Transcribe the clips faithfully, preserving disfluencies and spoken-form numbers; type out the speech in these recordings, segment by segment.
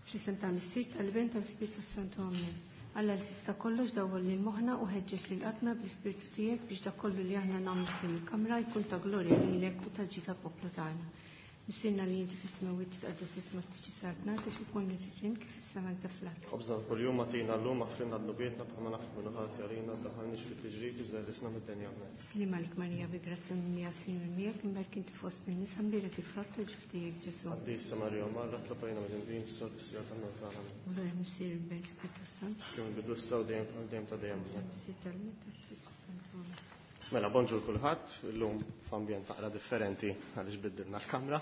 Fl-isem tal-Missier, tal-Iben, tal-Ispirtu Santu. Amen. Alla li tista' kollox dawwal lil moħħna u ħeġġeġ lil qalbna bl-Ispirtu tiegħek biex dak kollu li aħna nagħmlu f'din il-kamra jkun ta' glorja lilek u ta' ġid tal-poplu tagħna. Missierna li inti fis-smewwiet titqaddes ismek tiġi saltnatek ikun li trid kif fis-sema hekk fl-art. Ħobżna kuljum agħtina llum aħfrilna dnubietna bħalma naħfru min hu ħati għalina ddaħħalniex fi tiġrib iżda eħlisna mid-deni. Amen. Sliem għalik Marija bi grazzja mimlija s-Sinjur miegħek imberk inti fost in-nisa mbierek il-frott tal-ġuf tiegħek Ġesù. Qaddisa Marija Omm Alla itlob għalina midinbin issa u fis-siegħa tal-mewt tagħna. Amen. Glorja Missier Iben Spiritu Santu. Kemm bidu issa u dejjem għal dejjem ta' dejjem. Glorja Missier tal-Iben tal-Spiritu Santu. Amen. Mela, bonġur kulħadd, illum f'ambjent naqra differenti għaliex biddilna l-kamra.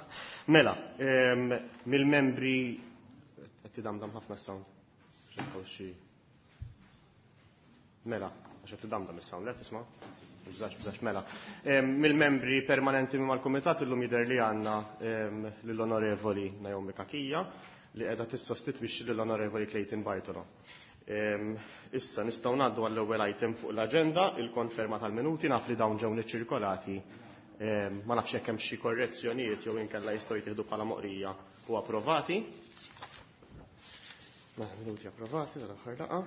Mela, em, mill-membri qed tidamdam ħafna sound. Xi Mela, għax qed tidamdam is-sound, le tisma'? Bżax, bżax, mela. Em, Mill-membri permanenti mal-kumitat illum jidher li għandna em, lill-Onorevoli Naomi Cachia li qiegħda tissostitwixxi lill-Onorevoli Clayton Bartolo. Em, Issa nistgħu ngħaddu għall-ewwel item fuq l-aġenda, il-konferma tal-minuti, naf li dawn ġew niċċirkolati. Em, Ma nafx jekk hemm xi korrezzjonijiet jew inkella jistgħu jittieħdu bħala moqrija u approvati. Mela, minuti approvati tal-aħħar laqgħa.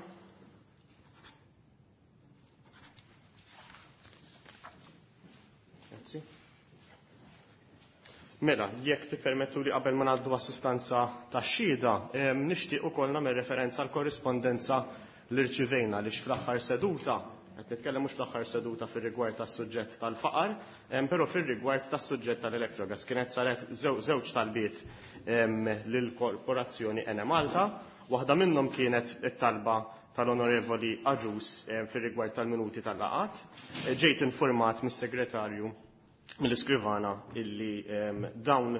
Grazzi. Mela, jekk tippermettu li qabel ma ngħaddu għas-sustanza tax-xhieda, em, nixtieq ukoll nagħmel referenza għal korrispondenza li rċivejna li fl-aħħar seduta, qed nitkellem mhux fl-aħħar seduta fir-rigward tas-suġġett tal-faqar, em, però fir-rigward tas-suġġett tal-Electrogas kienet saret żew- żewġ talbiet em, lill-Korporazzjoni Enemalta, waħda minnhom kienet it-talba tal-Onorevoli Agius em, fir-rigward tal-minuti tal-laqat. Ġejt informat mis-segretarju mill-iskrivana illi em, dawn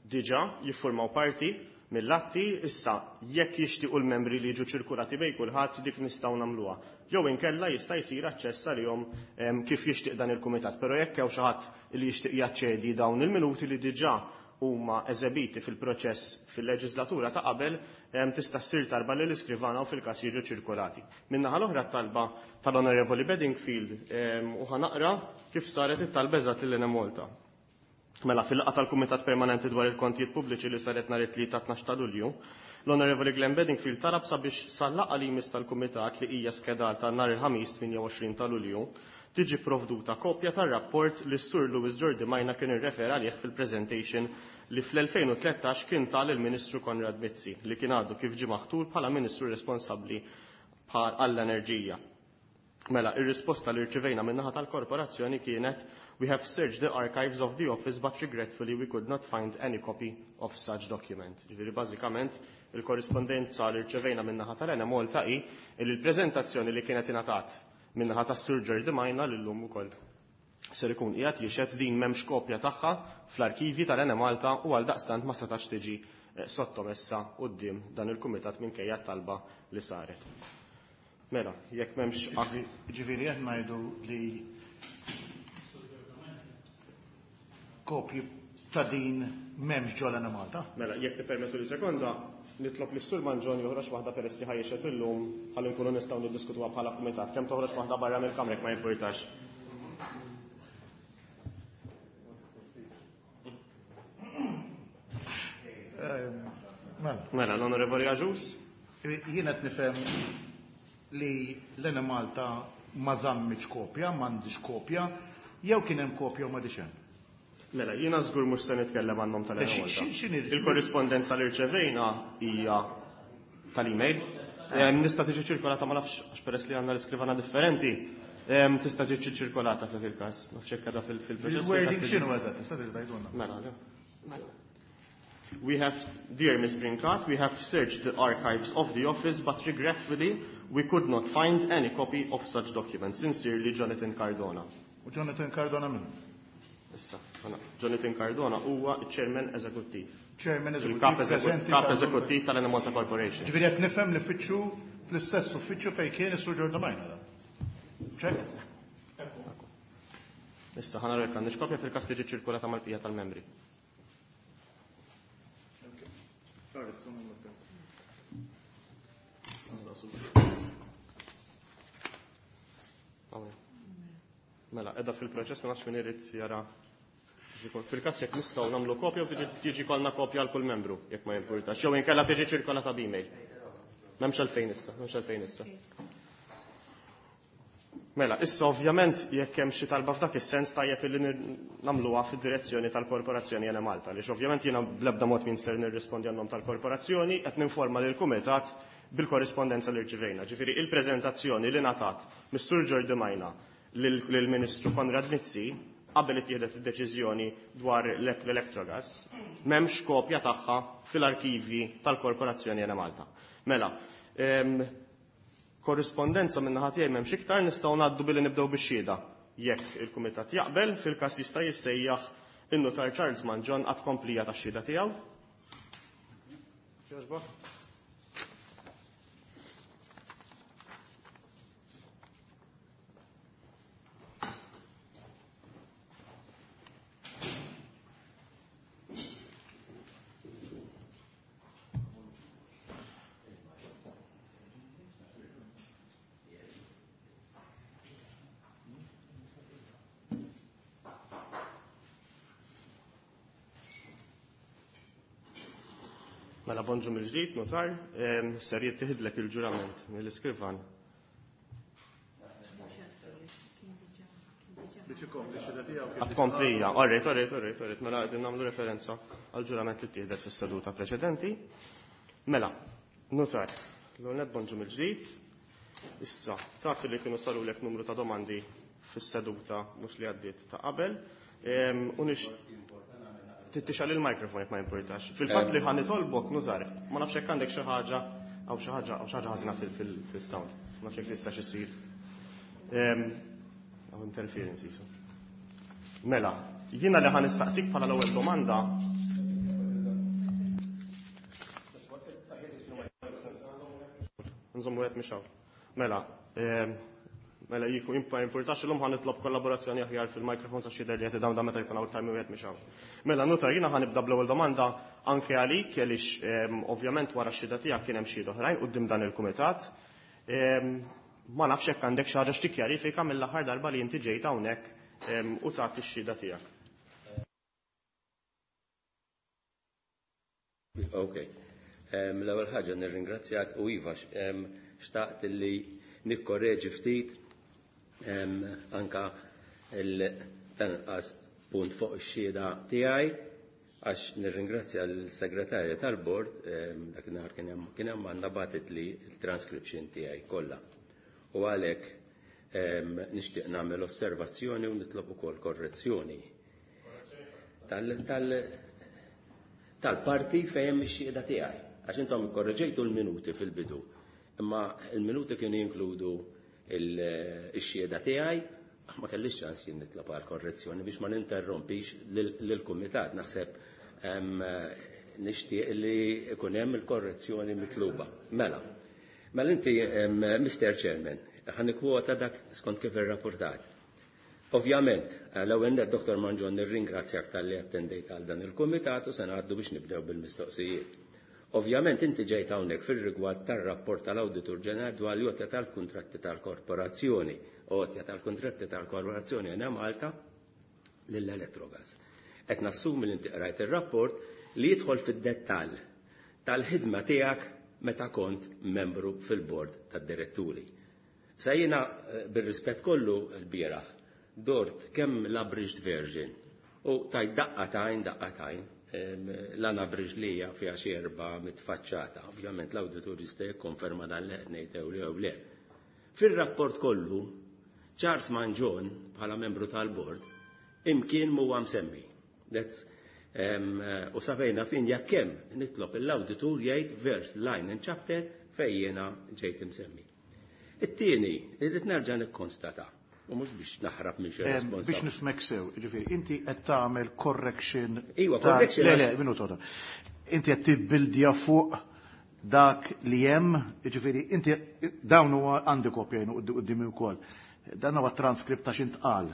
diġa jiffurmaw parti mill-atti, issa jekk jixtiequ l-membri li jiġu ċirkulati bejn kulħadd dik nistgħu nagħmluha. Jew inkella jista' jsir aċċess għalihom em, kif jixtieq dan il-kumitat, però jekk hawn xi ħadd li jixtieq jaċċedi dawn il-minuti li diġà huma eżebiti fil-proċess fil-leġislatura ta' qabel, em, tista' ssir talba lil iskrivana u fil-każ jiġu ċirkolati. Min-naħa l-oħra t-talba tal-Onorevoli Bedingfield em, u ħanaqra kif saret it-talba eżatt lil Enemalta. Mela, fil-laqgħa tal-Kumitat Permanenti dwar il-Kontijiet Pubbliċi li saret nhar it-tlieta tnax ta' Lulju, l-Onorevoli Glenn Bedingfield talab sabiex sal-laqgħa li jmiss tal-Kumitat li hija skedata nhar il-Ħamis tmienja u għoxrin ta' Lulju tiġi provduta kopja tar-rapport li s-Sur Louis Giordimaina kien irrefera għalih fil-presentation li fl-elfejn u tlettax kien tal il-Ministru Konrad Mizzi li kien għadu kif ġie maħtur bħala Ministru responsabbli għall-enerġija. Mela, ir-risposta li rċivejna min-naħa tal-korporazzjoni kienet We have searched the archives of the office, but regretfully we could not find any copy of such document. Ġifieri bażikament il-korrispondenza li rċevejna min-naħa tal-Enemalta hi li l-preżentazzjoni li kienet ingħatat min-naħa tas-Sur Giordimaina li llum ukoll ser ikun qiegħed jixhed din m'hemmx kopja tagħha fl-arkivi tal-Enemalta u għal daqstant ma setax tiġi, eh, sottomessa quddiem dan il-kumitat minkejja t-talba li saret. Mela, jekk m'hemmx Ġifieri, ġifieri qed ngħidu li kopji ta' din m'hemmx ġol Enemalta? Mela, jekk tippermettu li sekonda, nitlob lis Sur Mangion joħroġ waħda peress li ħajxet illum ħalli nkunu nistgħu niddiskutuha bħala kumitat. Kemm toħroġ waħda barra mill-kamra jekk ma jimpurtax. Mela. Mela, l-Onorevoli Agius? Jien qed nifhem li l-Enemalta ma żammitx kopja, m'għandix kopja, jew kien hemm kopja u m'għadix hemm. Mela, jiena żgur mhux se nitkellem għan-nom tal-Enemalta. Xi, xi, x'inhi Il-korrispondenza li rċevejna hija tal-email. Em, nista' tiġi ċirkolata ma nafx għax peress li għandna l-iskrivana differenti. Em, tista' tiġi ċirkolata f'dak il-każ. Nafx hekk għadha fil-, fil-proċess. Il-wording x'inhu eżatt, tista' tiġi tgħidulna? Mela, le. Mela. We have, dear Miz Brincat, we have searched the archives of the office, but regretfully we could not find any copy of such document. Sincerely, Jonathan Cardona. U Jonathan Cardona min? Issa, għana, Jonathan Cardona huwa chairman eżekuttiv. Chairman eżekuttiv, Il-kap eżeku-, preżenti kap tal- eżekuttiv tal-Enemalta Corporation. Ġifieri qed nifhem li fitxu fl-istess uffiċċju fejn kien is-Sur Giordimaina da. Ċek? Issa ħana rek għandix kopja fil-każ li ġiet ċirkolata mal-bqija tal-membri. Mela, edha fil-proċess, ma nafx min irid jara Fil-każ jekk nistgħu nagħmlu kopja u tiġi kollna kopja għal kull membru jekk ma jimpurtax. Jew inkella tiġi ċirkolata b'email. M'hemmx għalfejn issa, m'hemmx għalfejn issa. Mela, issa ovvjament jekk hemm xi talba f'dak is-sens tajjeb illi nagħmluha fid-direzzjoni tal-Korporazzjoni Enemalta, għaliex ovvjament jiena bl-ebda mod min ser nirrispondi għan-nom tal-korporazzjoni, qed ninforma lill-kumitat bil-korrispondenza li rċivejna. Ġifieri il-preżentazzjoni li ngħatat mis-Sur Jordi Majna lill-Ministru Konrad Mizzi qabel ittieħdet id-deċiżjoni dwar l-Electrogas, m'hemmx kopja tagħha fil-arkivi tal-Korporazzjoni Enemalta. Mela, korrispondenza minn naħa tiegħi m'hemmx iktar, nistgħu ngħaddu billi nibdew bix-xhieda. Jekk il-kumitat jaqbel, fil-każ jista' jissejjaħ in-Nutar Charles Mangion għad komplija tax-xhieda tiegħu. Mela bonġu mill-ġdid, notar, ser jittieħidlek il-ġurament mill-iskrivan. Għat-komplija, orrejt, orrejt, orrejt, orrejt, mela qegħdin nagħmlu referenza għal-ġurament li ttieħdet fis-seduta preċedenti. Mela, notar, l-għonet bonġu mill-ġdid, issa, taf li kienu sarulek numru ta' domandi fis-seduta mhux li għaddiet ta' qabel, u nix tittixal il-mikrofon jekk ma jimpurtax. Fil-fatt li ħa nitolbok nużar, ma nafx hekk għandek xi ħaġa għaw xi ħaġa għaw xi ħaġa ħażina fil-sound. Ma nafx hekk tista' xisir. Hawn interference isu. Mela, jiena li ħa nistaqsik bħala l-ewwel domanda. Nżommu qed mhix hawn. Mela, mela jiku ma jimpurtax illum ħa nitlob kollaborazzjoni aħjar fil-mikrofon sa xi li qed idawda meta jkun hawn iktar minn wieħed mhix hawn. Mela nutar jiena ħa nibda bl-ewwel domanda anke għalik għaliex ovvjament wara x-xhieda tiegħek kien hemm xhieda oħrajn quddiem dan il-kumitat. Ma nafx hekk għandek xi ħaġa x'tikkjarifika mill-aħħar darba li inti ġejt hawnhekk u tagħti x-xhieda tiegħek. Ok. L-ewwel ħaġa nirringrazzjak u iva xtaqt li nikkorreġi ftit anka il-tanqas punt fuq ix-xhieda tiegħi għax nirringrazzja l-segretarja tal-bord dakinhar kien hemm kien hemm għandha bagħtet li l-transcription tiegħi kollha. U għalhekk nixtieq nagħmel osservazzjoni u nitlob ukoll korrezzjoni tal-parti fejn hemm ix-xhieda tiegħi. Għax intom ikkorreġejtu l-minuti fil-bidu, imma l-minuti kienu jinkludu il-xhieda tiegħi, ma kellix ċans jien nitlob għal korrezzjoni biex ma ninterrompix lill-kumitat. Naħseb nixtieq li ikun hemm il-korrezzjoni mitluba. Mela, mela inti Mister Chairman, ħa nikkwota dak skont kif irrapportat. Ovvjament, l-ewwel nett Doktor Mangion nirringrazzjak talli attendejt għal dan il-kumitat u se ngħaddu biex nibdew bil-mistoqsijiet. Ovvjament inti ġejt hawnhekk fir-rigward tar-rapport tal-Awditur Ġenerali dwar l-għotja tal-kuntratti tal-korporazzjoni, għotja tal-kuntratti tal-korporazzjoni Enemalta lill-Electrogas. Qed nassumi li inti qrajt ir-rapport li jidħol fid-dettall tal-ħidma tiegħek meta kont membru fil-bord tad-diretturi. Sa jiena bir-rispett kollu l-bieraħ dort kemm l-abridged version u tajt daqqa tajn daqqa tajn l-unabridged li hija fiha xi erba' mitfaċċata. Ovvjament l-awditur jista' jikkonferma dan li qed ngħid jew jew le. Fir-rapport kollu Charles Mangion bħala membru tal-bord imkien m'huwa msemmi. U safejna fin jekk hemm nitlob l-awditur jgħid verse, line and chapter fejn jiena ġejt imsemmi. It-tieni, irrid nerġa' nikkonstata u mhux biex naħrab minn xi responsabilità. Biex nismek sew, jiġifieri, inti qed tagħmel correction. Iva, correction. Le, le, minuta oħra. Inti qed tibbildja fuq dak li hemm, jiġifieri, inti dawn huwa għandi kopja jien quddiemi wkoll. Dan huwa transkript ta' x'intqal.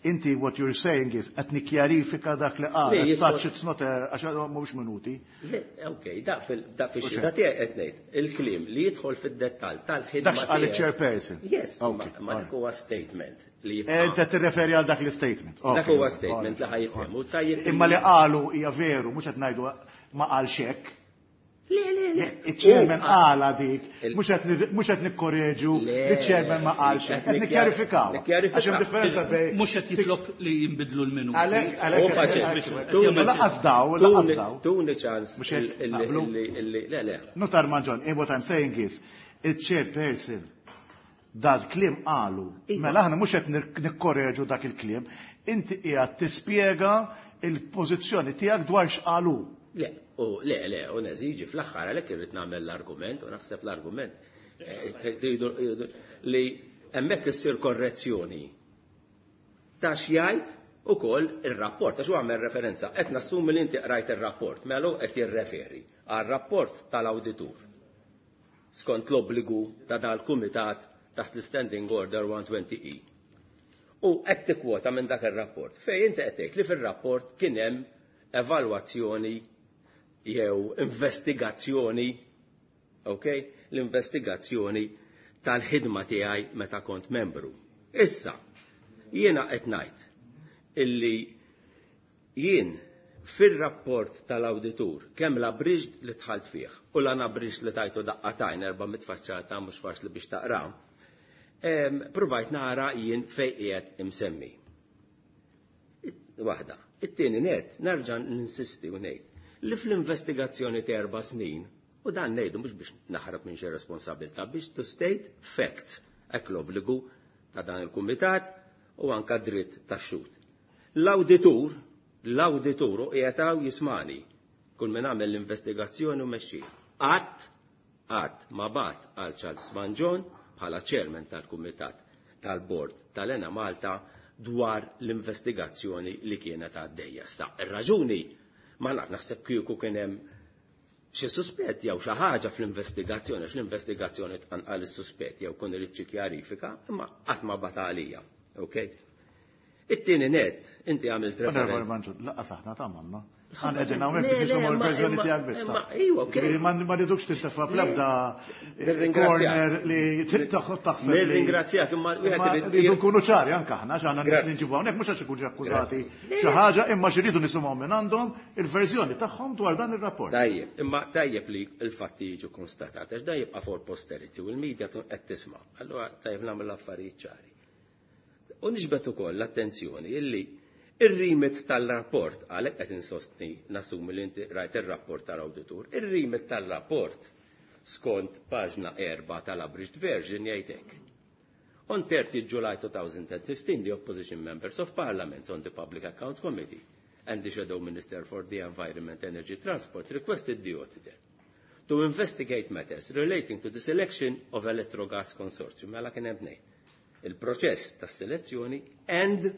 Inti what you're saying is qed nikkjarifika dak li qal. As such it's not għax mhux minuti. Le, ok, da fix-xhieda tiegħi qed ngħid il-kliem li jidħol fid-dettall tal-ħidma. Dak x'qal il-chairperson. Yes, ma dak huwa statement li jibqa'. Inti tirreferi għal dak l-statement. Dak huwa statement li ħa jifhem u tajjeb. Imma li qalu hija veru, mhux qed ngħidu ma qalx hekk. Le, le, le. Il-chairman qala dik, mhux qed nikkoreġu li chairman ma qalx hekk, qed nikkjarifikaw. Għax hemm differenza bejn. Mhux qed jitlob li jinbidlu l-minuti. Għalhekk għalhekk laqas daw, laqas daw. Tuni ċans illi le, le. Nutar Mangion, what I'm saying is, il-chairperson dal-kliem qalu, mela aħna mhux qed nikkoreġu dak il-kliem, inti qiegħed tispjega il-pożizzjoni tiegħek dwar x'qalu. Le, u le, le, u neżiġi fl-aħħar għalhekk irrid nagħmel l-argument u naħseb l-argument li hemmhekk issir korrezzjoni ta' x'jgħid ukoll ir-rapport, għax huwa għamel referenza, qed nassumi li inti qrajt ir-rapport, mela qed jirreferi għar-rapport tal-awditur skont l-obbligu ta' dal-kumitat taħt l-Standing Order one twenty E. U qed tikkwota minn dak ir-rapport fejn inti qed tgħid li fir-rapport kien hemm evalwazzjoni jew investigazzjoni, ok? L-investigazzjoni tal-ħidma tiegħi meta kont membru. Issa, jiena qed ngħid illi jien fir-rapport tal-awditur kemm l-abridged li dħalt fih u l-unabridged li tajtu daqqatajn erba' mitfaċċata mhux faċli biex taqra, provajt nara jien fejn qiegħed imsemmi. Waħda. It-tieni net nerġa' ninsisti u ngħid li fl-investigazzjoni ta' erba' snin, u dan ngħidu mhux biex naħrab minn xi responsabilità, biex to state facts, hekk l-obbligu ta' dan il-kumitat u anka dritt tax-xhud. L-awditur, l-awditur u qiegħed hawn jismani, kull min għamel l-investigazzjoni u mexxi. Qatt, qatt ma bat għal Charles Mangion bħala chairman tal-kumitat tal-bord tal-Enemalta dwar l-investigazzjoni li kienet għaddejja. Sta, ir-raġuni ma naf, naħseb kieku kien hemm xi suspett jew xi ħaġa fl-investigazzjoni, għax l-investigazzjoni tqanqal is-suspett jew kun irid xi kjarifika, imma qatt ma bata għalija. Ok? It-tieni net, inti għamilt referenza. Onorevoli Mangion, laqqas aħna tagħmilna. Għan qegħdin hawnhekk biex nisimgħu l-verżjoni tiegħek biss. Iva, ok. Ġifieri ma rridux tintefa' bl-ebda corner li taħseb. Nirringrazzjak, imma wieħed irid rridu nkunu ċari anke aħna għax għandna nies li nġibu hawnhekk mhux għax ikunu akkużati xi ħaġa, imma xi rridu nisimgħu minn għandhom il-verżjoni tagħhom dwar dan ir-rapport. Tajjeb, imma tajjeb li l-fatti jiġu konstatati għax dan jibqa' for posterity u l-media qed tisma'. Allura tajjeb nagħmel l-affarijiet ċari. U nixbet ukoll l-attenzjoni illi ir-remit tal-rapport, għalhekk qed insostni nassumi li inti rajt ir-rapport tal-awditur, ir-remit tal-rapport skont paġna erba' tal-abridged version jgħid hekk. On thirtieth July two thousand and fifteen, the opposition members of Parliament on the Public Accounts Committee and the Shadow Minister for the Environment, Energy Transport requested the auditor to investigate matters relating to the selection of Electrogas Consortium, mela kien hemm tnejn, il-proċess tas-selezzjoni and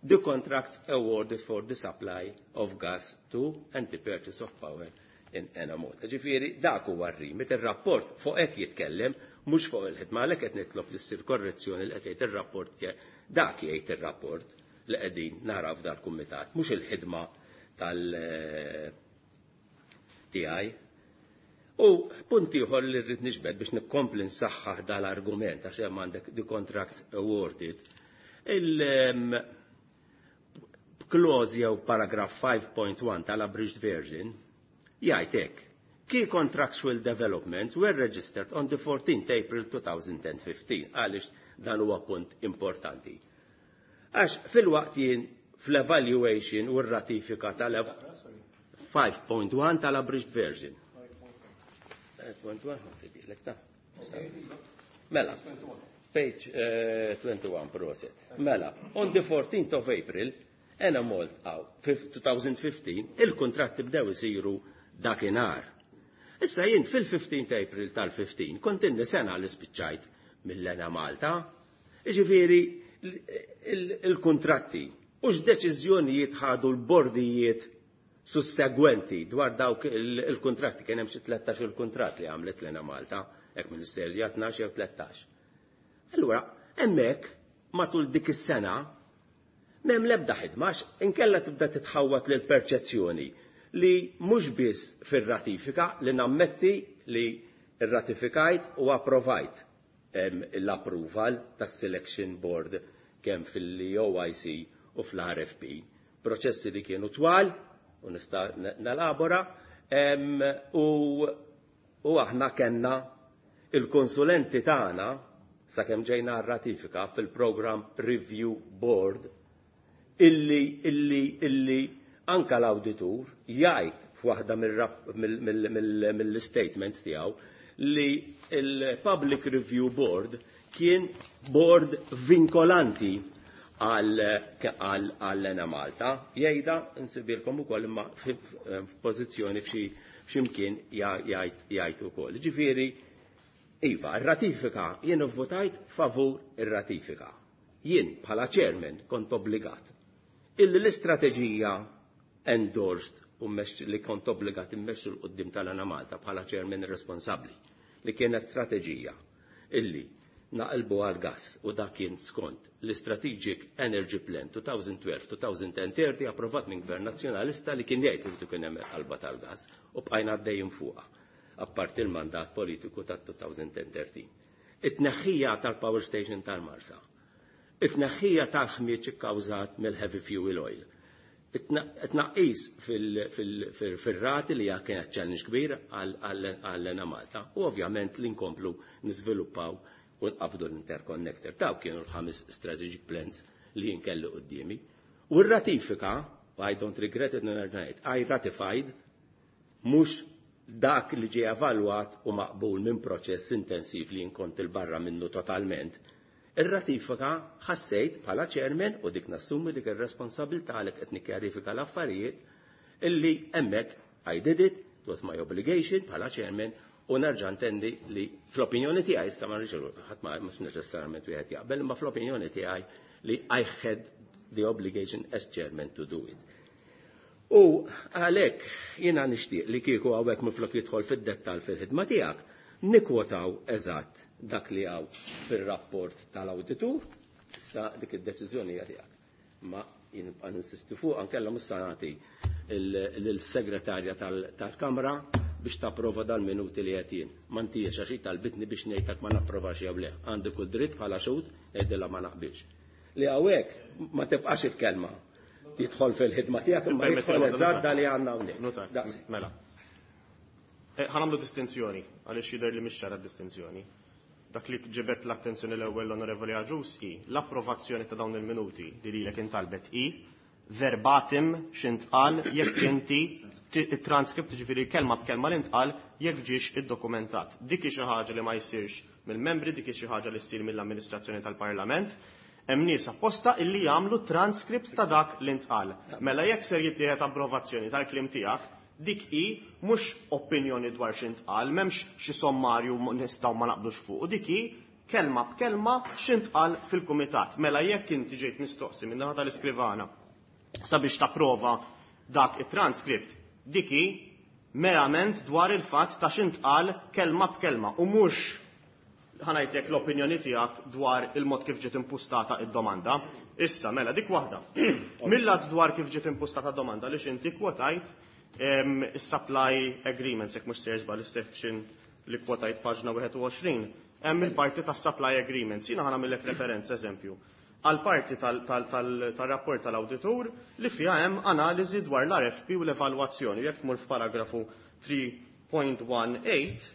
the contracts awarded for the supply of gas to and the purchase of power in Enemalta. Ġifieri, dak huwa r-remit, ir-rapport fuq hekk jitkellem, mhux fuq il-ħidma, għalhekk qed nitlob li ssir korrezzjoni li qed jgħid ir-rapport, dak jgħid ir-rapport li qegħdin naraw f'dal-kumitat, mhux il-ħidma tal tiegħi. U punt ieħor li rrid nixbed biex nikkompli nsaħħaħ dal-argument għax hemm għandek the contracts awarded, il clause jew paragraph five point one tal-abridged version jgħid hekk. Key contractual developments were registered on the fourteenth April two thousand and fifteen. Għaliex dan huwa punt importanti. Għax fil-waqt jien fl-evaluation u r-ratifika tal five point one tal-abridged version. five point one, ħansibilek ta'. Mela, page, eh, twenty-one proset. Mela, on the fourteenth of April, Enemalta, two thousand fifteen, il-kontratti bdew isiru dakinhar. Issa jien fil-fifteenth April tal-fifteen kont inni sena li spiċċajt mill-Enemalta. Jiġifieri il-kontratti u x'deċiżjonijiet ħadu l-bordijiet sussegwenti dwar dawk il-kontratti, kien hemm xi tlettax il-kuntratt li għamlet l-Enemalta, hekk ministerja tnax jew tlettax. Allura, hemmhekk matul dik is-sena m'hemm l-ebda ħidma għax inkella tibda titħawwat lil perċezzjoni li mhux biss fir-ratifika li nammetti li rratifikajt u approvajt l-approval tas-selection board kemm fil-O I C u fl-R F P. Proċessi li kienu twal u nista' nelabora, u, u aħna kellna il-konsulenti tagħna sakemm ġejna r-ratifika fil-Program Review Board illi, illi, illi anka l-awditur jgħid f'waħda mill-statements tiegħu li il-Public Review Board kien board vinkolanti għall-Ena Malta. Jgħidha nsibilkom ukoll imma f'pożizzjoni f'xi f'ximkien jgħid ukoll. Ġifieri, iva, ir-ratifika jien votajt favur ir-ratifika. Jien bħala chairman kont obbligat illi l-istrateġija endorsed u li kont obbligat immexxu l quddiem tal-Ena Malta bħala chairman responsabbli li kienet strateġija illi naqilbu għal gas u dak kien skont l-Strategic Energy Plan twenty twelve to twenty thirty approvat minn Gvern Nazzjonalista li kien jgħid li kien hemm qalba tal-gas u bqajna għaddejjin fuqha apparti l-mandat politiku ta' twenty thirteen. It-tneħħija tal-power station tal-Marsa, it-tneħħija tal-ħmieġ ikkawżat mill-heavy fuel oil, it-tnaqqis fil-rati li kienet challenge kbir għall-Ena Malta u ovvjament li nkomplu niżviluppaw u nqabdu l-interconnector. Daw kienu l-ħames strategic plans li jinkellu quddiemi. U r-ratifika, I don't regret it, ngħid, I ratified mhux dak li ġie evalwat u maqbul minn proċess intensiv li jinkont il-barra minnu totalment. Ir-ratifika ħassejt bħala chairman u dik nassumi dik ir-responsabilità għalhekk qed nikkjarifika l-affarijiet illi hemmhekk I did it, it was my obligation bħala chairman u nerġa' ntendi li fl-opinjoni tiegħi issa ma rridx ħadd ma mhux neċessarjament wieħed jaqbel, imma fl-opinjoni tiegħi li I had the obligation as chairman to do it. U għalhekk jiena nixtieq li kieku hawnhekk minflok jidħol fid-dettall fil-ħidma tiegħek, nikwotaw eżatt dak li hawn fir-rapport tal-awditur, issa dik id-deċiżjoni hija tiegħek. Ma jien nibqa' ninsisti fuq ankella mhux se nagħti lill-segretarja tal-Kamra biex tapprova dal-minuti li qed jien. Ma ntiex għax hi talbitni biex ngħidlek ma napprovax jew le. Għandi kull dritt bħala xhud ngħidilha ma naqbilx. Li hawnhekk ma tibqax il-kelma jidħol fil-ħidma tiegħek imma jidħol eżatt da li għandna hawnhekk. Mela. Ħa nagħmlu distinzjoni għaliex jidher li mhix ċara d-distinzjoni. Dak li ġibet l-attenzjoni l-ewwel l-Onorevoli Agius hi l-approvazzjoni ta' dawn il-minuti li lilek intalbet hi verbatim x'intqal jekk inti it-transkript, ġifieri kelma b'kelma li ntqal jekk ġiex iddokumentat. Dik hi xi ħaġa li ma jsirx mill-membri, dik hi xi ħaġa li ssir mill-amministrazzjoni tal-Parlament. Hemm nies apposta illi jagħmlu transkript ta' dak li ntqal. Mela jekk ser jittieħed approvazzjoni tal-kliem tiegħek, dik hi mhux opinjoni dwar x'intqal, m'hemmx xi sommarju nistgħu ma naqblux fuq, u dik hi kelma b'kelma x'intqal fil-kumitat. Mela jekk inti ġejt mistoqsi minn naħa tal-iskrivana sabiex tapprova dak it-transkript, dik hi merament dwar il-fatt ta' x'intqal kelma b'kelma u mhux ħanajtek l-opinjoni tiegħek dwar il-mod kif ġiet impustata id-domanda. Issa, mela, dik waħda. Millat dwar kif ġiet impustata d-domanda li x'inti kwotajt is-supply agreements, jekk mhux sejjer żball is-section li kwotajt paġna wieħed u għoxrin, hemm il-parti tas-supply agreements. Jiena ħa nagħmellek referenza eżempju għal parti tal-rapport tal-awditur li fiha hemm analiżi dwar l-R F P u l-evalwazzjoni. Jekk tmur f'paragrafu three point one eight.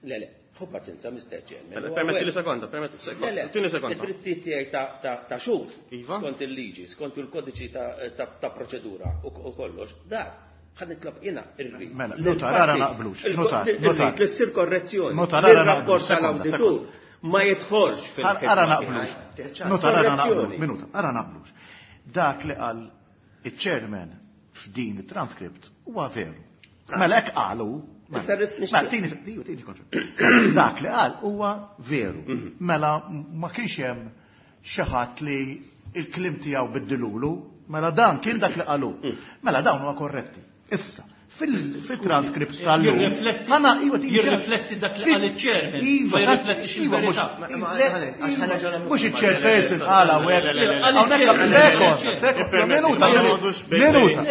Le, le, ħu paċenza, Mister Chairman. Mela, permetti li sekonda, permetti sekonda. Le, le, Tini sekonda. Id-drittijiet tiegħi ta', ta', ta' xhud, Iva. skont il-liġi, skont il-kodiċi ta', ta', ta' proċedura u, u kollox, dak ħa nitlob jiena irrid. Mela, notar, ara naqblux, notar, Irrid notar. li ssir korrezzjoni. Notar, ara Lir-rapport naqblux, sekonda, tal-awditur sekonda. ma jidħolx fil-ħidma Ara tiegħi. naqblux. Notar, ara naqblux, Korrezzjoni. minuta, ara naqblux. Dak li qal il-chairman f'din it-transkript huwa veru. Mela hekk qalu. Mela, Issa rrid nixtieq. mela, tini, tini, tini kontra. Dak li qal huwa veru. Mhm. Mela ma kienx hemm xi ħadd li il-kliem tiegħu biddilulu, mela dan kien dak li qalu. Mhm. Mela dawn huwa korretti. Issa, Fil-transkript tal-lum. Jirrifletti dak li qal iċ-chairman. Ma jirriflettix il-verità. Mhux iċ-chairperson qal hawnhekk. Hawnhekk minuta, minuta.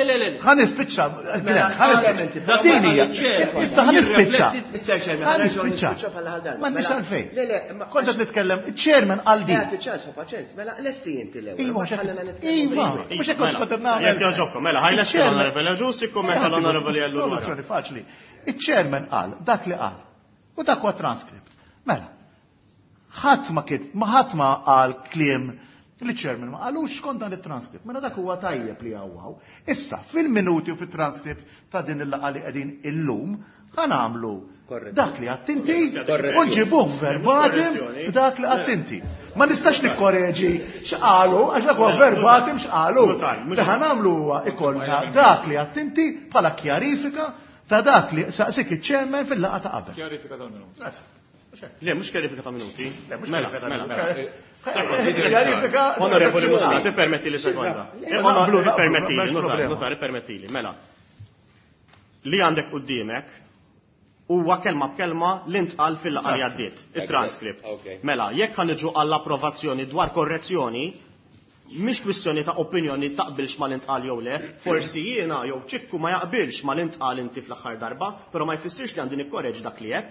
Ħa nispiċċa. Din hija. Issa ħa nispiċċa. Ħa nispiċċa. M'għandix għalfejn. Kont qed nitkellem, iċ-chairman qal din. Mela lesti inti l-ewwel. Iva, iva, mhux hekk kont qed nagħmel. Jekk jogħġobkom, mela ħa jlesti l-Onorevoli Agius, ikkummenta l-Onorevoli Ellul. Soluzzjoni faċli. Iċ-chairman qal dak li qal. U dak huwa transcript. Mela, ħadd ma kit, ma ħadd ma qal kliem li chairman ma qalux skont dan it-transcript. Mela dak huwa tajjeb li hawn. Issa, fil-minuti u fit-transcript ta' din il-laqgħa li qegħdin illum, ħa nagħmlu dak li għedt inti u nġibuh verbatim b'dak li għedt inti. Ma nistax nikkoreġi x'qalu, għax dak huwa verbatim x'qalu. Li ħa nagħmlu huwa ikollna dak li għedt inti bħala kjarifika ta' dak li saqsik iċ-chairman fil-laqgħa ta' qabel. Kjarifika tal-minuti. Le, mhux kjarifika ta' minuti. Mela, mela. Kjarifika. Onorevoli Muscat, permetti li sekonda. Permetti li, notar, permetti li, mela. Li għandek quddiemek huwa kelma b'kelma li ntqal fil-laqgħa li għaddiet, it-transcript. Mela, jekk ħa niġu għall-approvazzjoni dwar korrezzjoni, mhix kwistjoni ta' opinjoni taqbilx ma l-intqal jew le, forsi jiena jew Ċikku ma jaqbilx ma l-intqal inti fl-aħħar darba, però ma jfissirx li għandi nikkoreġ dak li qed.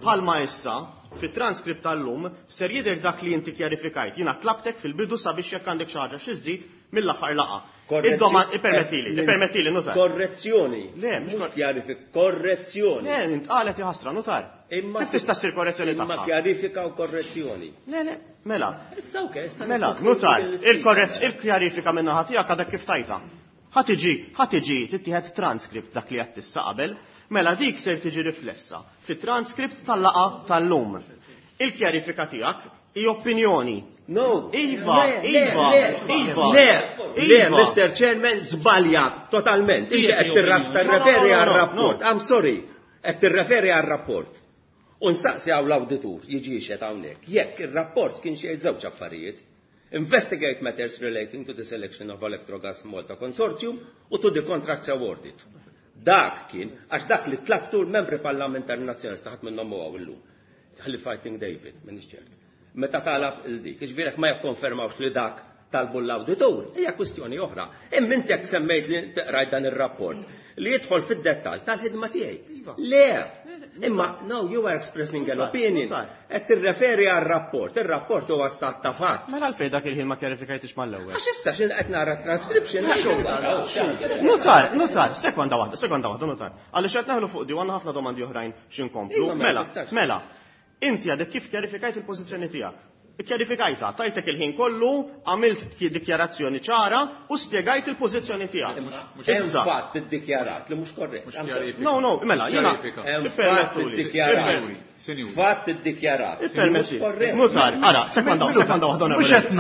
Bħalma issa, fit-transkript tal-lum, ser jidher dak li inti kjarifikajt. Jiena tlabtek fil-bidu sabiex jekk għandek xi ħaġa xi żżid mill-aħħar laqgħa. Ippermettili, ippermettili, notar. Korrezzjoni. Le, mhux kjarifika, korrezzjoni. Le, intqalet ħasra, notar. Imma kif tista' ssir korrezzjoni tagħha? Imma kjarifika u korrezzjoni. Le, le, mela. Issa okay, issa. Mela, notar, il-kjarifika minn naħa tiegħek għadek kif tajta. Ħa tiġi, ħa tiġi tittieħed transkript dak li qed tissa qabel, mela dik ser tiġi riflessa fit-transkript tal-laqgħa tal-lum. Il-kjarifika tiegħek i opinjoni. No. Iva, Iva, Iva. Le, le, Mister Chairman, żbaljat totalment. Inti qed tirreferi għar-rapport. I'm sorry, qed tirreferi għar-rapport. U nsaqsi hawn l-awditur jiġi xed hawnhekk. Jekk ir-rapport kien xi żewġ affarijiet, investigate matters relating to the selection of Electrogas Malta Consortium u to the contracts awarded. Dak kien, għax dak li tlabtu l-membri parlamentari nazzjonalista ħadd minnhom huwa illum. Ħalli Fighting David, m'iniex ċert. Meta talab il-dik, ġifieri ma jikkonfermawx li dak talbu l-awditur, hija kwistjoni oħra. Imma inti jekk semmejt li tqrajt dan ir-rapport li jidħol fid-dettall tal-ħidma tiegħi. Le, imma no, you are expressing an opinion. Qed tirreferi għar-rapport, ir-rapport huwa stat ta' fatt. Mela għalfejn dak il-ħin ma kjarifikajtix mal-ewwel. Għax issa x'in qed nara transcription. Notar, notar, sekonda waħda, sekonda waħda, notar. Għaliex qed naħlu fuq di għandna ħafna domandi oħrajn x'inkomplu. Mela, mela. Inti għadek kif kjarifikajt il-pożizzjoni tiegħek. Kjarifikajta, tajtek il-ħin kollu, għamilt dikjarazzjoni ċara u spjegajt il-pożizzjoni tiegħek. Issa fatt iddikjarat li mhux korrett. No, no, mela, jiena ippermettuli. Fatt iddikjarat. Ippermetti. Notar, ara, sekonda, sekonda waħda,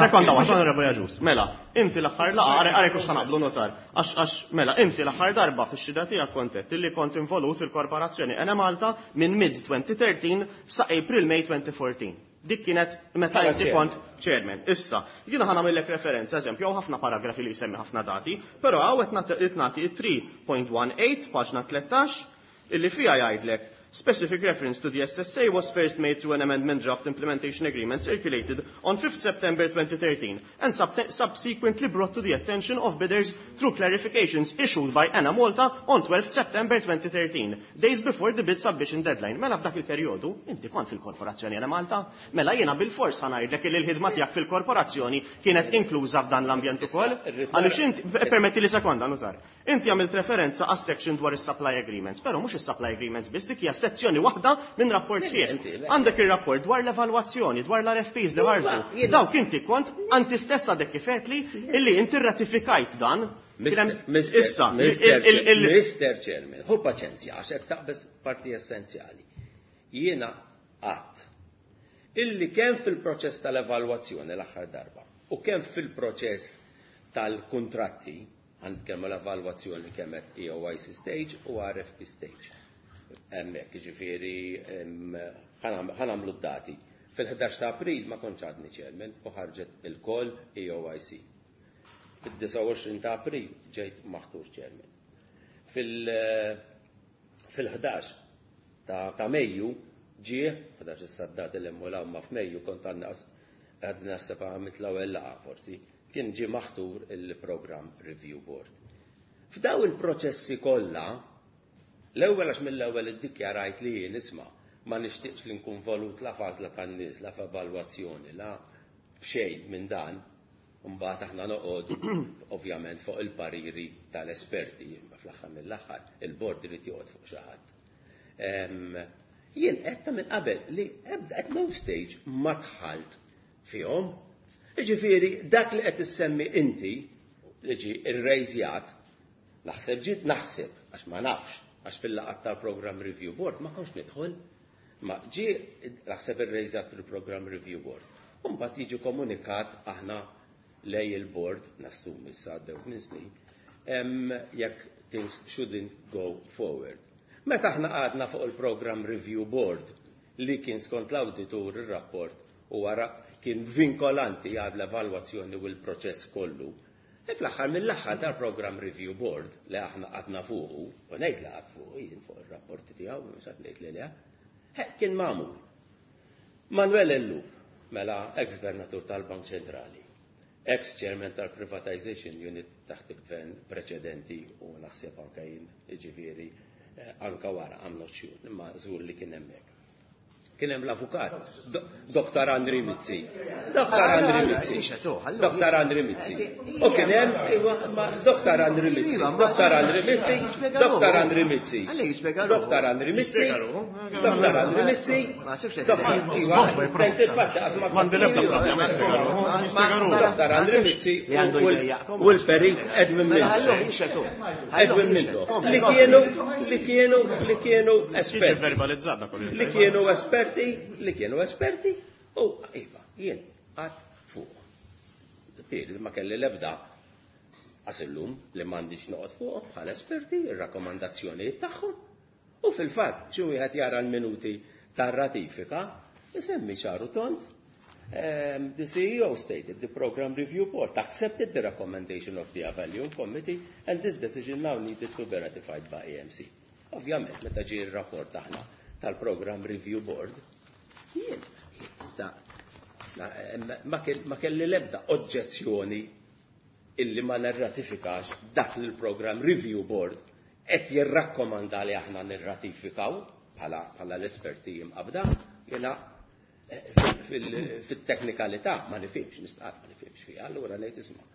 sekonda waħda, Onorevoli Agius. Mela, inti l-aħħar laqgħa, ara, ara kux naqblu notar. Għax, għax, mela, inti l-aħħar darba fix-xhieda tiegħek kont illi kont involut fil-korporazzjoni Enemalta minn mid twenty thirteen sa April May twenty fourteen. Dik kienet meta inti kont chairman. Issa, jiena ħa nagħmellek referenza, eżempju, hawn ħafna paragrafi li jsemmi ħafna dati, però hawn qed nagħti three point one eight, paġna tlettax, illi fiha jgħidlek specific reference to the S S A was first made through an amendment draft implementation agreement circulated on fifth September twenty thirteen and sub-, subsequently brought to the attention of bidders through clarifications issued by Enemalta on twelfth September twenty thirteen, days before the bid submission deadline. Mela f'dak il-perjodu, inti kont fil-korporazzjoni Enemalta, mela jiena bil-fors ħa ngħidlek li l-ħidma tiegħek fil-korporazzjoni kienet inkluża f'dan l-ambjent ukoll. Għaliex inti, permetti li sekonda, notar. Inti għamilt referenza għas section dwar is-supply agreements, però mhux is-supply agreements biss, dik hija sezzjoni waħda minn rapport sħiħ. Għandek ir-rapport dwar l-evalwazzjoni, dwar l-R F Ps li ħarġu. Dawk inti kont anti stess għadek kif għedtli illi inti rratifikajt dan. Issa, Mister Chairman, hu paċenzja, għax qed taqbeż parti essenzjali. Jiena qatt illi kemm fil-proċess tal-evalwazzjoni l-aħħar darba u kemm fil-proċess tal-kuntratti, għand kemm l-evalwazzjoni kemm qed E O I C stage u R F P stage. Hemmhekk, jiġifieri, ħanamlu d-dati. Fil-ħdax ta' April ma kontx għadni chairman u ħarġet il-koll E O I C. Fid-disgħa u għoxrin ta' April ġejt maħtur chairman. Fil- Fil-ħdax ta' Mejju ġie, ħdax issa d-dati li hemm ma f'Mejju kont għandna għadna naħseb għamilt l-ewwel laqgħa forsi, kien ġie maħtur il-Program Review Board. F'daw il-proċessi kollha, l-ewwel għax mill-ewwel iddikjarajt li jien isma' ma nixtieqx li nkun volut la f'għażla tan-nies, la f'evalwazzjoni, la f'xejn minn dan, mbagħad aħna noqogħdu ovvjament fuq il-pariri tal-esperti, imma fl-aħħar mill-aħħar il-bord irid joqgħod fuq xi ħadd. Jien qed ta' minn qabel li ebda at no stage ma dħalt fihom. Jiġifieri dak li qed issemmi inti li ġie irrejżjat, naħseb ġiet naħseb għax ma nafx, għax fil-laqgħat tal-Program Review Board ma kontx nidħol, ma ġie naħseb irrejżjat fil-Program Review Board. U mbagħad jiġi komunikat aħna lej il-board, nassumi issa għaddew minn snin, jekk things shouldn't go forward. Meta aħna għadna fuq il-Program Review Board li kien skont l-auditur il-rapport u wara kien vinkolanti għal l-evalwazzjoni u l-proċess kollu, e fl-aħħar mill-aħħar dal-Program Review Board li aħna għadna fuqu, u ngħid li għad fuqu, jien fuq ir-rapporti tiegħu, mhux qed ngħid li le, kien magħmul. Manuel Ellul, mela ex-gvernatur tal-Bank Ċentrali, ex-chairman tal-Privatization Unit taħt il-gvern preċedenti u naħseb anke jien, jiġifieri anka wara, I'm not sure, imma żgur li kien hemmhekk. Kien hemm l-avukat, Doktor Andri Mizzi. Doktor Andri Mizzi. Doktor Andri Mizzi. U kien hemm Doktor Andri Mizzi. Doktor Andri Mizzi. Doktor Andri Mizzi. Doktor Andri Mizzi. Doktor Andri Mizzi. Doktor Andri Mizzi u l-perit Edwin Mintoff. Edwin Mintoff. Li kienu li kienu li kienu esperti. Li kienu esperti li kienu esperti u iva, jien għad fuq. Pir, ma kelli l-ebda għasillum li m'għandix noqgħod fuq bħala esperti, ir-rakkomandazzjonijiet tagħhom. U fil-fatt, xi wieħed jara l-minuti tar-ratifika, isemmi ċaru tond. The C E O stated the Program Review Board accepted the recommendation of the Evaluation Committee and this decision now needed to be ratified by A M C. Ovvjament, meta ġie r-rapport aħna tal-Program Review Board, jien, issa, ma kelli l-ebda oġġezzjoni illi ma nirratifikax dak li l-Program Review Board qed jirrakkomanda li aħna nirratifikaw bħala l-esperti jimqabda, jiena fit-teknikalità ma nifhimx, nistqar ma nifhimx fiha, allura ngħid isma'.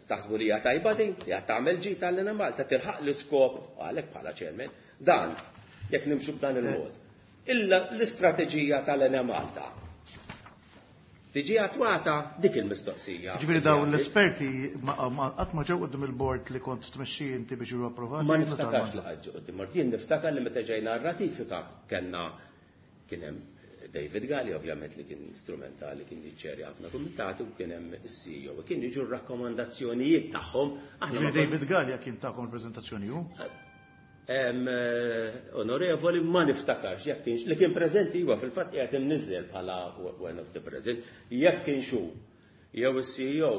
Taħsbu li hija tajba din, hija tagħmel ġid tal-Enemalta, tilħaq l-iskop, għalhekk bħala chairman, dan jekk nimxu b'dan il-mod. Illa l-istrateġija tal-Enemalta tiġi attwata dik il-mistoqsija. Ġifieri dawn l-esperti qatt ma ġew quddiem il-board li kont tmexxi inti biex jiġu approvati? Ma niftakarx li ħaġġu quddiem bord. Jien niftakar li meta ġejna r-ratifika kellna kien hemm David Galli ovvjament li kien strumentali, kien jiċċerja ħafna kumitati u kien hemm is-C E O kien jiġu r-rakkomandazzjonijiet tagħhom. Aħna David Galli kien tagħkom il-preżentazzjoni hu? Onorevoli, ma niftakarx jekk kienx li kien preżenti, huwa fil-fatt qiegħed imniżżel bħala one of the present, jekk kienx hu jew is-C E O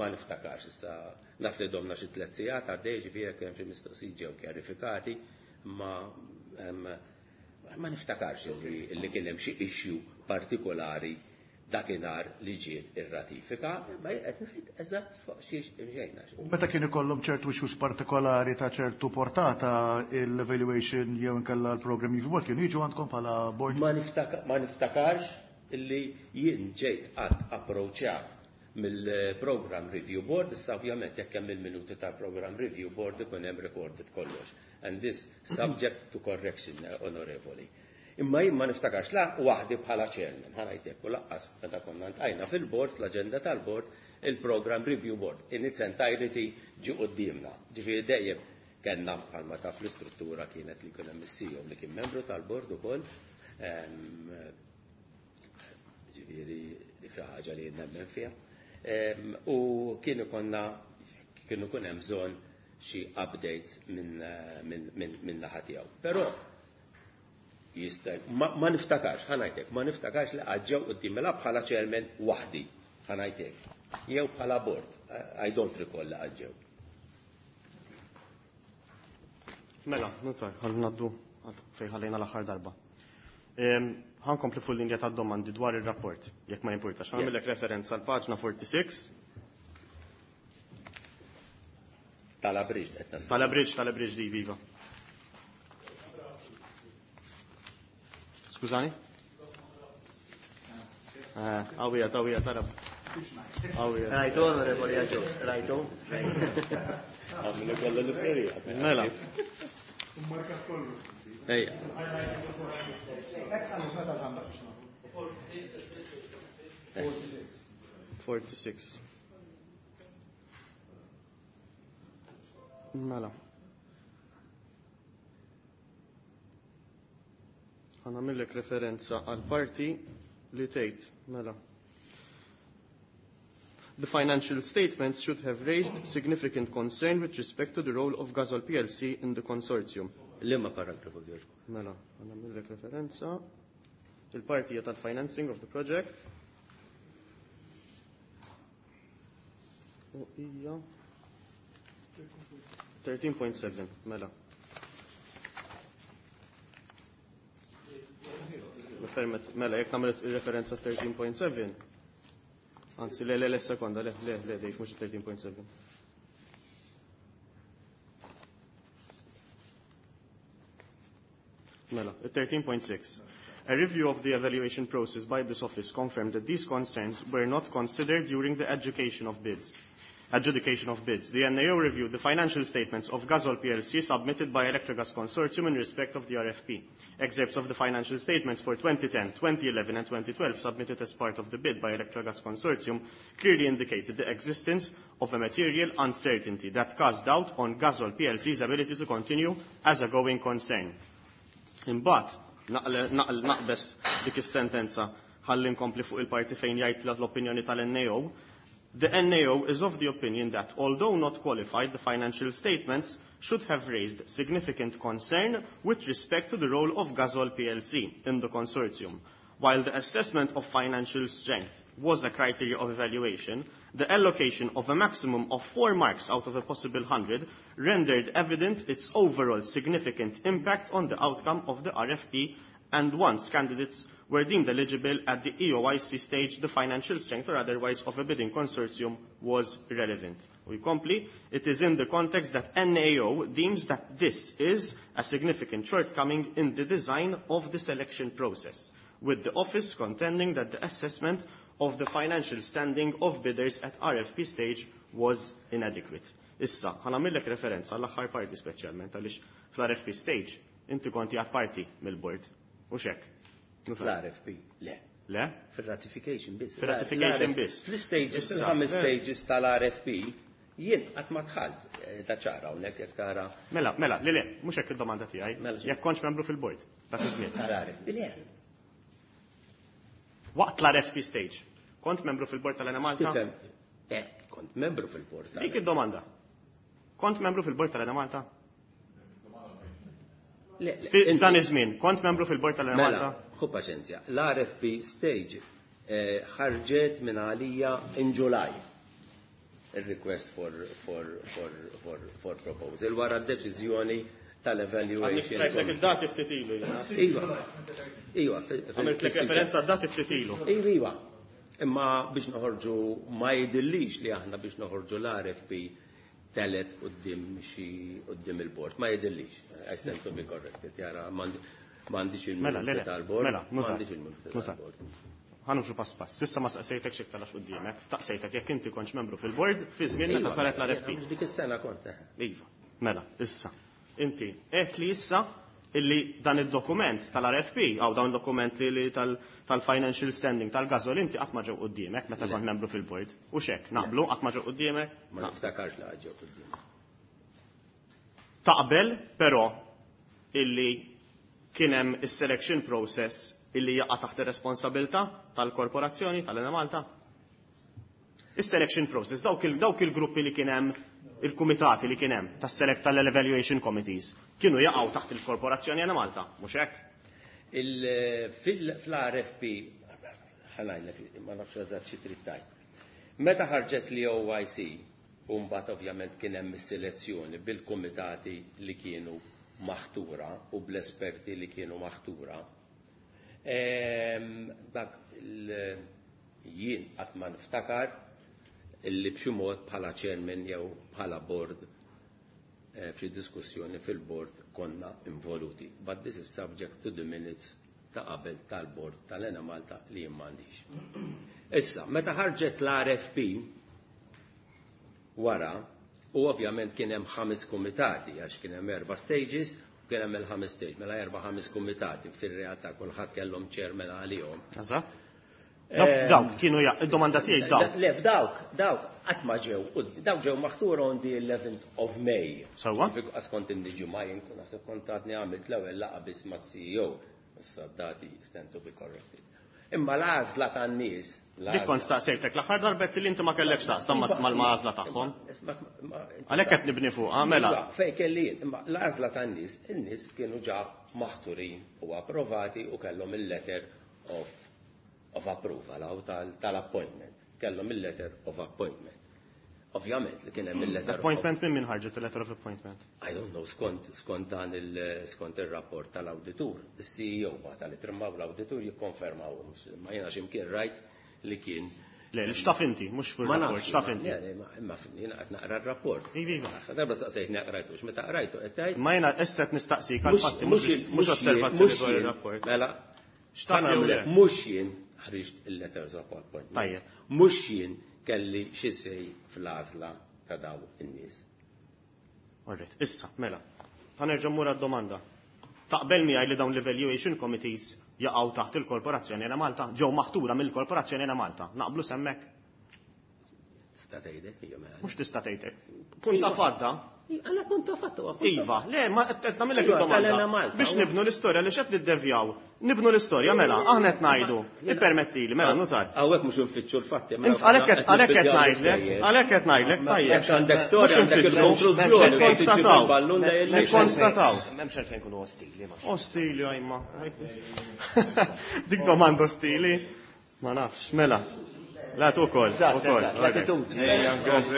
ma niftakarx issa. Naf li domna xi tliet sigħat għaddej, ġifieri kemm xi mistoqsijiet ġew kjarifikati, ma ma niftakarx li kien hemm xi issue partikolari dakinhar li ġiet ir-ratifika, ma qed ngħid eżatt fuq xiex imxejna. U meta kien ikollhom ċertu issues partikolari ta' ċertu portata l-evaluation jew inkella l-program review board kienu jiġu għandkom bħala board? Ma ma niftakarx illi jien ġejt qatt approċċjat mill-Program Review Board, issa ovvjament jekk hemm il-minuti tal-Program Review Board ikun hemm recorded kollox. And this subject to correction, onorevoli. Imma jien ma niftakarx la waħdi bħala chairman, ħa ngħidlek, u lanqas meta konna ltqajna fil-board, fl-aġenda tal-board, il-Program Review Board in its entirety ġi quddiemna. Ġifieri dejjem kellna bħalma taf l-istruttura kienet li kien hemm is-C E O li kien membru tal-board ukoll. Ġifieri dik xi ħaġa li nemmen fiha. U kienu konna kienu kun hemm bżonn xi updates minn min, min, min naħa tiegħu. Però jista' ma, ma niftakarx, ħa ngħidlek, ma niftakarx li ġew quddiem la bħala chairman waħdi, ħa ngħidlek. Jew bħala board, I don't recall li ġew. Mela, nutar, ħa ngħaddu fejn ħallejna l-aħħar darba. Ħa nkompli fuq linja ta' domandi dwar ir-rapport, jekk ma jimpurtax. Ħa nagħmellek referenza għal paġna sittaħxi. Tal-abridged qed nas. Tal-abridged, tal-abridged di viva. Skużani? Għawija, għawija, tarab. Għawija. Rajtu, onorevoli Agius, rajtu? Għamlu kollu l-prerija. Mela. Ejja. Forty-six. Mela. Ħa nagħmillek referenza għal parti li tgħid, mela. The financial statements should have raised significant concern with respect to the role of Gasol P L C in the consortium. Liema paragrafu Giorgio? Mela, ħa nagħmillek referenza. Il-parti hija tal-financing of the project. U hija thirteen point seven, mela. Mela, jekk nagħmel referenza thirteen point seven. Anzi, le, le, le, sekonda, le, le, le, dik mhux thirteen point seven. Mela, thirteen point six. A review of the evaluation process by this office confirmed that these concerns were not considered during the adjudication of bids. Adjudication of bids. The N A O reviewed the financial statements of Gasol P L C submitted by Electrogas Consortium in respect of the R F P. Excerpts of the financial statements for twenty ten, twenty eleven and twenty twelve submitted as part of the bid by Electrogas Consortium clearly indicated the existence of a material uncertainty that cast doubt on Gasol P L C's ability to continue as a going concern. Imbagħad naqle-, naqle-, naqbes dik is-sentenza ħalli nkompli fuq il-parti fejn jgħid l-opinjoni tal-N A O. The N A O is of the opinion that, although not qualified, the financial statements should have raised significant concern with respect to the role of Gasol P L C in the consortium. While the assessment of financial strength was a criteria of evaluation, the allocation of a maximum of four marks out of a possible hundred rendered evident its overall significant impact on the outcome of the R F P, and once candidates were deemed eligible at the E O I C stage, the financial strength or otherwise of a bidding consortium was irrelevant. We complete, it is in the context that N A O deems that this is a significant shortcoming in the design of the selection process, with the office contending that the assessment of the financial standing of bidders at R F P stage was inadequate. Issa, ħa nagħmillek referenza għall-aħħar parti speċjalment għaliex fl-R F P stage inti konti għad parti mill-board. U xek? Fl-R F P, le. Le? Fil-ratification biss. Fil-ratification biss. Fl-stages, Issa, fil-ħames le. stages tal-R F P, jien qatt ma dħalt, eh, ta' ċara hawnhekk jekk tara. Mela, mela, le, le, mhux hekk id-domanda tiegħi. Mela, Jekk kontx membru fil-board, dak iż-żmien. Tal-R F P, le. Waqt l-R F P stage, kont membru fil-board tal-Enemalta? Tifhem, eh, kont membru fil-board tal-Enemalta. Dik id-domanda. Kont membru fil-board tal-Enemalta? Le, le, Fi inti- dan iż-żmien, kont membru fil-board tal-Enemalta? Mela, ħu paċenzja. L-R F P stage, eh, ħarġet minn għalija in July. Il-request for, for, for, for, for proposal wara d-deċiżjoni tal-evaluation. Għandek strajtlek id-dati ftit ilu, jiena. Iva. Iva, fi-, fi-, Għamiltlek fi-, referenza għad-dati ftit ilu. Iva, iva. Imma biex noħorġu ma jidillix li aħna biex noħorġu l-R F P telet quddiem xi quddiem il-bord. Ma jidillix. I stand to be corrected. Jara, m'għandix il-minuti Mela, le, le. tal-bord. Mela, nuża. M'għandix il-minuti Nuża. tal-bord. Ħa nimxu pass pass. Sissa ma saqsejtek xi iktar għax quddiemek. Staqsejtek jekk inti kontx membru fil-bord fi żmien meta Iva, saret l-R F P. mhux dik is-sena kont, eh. Iva. Mela, issa. Inti qed li issa illi dan id-dokument tal-R F P, għaw dawn dokumenti li tal-, tal-financial standing tal-Gasol, inti qatt ma ġew quddiemek meta Le. kont membru fil-bord. U xek, naqblu qatt ma ġew quddiemek? Ma niftakarx li ġew quddiemek. Taqbel, però, illi kien hemm is-selection process illi jaqa' taħt ir-responsabilità tal-korporazzjoni tal-Enemalta? Is-selection process, dawk il-, dawk il-gruppi li kien hemm, il-kumitati li kien hemm tas-select tal-evaluation committees, kienu jaqgħu taħt il-korporazzjoni Enemalta, mhux hekk? Il-, fil-, fl-R F P, ħanajlek, ma nafx eżatt xi trid tgħid. Meta ħarġet li O I C, u mbagħad ovvjament kien hemm is-selezzjoni bil-kumitati li kienu maħtura u bl-esperti li kienu maħtura, dak jien qatt ma niftakar illi b'xi mod bħala chairman jew bħala board f'xi diskussjoni fil-board konna involuti. But this is subject to the minutes ta' qabel tal-board tal-Enemalta li jien m'għandix. Issa, meta ħarġet l-R F P wara, u ovvjament kien hemm ħames kumitati, għax kien hemm erba' stages, u kien hemm il-ħames stage, mela erba' ħames kumitati, fir-realtà kulħadd kellhom chairman għalihom. Eżatt. Dawk kienu id-domanda tiegħi dawk. Le, f'dawk, dawk qatt ma ġew, dawk ġew maħtura on the eleventh of May. Sewwa? Għax kont indiġu ma jien kun naħseb kont għadni għamilt l-ewwel laqgħa biss mas-C E O. Issa dati stand to be corrected. Imma l-għażla tan-nies. Dik kont staqsejtek l-aħħar darbet li inti ma kellekx taqsam mal-għażla tagħhom. Għalhekk qed nibni fuqha, mela. Fejn kelli jien, imma l-għażla tan-nies, in-nies kienu ġa maħturin u approvati u kellhom il-letter of, of approval aw tal-appointment. Kellhom il-letter of appointment. Ovvjament li kien hemm il-letter of Appointment minn min ħarġet il-letter of appointment? I don't know, skont, skont dan il, skont ir-rapport tal-awditur. Is-C E O bagħta li trimmaw l-awditur jikkonfermaw, ma jiena x'imkien rajt li kien. Le, li x'taf inti, mhux fuq Ma ir-rapport, nafx, x'taf inti. Le, le, ma, imma fin, jiena qed naqra r-rapport. Iva, iva. Għax darba staqsejtni qrajtux, meta qrajtu qed tgħid. Ma jiena issa qed nistaqsik għal Mhux fatti, mhux mhux mhux osservazzjoni mhux dwar jien, ir-rapport. Mela, X'taf jew le? mhux jien ħriġt il-letters of appointment. Tajjeb. Mhux jien kelli xi sej fl-għażla ta' daw in-nies. Alright, issa, mela. Ħanerġa' mmur għad-domanda. Taqbel miegħi li dawn l-evaluation committees jaqgħu taħt il-Korporazzjoni Enemalta, ġew maħtura mill-Korporazzjoni Enemalta. Naqblu semmek? Tista' tgħidek, hija mela. Mhux tista' tgħidek. Punta fadda. Għala punta fadda, huwa punta Iva, le, ma qed nagħmilek Iva, id-domanda. tal-Enemalta, Biex huwa. nibnu l-istorja li x'qed niddevjaw. Nibnu l-istorja, mela, aħna qed ngħidu. Ippermettili, mela, nutar. Hawnhekk mhux infittxu l-fatti, mela, Għalhekk qed qed għalhekk qed nibdiljaw ngħidlek, l-istejjer. għalhekk qed ngħidlek, tajjeb. Jekk għandek storja, Mhux għandek infittxu, il-konklużjoni, nikkonstataw. il-ballun da jellix. Nikkonstataw. M'hemmx għalfejn nkunu ostili, ma. Ostili, għajma. Dik domanda ostili? Ma nafx, mela. La tu kol, Eżatt, ukoll. eżatt, l-attitudni. Ejja,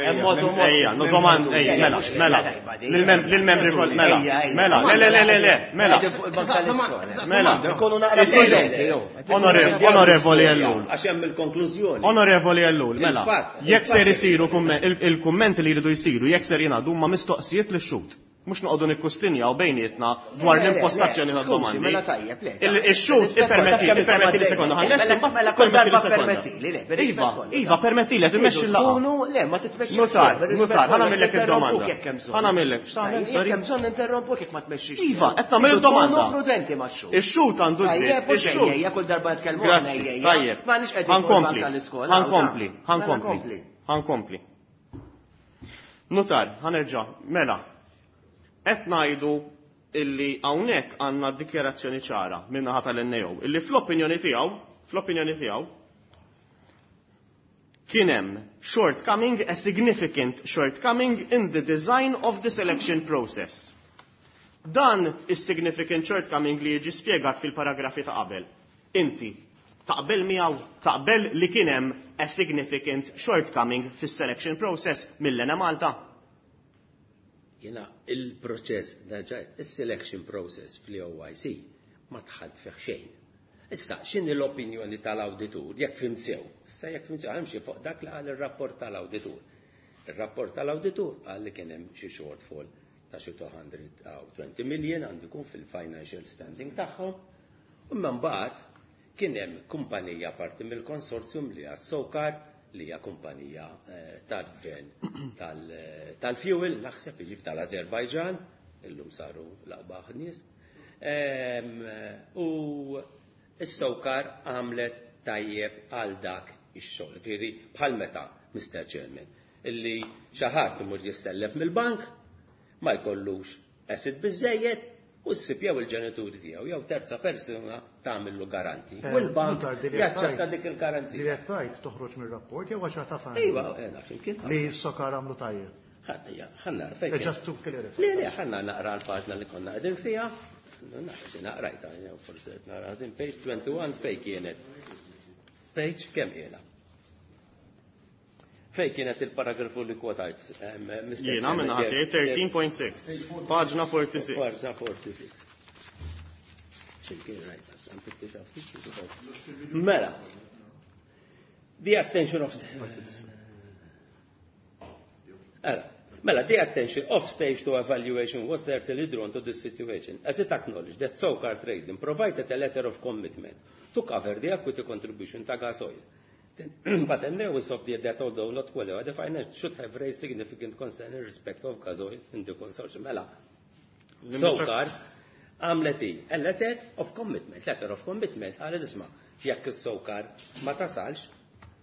Hemm mod u mod. Ejja, no domand, ejja, Ejja, mela, mhux mela. tajba di. Lil-membri kol, mela, Ejja, ejja. mela, le, le, le, le, le, mela. Qegħdin fuq il-bank tal-iskola. Mela. Nkunu naqra Isiru. prudenti, jew. Onorevoli, onorevoli Ellul. Għax hemm il-konklużjoni. Onorevoli Ellul, mela. Il-fatt, Jekk ser il-fatt. isiru kummen-, il-, il-kummenti li jridu jsiru, jekk ser jingħadu huma mistoqsijiet li xut. Mhux noqogħdu nikkustinjaw bejnietna dwar Le, le, le, l-impostazzjoni skużi, tad-domandi. mela tajjeb, le, Il-, il-xut Rispett ippermetti, kollu, ippermetti li kemm sekonda, mela, ħanlesti, mela, mbagħad mela, kull permetti li darba sekonda. permettili, le, bir-rispett Iva, kollu, iva, ta' permettili, qed immexxi Iridu l-laqgħa. tkunu, le, ma titmexxix Nutar, le, bir-rispett nutar, kollu, ħa nagħmillek interrompuk id-domanda. jekk hemm bżonn. Ħa nagħmillek, x'tagħmel, Jekk sorry? hemm bżonn interrompuk jekk ma tmexxix. Iva, qed nagħmel Iridu id-domanda. tkunu prudenti max-xhur. Ix-xhud għandu dritt, Tajjeb, u ix-xhud. ejja, kull darba nitkellmu aħna, Grazzi, ejja, ejja. tajjeb. Ma nix qegħdin fuq Ħankompli, il-bank tal-iskola, ħankompli, mela ħankompli, kompli. ħankompli. Nutar, ħanerġa', mela. Qed ngħidu illi hawnhekk għandna dikjarazzjoni ċara min-naħa tal-N A O illi fl-opinjoni tiegħu, fl-opinjoni tiegħu kien hemm shortcoming, a significant shortcoming in the design of the selection process. Dan is-significant shortcoming li jiġi spjegat fil-paragrafi ta' qabel. Inti taqbel miegħu, taqbel li kien hemm a significant shortcoming fis-selection process mill-Enemalta? Jena il-proċess, nerġa', il-selection process fl-O I C ma tħalt fih xejn. Issa, x'inhi l-opinjoni tal-awditur, jekk fhimt sew? Issa jekk fhimt sew, hemm xi fuq dak li qal ir-rapport tal-awditur. Ir-rapport tal-awditur qal li kien hemm xi shortfall ta' xi two hundred twenty million għandu jkun fil-financial standing tagħhom. Imma mbagħad kien hemm kumpanija parti mill-konsorzjum li hija SOCAR, li hija kumpanija, eh, tal-gvern tal-, tal-fuel, naħseb jiġi tal-Azerbajġan, illum saru l-aqbaħ nies. Ehm, u s-SOCAR għamlet tajjeb għal dak ix-xogħol. Ġifieri bħal meta, Mister Chairman, illi xi ħadd imur jistellef mill-bank, ma jkollux asset biżejjed, u ssib jew il-ġenituri tiegħu jew terza persuna tagħmillu garanti. Eh, U l-bank Nutar, dili jaċċetta tajt- dik il-garanzija. Dili tajt toħroġ mir-rapport jew għax ta' fan. Iva, eh, naf imkien. Li s-SOCAR għamlu tajjeb. Ħa, ħanna nara fejn Eh, kien. just to clarify. Le, le, ħanna naqra l-paġna li konna qegħdin fiha. Naqra, naqrajta, jew forsi qed nara ħażin, page twenty-one fejn kienet. Page kemm qiegħda? Fej kienet il-paragrafu li kwotajt? Jiena minn ħati thirteen point six, paġna forty-six. Paġna forty-six. Ximkien rajt, mela, the attention of... Mela, the attention of stage two evaluation was certainly drawn to this situation, as it acknowledged that SOCAR Trading provided a letter of commitment to cover the equity contribution to gas oil. But the news of the that although not qualified, the finance should have raised significant concern in respect of gas oil in the consortium. Mela, SOCARs għamlet a letter of commitment, letter of commitment, għal isma, jekk is-SOCAR ma tasalx,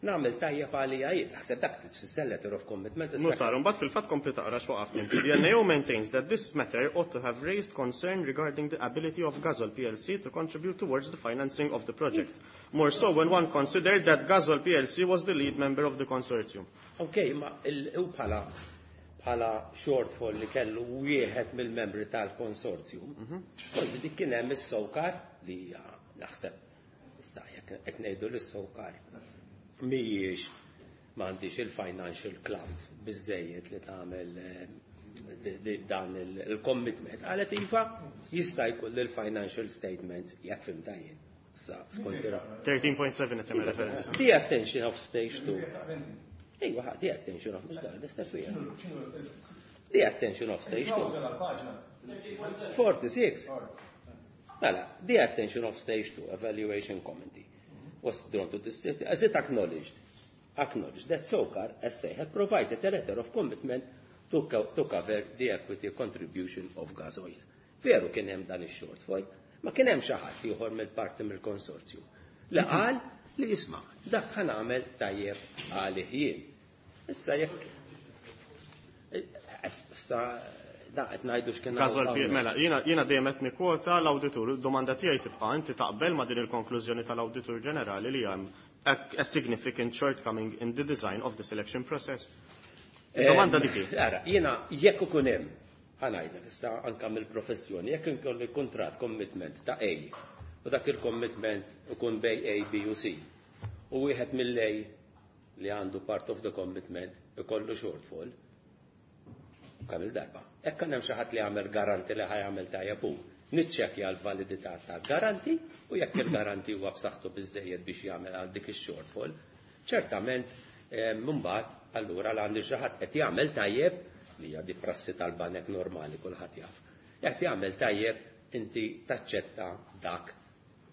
nagħmel tajjeb għalija jien. Naħseb dak tfisser letter of commitment. Notar, mbagħad fil-fatt kompli taqra x'waqaf. The N A O maintains that this matter ought to have raised concern regarding the ability of Gasol P L C to contribute towards the financing of the project. More so when one considered that Gasol P L C was the lead member of the consortium. Okay, ma u bħala bħala shortfall li kellu wieħed mill-membri tal-konsorzjum, skont dik kien hemm is-SOCAR li hija naħseb issa jekk qed ngħidu lis-SOCAR mhijiex m'għandix il-financial clout biżejjed li tagħmel dan il-commitment. Qalet iva jista' jkun l-financial statements jekk fimta jien. Issa skont ira. thirteen point seven qed tagħmel referenza. The attention of stage two. Ejwa, the attention of, mhux dan, l-istess wieħed. The attention of stage two. forty-six. Mela, the attention of stage two evaluation committee was drawn to this city as it acknowledged, acknowledged that SOCAR S A had provided a letter of commitment to, co to cover the equity contribution of gas oil. Veru kien hemm dan ix-shortfall, ma kien hemm xi ħadd ieħor mill-parti mill-konsorzju li qal li isma' dak ħa nagħmel tajjeb għalih jien. Issa jekk issa da qed ngħidu x'kien Gasol P Mela, jiena, jiena dejjem qed nikkwota l-awditur, domanda tiegħi tibqa' inti taqbel ma' din il-konklużjoni tal-Awditur Ġenerali li hemm a, a significant shortcoming in the design of the selection process. Domanda dik hi. Ara, jiena jekk ikun hemm, ħa ngħidlek issa anke mill-professjoni, jekk inkolli kuntratt commitment ta' A u dak il-commitment ikun bej A, B u C, u wieħed mill-A li għandu part of the commitment ikollu shortfall, kemm il-darba. Hekk kien hemm xi ħadd li jagħmel garanti li ħajamel tajjeb hu, niċċekkja l-validità tal-garanti u jekk il-garanti huwa b'saħħtu biżejjed biex jagħmel għal dik ix-shortfall, ċertament, eh, mbagħad allura l għandi xi ħadd qed jagħmel tajjeb li hija di prassi tal-banek normali kulħadd jaf. Jekk jagħmel tajjeb inti taċċetta dak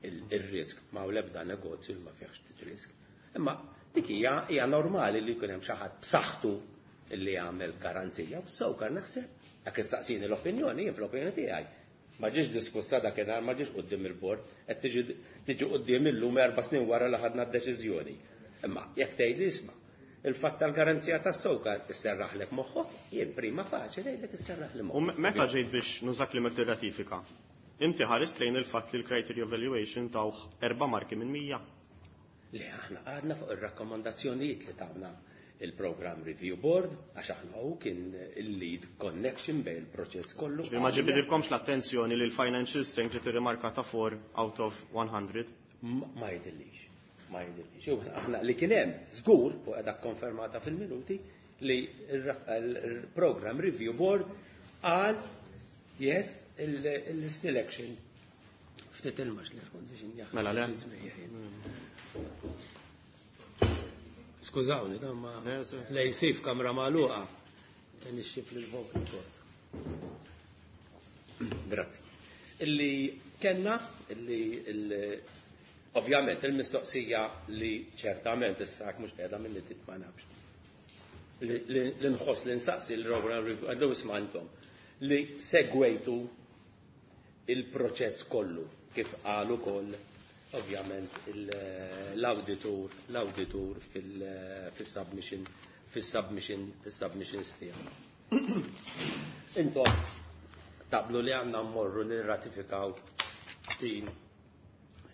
il-risk, ma hu l-ebda negozju li ma fihx risk. Imma dik hija, hija normali li jkun hemm xi ħadd b'saħħtu li jagħmel garanzija, u SOCAR naħseb jekk istaqsini l-opinjoni, jien fl-opinjoni tiegħi. Ma ġiex diskussa dakinhar, ma ġiex quddiem il-bord, qed tiġi, tiġi quddiem illum erba' snin wara li ħadna d-deċiżjoni. Imma jekk tgħidli isma', il-fatt tal-garanzija tas-SOCAR isserraħlek moħħok, jien prima faċli ngħidlek isserraħli moħħok. U me-, meta ġejt biex nużak li mek tirratifika, inti ħarist lejn il-fatt li l-criteria evaluation tawh erba' marki minn mija. Le, aħna għadna fuq ir-rakkomandazzjonijiet li tawna il-Program Review Board, għax aħna hu kien il-lead connection bejn il-proċess kollu. Ġifieri ma ġibidilkomx l-attenzjoni li l-financial strength ġiet irrimarkata four out of one hundred? Ma, ma jidhirlix, ma jidhirlix. U aħna li kien hemm żgur, u qiegħda konfermata fil-minuti, li il-Program Review Board qal yes, il-selection. Ftit il-max li kont biex injaħ. Mela le. Skużawni, dan ma Le, se. lej sif kamra magħluqa. Nixxif lil vocal cord. Grazzi. Illi kellna, illi il-, ovvjament il-mistoqsija li ċertament issa hekk mhux qiegħda minni tit ma nafx. Li, li, li nħoss li nsaqsi l-program review, għaddew isma' intom, li segwejtu il-proċess kollu kif qal ukoll ovvjament l-auditur, l-auditur fil-, fis-submission, fis-submission, fis-submissions tiegħu. Intom taqblu li għandna mmorru nirratifikaw din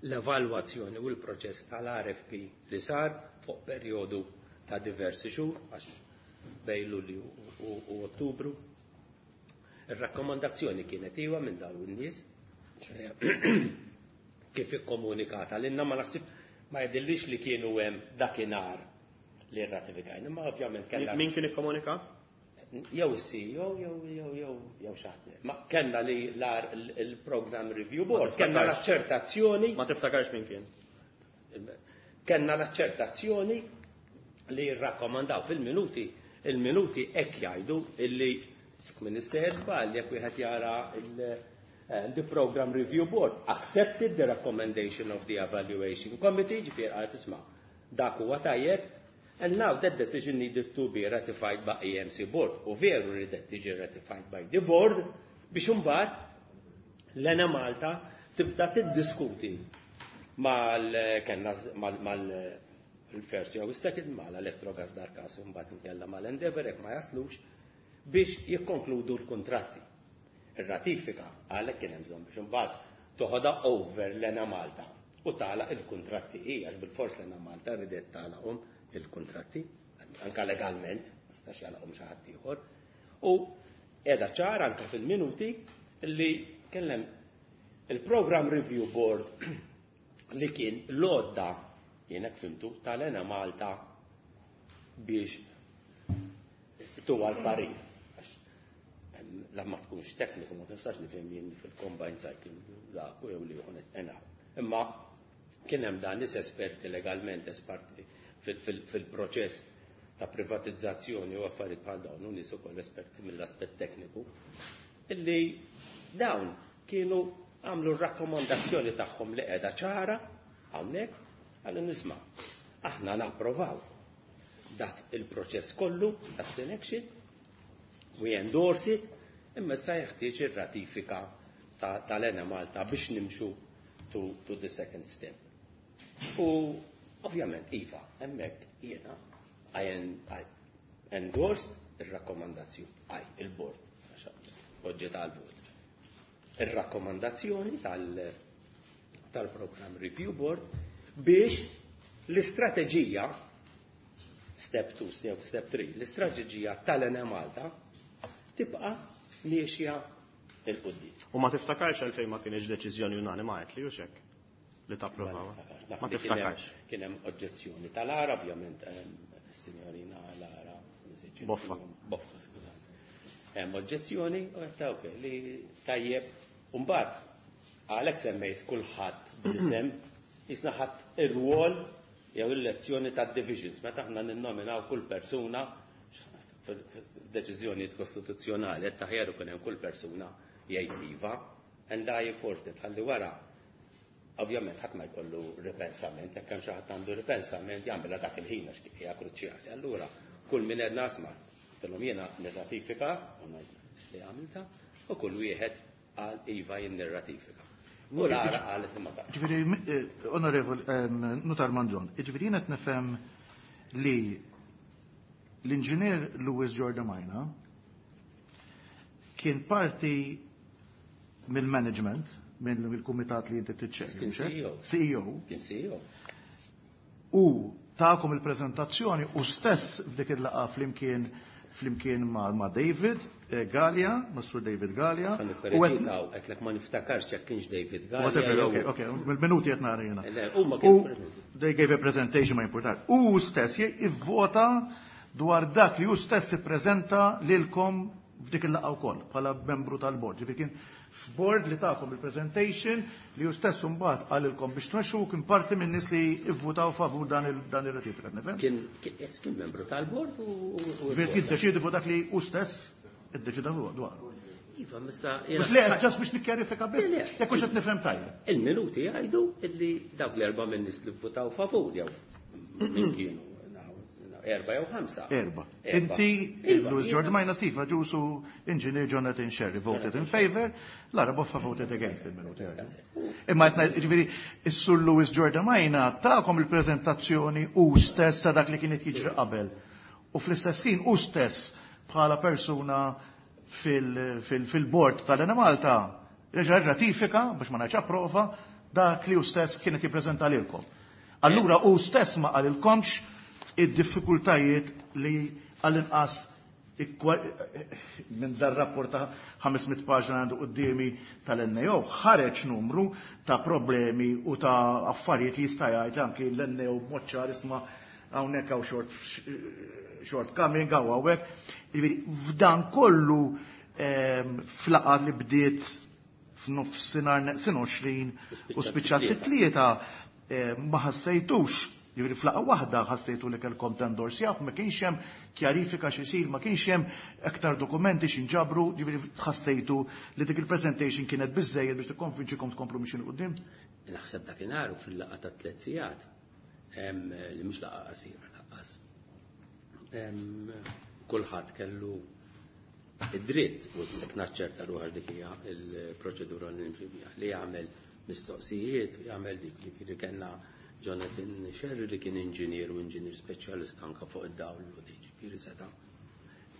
l-evalwazzjoni u l-proċess tal-R F P li sar fuq perjodu ta' diversi xhur, għax bejn Lulju u, u Ottubru. Ir-rakkomandazzjoni kienet iwa minn dawn in-nies, kif ikkomunikata l-inna ma naħsib ma jidhirlix li kienu hemm dakinhar li rratifikajna, ma ovvjament kellna. Min kien ikkomunika? Jew is-C E O jew jew jew jew xi ħadd. Ma kellna li l il-Program Review Board, kellna l-aċċertazzjoni. Ma tiftakarx min kien? Kellna l-aċċertazzjoni li rrakkomandaw fil-minuti, il-minuti hekk jgħidu illi Minister żball jekk wieħed jara il- the Program Review Board accepted the recommendation of the Evaluation Committee, ġifier għal tisma' dak huwa tajjeb, and now that decision needed to be ratified by E M C Board. U veru ridet tiġi ratified by the board biex imbagħad l-Enemalta tibda tiddiskuti mal kellna mal mal il-first jew is-second mal-Electrogas darkas, mbagħad inkella mal-Endeavour jekk ma jaslux biex jikkonkludu l-kontratti. Ir-ratifika għalhekk kien hemm bżonn biex imbagħad toħodha over l-Enemalta u tagħlaq il-kontratti hija, għax bil-fors l-Enemalta ridet tagħlaqhom il-kontratti, anka legalment, ma stax jagħlaqhom xi ħadd ieħor. U qiegħda ċara anka fil-minuti li kellem il-Program Review Board li kien l-għodda, jienek fimtu, tal-Enemalta biex tuwa l-parir. La ma tkunx tekniku, ma tistax nifhem jien fil-combined cycle dak u jew li jkun enaw. Imma kien hemm dan nies esperti legalment, esperti fil-proċess ta' privatizzazzjoni u affarijiet bħal dawn, u nies ukoll esperti mill-aspett tekniku, illi dawn kienu għamlu r-rakkomandazzjoni tagħhom li qiegħda ċara hawnhekk għallu nisma' aħna napprovaw dak il-proċess kollu ta' selection, we endorse it, imma issa jeħtieġ ir-ratifika tal-Enemalta biex nimxu to, to the second step. U ovvjament, iva, hemmhekk jiena I, I endorsed ir-rakkomandazzjoni, I, il-board, oġġet għal-vot. Ir-rakkomandazzjoni tal-Program Review Board biex l-istrateġija step two, step, step three, l-istrateġija tal-Enemalta tibqa' miexja 'il quddiem. U ma tiftakarx għalfejn ma kienx deċiżjoni unanima għedt li hux hekk li tapprovaw? Ma tiftakarx. Kien hemm oġġezzjoni tal-Lara, ovvjament, is-signorina Lara. Boffa. Boffa, skużani. Hemm oġġezzjoni u għedt ok li tajjeb. Mbagħad għalhekk semmejt kulħadd bl-isem, jisna ħadd ir-rwol jew il-lezzjoni ta' divisions meta aħna ninnominaw kull persuna f'deċiżjonijiet kostituzzjonali qed taħjar ikun hemm kull persuna jgħid iva, and I forced it ħalli wara ovvjament ħadd ma jkollu ripensament, jekk hemm xi ħadd għandu ripensament jagħmilha dak il-ħin għax hija kruċjali. Allura kull min qed nasma' kellhom jiena nirratifika u ngħid li għamilta u kull wieħed qal iva, jien nirratifika. U Lara qalet li ma taqx. Ġifieri, eh, onorevol, Nutar Mangion, ġifieri jiena nifhem li l-inġinier Louis Giordamina kien parti mill-management, mill-kumitat li inti tiċċekkja. Kien C E O. C E O. Kien C E O. U ta'kom il-prezentazzjoni u stess f'dik il-laqgħa flimkien flimkien ma', ma David eh, Gallia, ma' Sur David Gallia. U għed għedtlek ma niftakarx jekk kienx David Gallia. Whatever, okay, okay, mill-minuti qed nara jiena. Le, huma kienu preżenti. They gave a presentation, ma importat. U stess jivvota dwar dak li hu stess ippreżenta lilkom f'dik il-laqgħa wkoll bħala membru tal-bord. Ġifieri kien f'board li takom il-presentation li hu stess mbagħad qalilkom biex tmexxu, kien parti minn nies li ivvutaw favur dan il dan ir-ratifika, nifhem? Kien kien yes, kien membru tal-bord u u- Ġifieri jiddeċiedi fuq dak li hu stess iddeċida fuq dwar. Iva, missa. Mhux li just biex nikkjarifika biss, Le, le. jekk hux qed nifhem tajjeb. Il-minuti jgħidu illi dawk l-erba' minn nies li votaw favur jew min kienu erba' jew ħamsa. Erba. Erba. Inti, Iva, Louis jiena- Giordmaina, Steve Agius u Engineer Jonathan Scerri voted in favor, Lara Boffa voted against il-minuti. Imma qed ngħid, ġifieri, is-Sur Louis Giordmaina takom il-prezentazzjoni u stess ta' dak li kienet jiġri qabel. U fl-istess ħin u stess bħala persuna fil-board tal-Enemalta reġa' ratifika, biex ma ngħidx approva, dak li hu stess kienet jippreżenta lilkom. Allura u stess ma qalilkomx id-diffikultajiet li għall-inqas ikkwa- minn dar rapport ta' ħames mitt paġna għandu quddiemi tal-N A O ħareġ numru ta' problemi u ta' affarijiet li jista' jgħid anki l-N A O b'mod ċar, isma' hawnhekk hawn short shortcoming hawn hawnhekk. Jiġifieri f'dan kollu ehm, f'laqgħa li bdiet f'nofsinhar neqsin għoxrin u spiċċat fit-tlieta ehm, ma ħassejtux. Jiġifieri f'laqgħa waħda ħassejtu li kellkom tendorsjaw, ma kienx hemm kjarifika x'isir, ma kienx hemm aktar dokumenti x'inġabru, jiġifieri ħassejtu li dik il-presentation kienet biżejjed biex tikkonvinċikom tkomplu mixin quddiem. Naħseb dakinhar u fil-laqgħa ta' tliet sigħat, em, li mhux laqgħa qasira lanqas. Em, Kulħadd kellu id-dritt, u qed naċċerta ruħi dik hija l-proċedura li nimxi biha, li jagħmel mistoqsijiet, jagħmel dik li li kellna Jonathan Scerri li kien inġinier u inġinier speċjalista anka fuq id-dawl u ġifieri seta'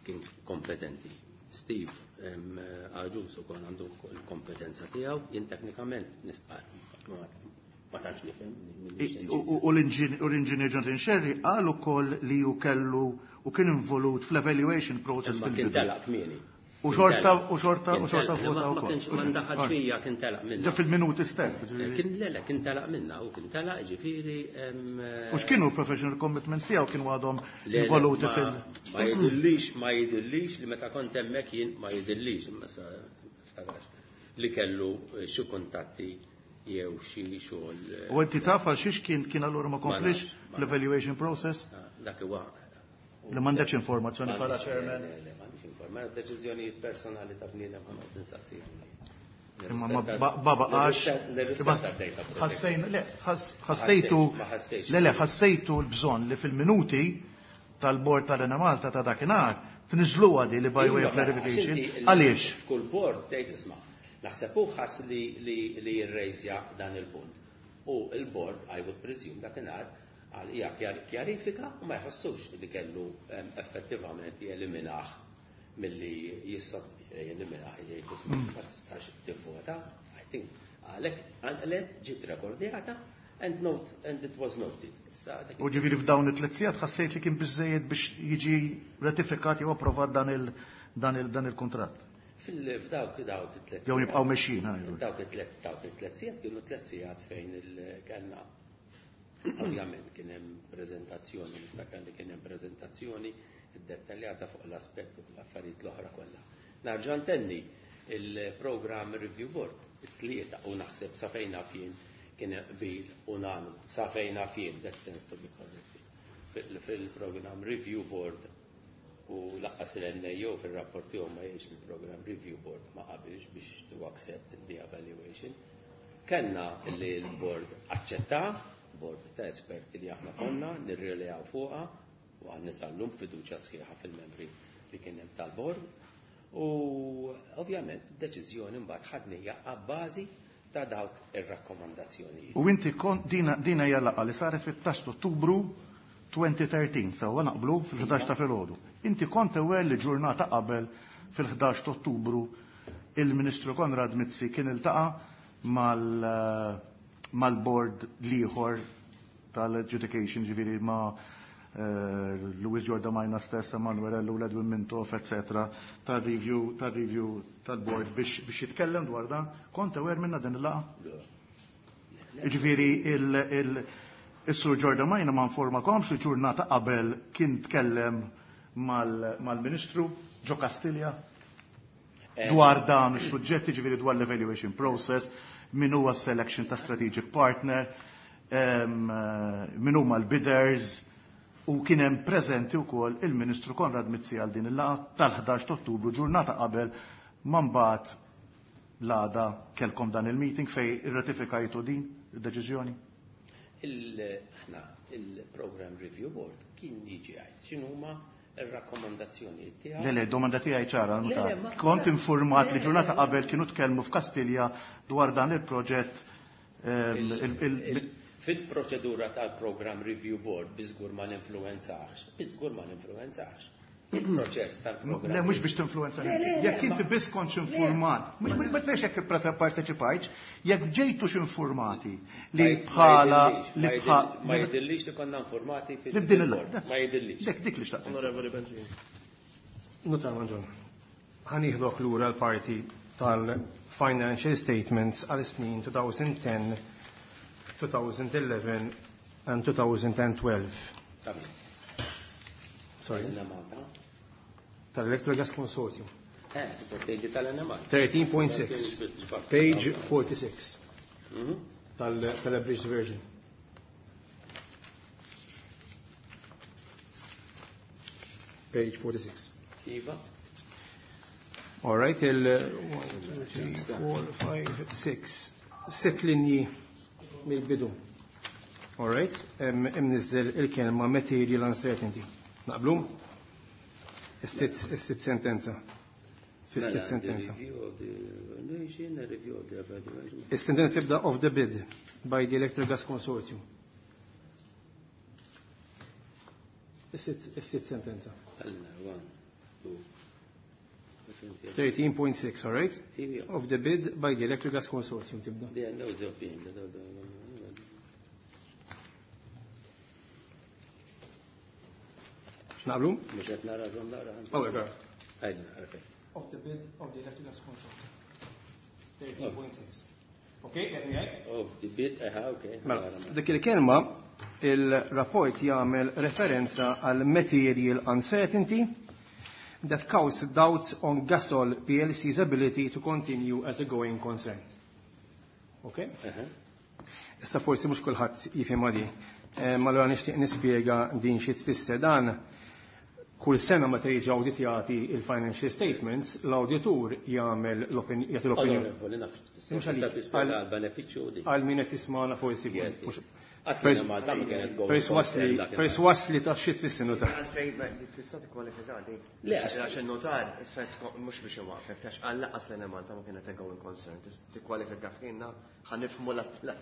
kien kompetenti. Steve em, Agius ukoll għandu l-kompetenza tiegħu, jien teknikament nistqar ma ma tantx nifhem. I- U u l-inġin- u l-inġinier Jonathan Scerri qal ukoll li hu kellu u kien involut fl-evaluation process Imma kien fil-bidu. telaq kmieni. U xorta u xorta u Kien xorta telaq. vota Ma- Ma wkoll. kienx ma ndaħal fija kien telaq minna. Ġa fil-minuti stess. Kien le le kien telaq minna u kien telaq ġifieri em, U x'kienu l-professional commitments tiegħu kienu għadhom Le, le, involuti ma- fil- Ma jidillix, ma jidillix li meta kont hemmhekk jien ma jidillix, imma sa niftakarx, li kellu eh, xi kuntatti jew xi xogħol. eh, U inti taf għal xiex kien kien allura ma komplix nafx, ma l-evaluation process? Dak huwa. Li m'għandekx informazzjoni bħala M'għandix- chairman. Le, le, m'għandix informazzjoni. Deċiżjonijiet personali ta' bniedem ħa noqgħod insaqsihom. Imma ma ba- ba baqax. Nirrispetta d-data protection. Ħassejn, le, ħass- ħassejtu, Ma ħassejtx. le, le, ħassejtu l-bżonn li fil-minuti tal-bord tal-Enemalta ta' dakinhar tniżluha di li by way of Iva, clarification. għax inti Għaliex? F'kull board tgħid isma' naħseb hu ħass li li li jirrejżja dan il-punt. U il-board, I would presume dakinhar għal hija kjar- kjarifika u ma jħossux li kellu em, effettivament jeliminah milli jista' jeliminah jgħid isma' ma tistax tivvota. I think għalhekk għalhekk ġiet rekordjata and note and it was noted. Issa dak U ġifieri f'dawn it-tliet sigħat ħassejt li kien biżejjed biex jiġi ratifikat jew approvat dan il dan il dan il-kuntratt. Fil-f'dawk dawk it-tliet Jew jibqgħu mexjin, ħa Dawk it-tliet dawk it-tliet sigħat kienu tliet sigħat fejn il kellna ovvjament kien hemm preżentazzjoni, niftakar li kien hemm preżentazzjoni dettaljata fuq l-aspett u l-affarijiet l-oħra kollha. Narġa' ntenni il-Program Review Board, it-tlieta u naħseb sa fejn naf jien kien qbil unanimu, sa fejn naf jien, that stands to be corrected. Fil- Fil-Program Review Board u lanqas il-N A O fil-rapport tiegħu ma jgħidx il-Program Review Board ma qabilx biex to accept the evaluation. Kellna li l-board aċċetta, board ta' esperti li aħna konna nirrilejaw fuqha u għan nisallum fiduċja sħiħa fil-membri li kien hemm tal-board. U ovvjament deċiżjoni mbagħad ħadnija abbażi ta' dawk ir-rakkomandazzjonijiet. U inti kont dina dina hija laqgħa li saret fit-tnax ta' Ottubru elfejn u tlettax, sewwa naqblu fil-ħdax ta' filgħodu. Inti kont aware li ġurnata qabel fil-ħdax ta' Ottubru il-Ministru Konrad Mizzi kien iltaqa' mal mal-board l-ieħor tal-adjudication, ġifieri ma' eh, Louis Giordamaina stess, Emanuel Ellul, Edwin Mintoff, et cetera, tal-review tal-review tal-board biex biex jitkellem dwar dan. Kont aware minna din il-laqgħa? Ġifieri il- il- il-Sur Giordamaina ma informakomx li ġurnata qabel kien tkellem mal- mal-Ministru ġo Kastilja dwar dan is-suġġetti, ġifieri dwar l-evaluation process, min huwa selection ta' strategic partner, em, eh, min huma l-bidders, u kien hemm preżenti wkoll il-Ministru Konrad Mizzi għal din il-laqgħa tal-ħdax ta' Ottubru, ġurnata qabel ma mbagħad l-għada kelkom dan il-meeting fej irratifikajtu din id-deċiżjoni. Il- Aħna il-Program Review Board kien jiġi għajt x'inhuma ir-rakkomandazzjonijiet tiegħu. Le, le, domanda tiegħi ċara, Le, le, ma- Kont informat li Le, ġurnata le, qabel kienu tkellmu f'Kastilja dwar dan il-proġett ehm, il- il- Il- Fil-proċedura tal-Program Review Board biżgur ma ninfluwenzax, biżgur ma ninfluwenzax. Il-proċess tal-program. Le, mhux biex tinfluwenza. Le, le, le, Jekk inti ma- biss kontx informat, mhux ma tnejx jekk parteċipajtx, jekk ġejtux informati li Ma- bħala ma li jidillix, bħala Ma jidillix li konna informati li b'din il fil-board. Ma jidillix. Dik dik li xtaqt. Onorevoli Bencini. Nutar Mangion, ħa nieħdok lura l-parti tal-financial statements għal snin elfejn u għaxra, elfejn u ħdax and twenty twelve. Sorry. Tal-Electrogas Consortium. Eh, tal-Enemalta. thirteen point six. Page forty-six. Tal-abridged version. Page forty-six. Iva. All right, il one, two, three, four, five, six. Sitt linji mill-bidu. All right, imnizzel il-kelma material uncertainty. Naqblu? Is-sitt sentenza. Fis-sitt sentenza. Is-sentenza tibda of the bid by the Electrogas Consortium. Is-sitt sentenza. thirteen point six, all right? Of the bid by the Electrogas Consortium tibda. Naqblu? Mhux qed nara żomm nara. Of the bid of the Electrogas Consortium. thirteen point six. Okay, qed ngħid? Of the bid, aha, okay. Mela, dik il-kelma il-rapport jagħmel referenza għal material uncertainty that caused doubts on Gasol P L C's ability to continue as a going concern. Okay? Issa forsi mhux kulħadd jifhem għadi. Ma allura nixtieq nispjega din xi tfisser dan. Kull sena meta jiġi awditjati il-financial statements, l-awditur jagħmel l-opinjoni, jagħti l-opinjoni. Onorevoli, naf x'tfisser. Mhux għalik. Tista' tispjega għall-benefiċċju di. Għal min qed jismagħna forsi Yes, mhux yes. Asli ma ta' ma kienet going Perswas li, concern dak perswas li taf xi tfisser notar. Għalfejn, ma tista' tikkwalifika di. Le, għax Għax il-notar, issa tkun, mhux biex iwaqfek, għax għal laqas li Malta ma kienet going concern. Tista' tikkwalifika f'kienna ħa nifhmu la-, la.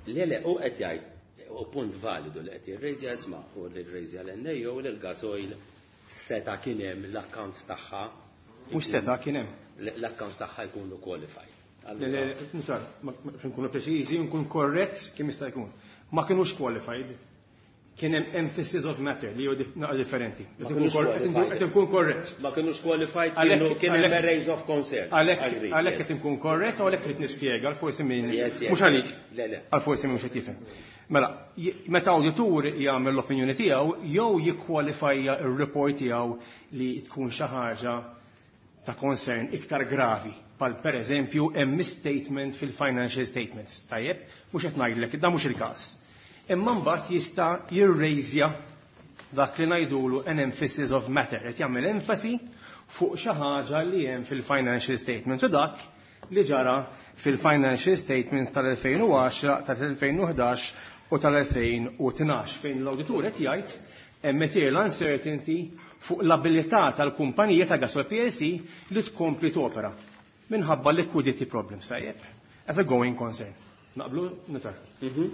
Le, le, u qed jgħid, u punt validu li qed jirrejżja isma' u li rrejżja l-N A O li l-gasoil seta' kien hemm l-account tagħha. Mhux seta' kien hemm. L-account tagħha jkunu qualified. Le, le, notar, ma, ma, biex nkunu preċiżi, nkun korrett kemm jista' jkun. Ma kinux qualified. Kien hemm emphasis of matter li hu dif-, naqra differenti. Ma Qed kinux nkun kor-, qed nkun, qualified. qed nkun korrett. Ma kinux qualified, Għalhekk kienu, kien hemm għalhekk raise of concern. Għalhekk Agreed, għalhekk yes. qed inkun korrett u għalhekk qed nispjega għal forsi min Yes, yes. mhux għalik. Le, le. Għal forsi min mhux qed jifhem. Mela, j-, meta awditur jagħmel l-opinjoni tiegħu jew jikkwalifajja r-report tiegħu li tkun xi ħaġa ta' concern iktar gravi, pal per eżempju hemm misstatement fil-financial statements. Tajjeb, mhux qed ngħidlek, dan mhux il-każ. Imma mbagħad jista' jirrejżja dak li ngħidulu an emphasis of matter, qed jagħmel enfasi fuq xi ħaġa li hemm fil-financial statements u dak li ġara fil-financial statements tal-elfejn u għaxra, tal-elfejn u ħdax u tal-elfejn u tnax, fejn l-awditur qed jgħid hemm material uncertainty fuq l-abilità tal-kumpanija ta' Gasol P L C li tkompli topera minħabba liquidity problems, tajjeb, as a going concern. Naqblu, notar. Mhm.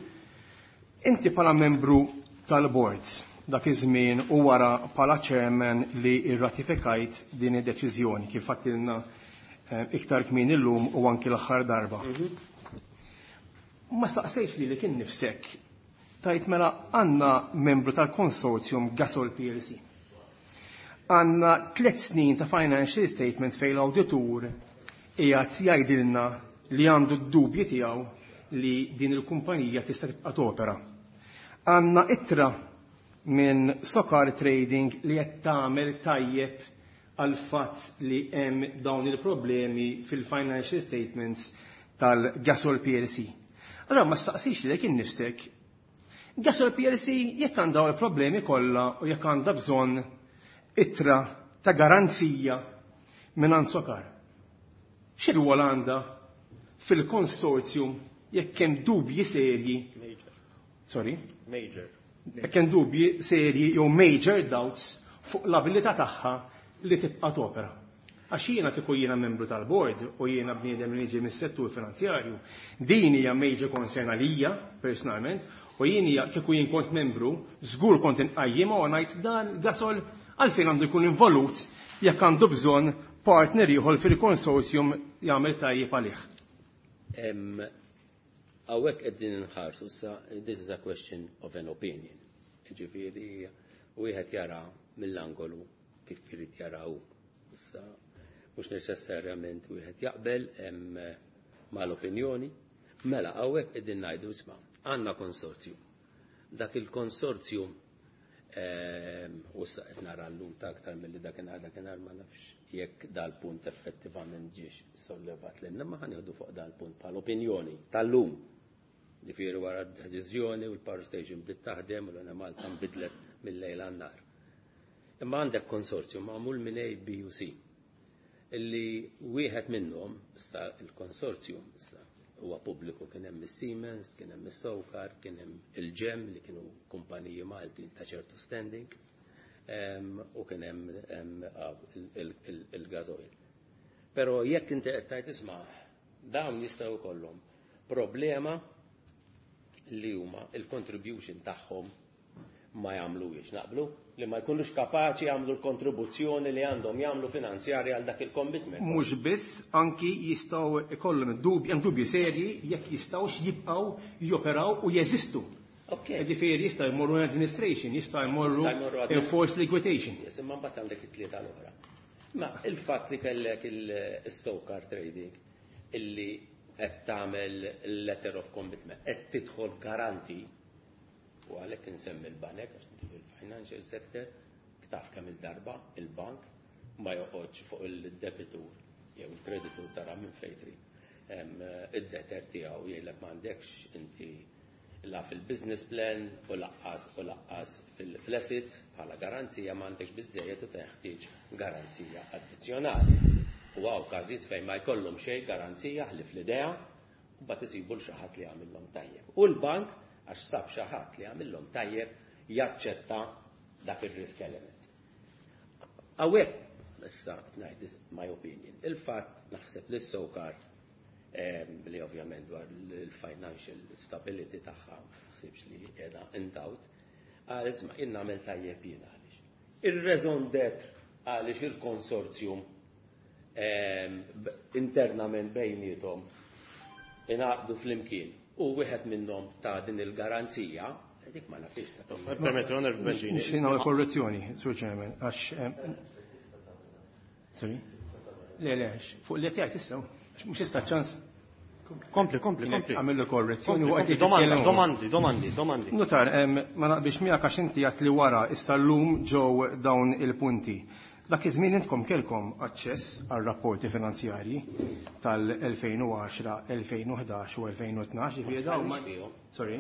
Inti bħala membru tal-board dak iż-żmien u wara bħala chairman li rratifikajt din id-deċiżjoni kif għattilna, eh, iktar kmin illum u anki l-aħħar darba. Mhm. Ma staqsejx li li kien nifsek tajt mela għandna membru tal-konsorzjum Gasol P L C. Għandna tliet snin ta' financial statement fejn l-awditur qiegħed jgħidilna li għandu d-dubji tiegħu li din il-kumpanija tista' tibqa' topera. Għandna ittra minn Sokar Trading li qed tagħmel tajjeb għal fatt li hemm dawn il-problemi fil-financial statements tal-Gasol P L C. Allora ma staqsix lilek innifsek, Gasol P L C jekk għandha il-problemi kollha u jekk għandha bżonn ittra ta' garanzija minn Sokar. X'irwol għandha fil-konsorzjum jekk hemm dubji serji? Major. Sorry? Major. Jekk hemm dubji serji jew major doubts fuq l-abilità tagħha li tibqa' topera. Għax jiena kieku jiena membru tal-board u jiena bniedem li niġi mis-settur finanzjarju, din hija major concern għalija personalment, u jien hija kieku jien kont membru, żgur kont inqajjimha u ngħid dan Gasol għalfejn għandu jkun involut jekk għandu bżonn partner ieħor fil-konsorzjum jagħmel tajjeb għalih. Em, hawnhekk qegħdin inħarsu issa, this is a question of an opinion. Ġifieri wieħed jara mill-angolu kif irid jara hu. Issa mhux neċessarjament wieħed jaqbel hemm mal-opinjoni. Mela hawnhekk qegħdin ngħidu isma' għandna konsorzju. Dak il-konsorzju u issa qed nara llum ta' aktar milli dakinhar dakinhar ma nafx jekk dal-punt effettivament ġiex sollevat lilna, ma ħa nieħdu fuq dal-punt bħal opinjoni tal-lum. Ġifieri wara d-deċiżjoni u l-power station bdiet taħdem u l-Enemalta nbidlet mill-lejl għan-nhar. Imma għandek konsorzju magħmul minn A, B u C illi wieħed minnhom, issa il-konsorzju issa huwa pubbliku, kien hemm is-Siemens, kien hemm is-Sokar, kien hemm il-Ġem li kienu kumpaniji Maltin ta' ċertu standing, u kien hemm il-Gasoil. Però jekk inti qed tgħid isma' dawn jistgħu jkollhom problema li huma il-contribution tagħhom ma jagħmluhiex, naqblu li ma jkunux kapaċi jagħmlu l-kontribuzzjoni li għandhom jagħmlu finanzjarja għal dak il-commitment. Mhux biss, anki jistgħu ikollhom dubji, hemm dubji serji jekk jistgħux jibqgħu joperaw u jeżistu. Okay. Ġifieri jistgħu jmorru administration, jistgħu jmorru Jistgħu jmorru admin- enforced liquidation. Yes, imma mbagħad għandek it-tlieta l-oħra. Ma il-fatt li kellek il-Sokar Trading illi qed tagħmel letter of commitment, qed tidħol garanti, u għalhekk insemmi l-banek, għax inti fil-financial sector, taf kemm il-darba il-bank ma joqgħodx fuq il-debitur jew il-kreditur tara minn fejn trid. Id-debtor tiegħu jgħidlek m'għandekx inti la fil-business plan u laqqas u laqqas fil-assets bħala garanzija m'għandekx biżejjed u teħtieġ garanzija addizzjonali. U hawn każijiet fejn ma jkollhom xejn garanzija ħlief l-idea u mbagħad isibu l xi ħadd li jagħmilhom tajjeb. U l-bank għax sab xi ħadd li jagħmilhom tajjeb jaċċetta dak ir-risk element. Hawnhekk issa ngħid my opinion. Il-fatt naħseb li s-Sokar li ovvjament dwar il-financial stability tagħha ma naħsibx li qiegħda in doubt, għal isma' jien nagħmel tajjeb jien għaliex. Ir-raison d'être għaliex il-konsorzjum internament bejniethom ingħaqdu flimkien u wieħed minnhom ta' din il-garanzija, dik ma nafix. Permetti, Onorevole Bencini. Nixtieq nagħmel korrezzjoni, Sur Chairman, għax Sorry? Le, le, fuq li qed issa, mhux issa ċans. Kompli, kompli, kompli. Għamillu korrezzjoni Kompli, u kompli, qed Domanda, jitkellmu. domandi, domandi, domandi. Notar, em, ma naqbilx miegħek għax inti għat li wara issa llum ġew dawn il-punti. Dak iż-żmien intkom kelkom aċċess għal rapporti finanzjarji tal-elfejn u għaxra, elfejn u ħdax u elfejn u tnax, ġifieri dawn ma- Sorry?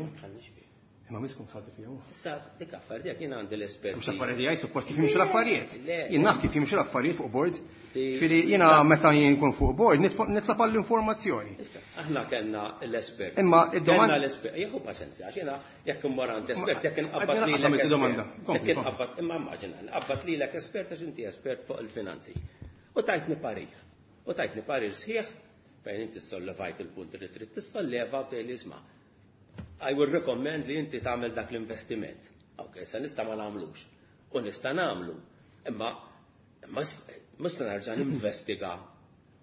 Imma miskom tħaddi fihom. Issa dik affarijiet jien għandi l-esperti. Mhux affarijiet tiegħi suppost kif jimxu l-affarijiet. Le. Jien naf kif jimxu l-affarijiet fuq board. Ti- Ġifieri jiena meta jien nkun fuq board nitfa- nitlob għall-informazzjoni. Issa, aħna kellna l-espert. Imma id-domanda Kellna l-espert. Jieħu paċenzja, għax jiena jekk immur għand espert, jekk inqabbad Għadni lilek naqsam espert. id-domanda. Kompli, Jekk kompli. inqabbad, imma immaġina, nqabbad lilek espert għax inti espert fuq il-finanzi. U tajtni parir. U tajtni parir sħiħ fejn inti sollevajt il-punt li trid tissolleva u tgħidli isma'. I will recommend li inti tagħmel dak l-investiment. Ok, sa nista' ma nagħmlux. U nista' nagħmlu. Imma imma mhux se nerġa' ninvestiga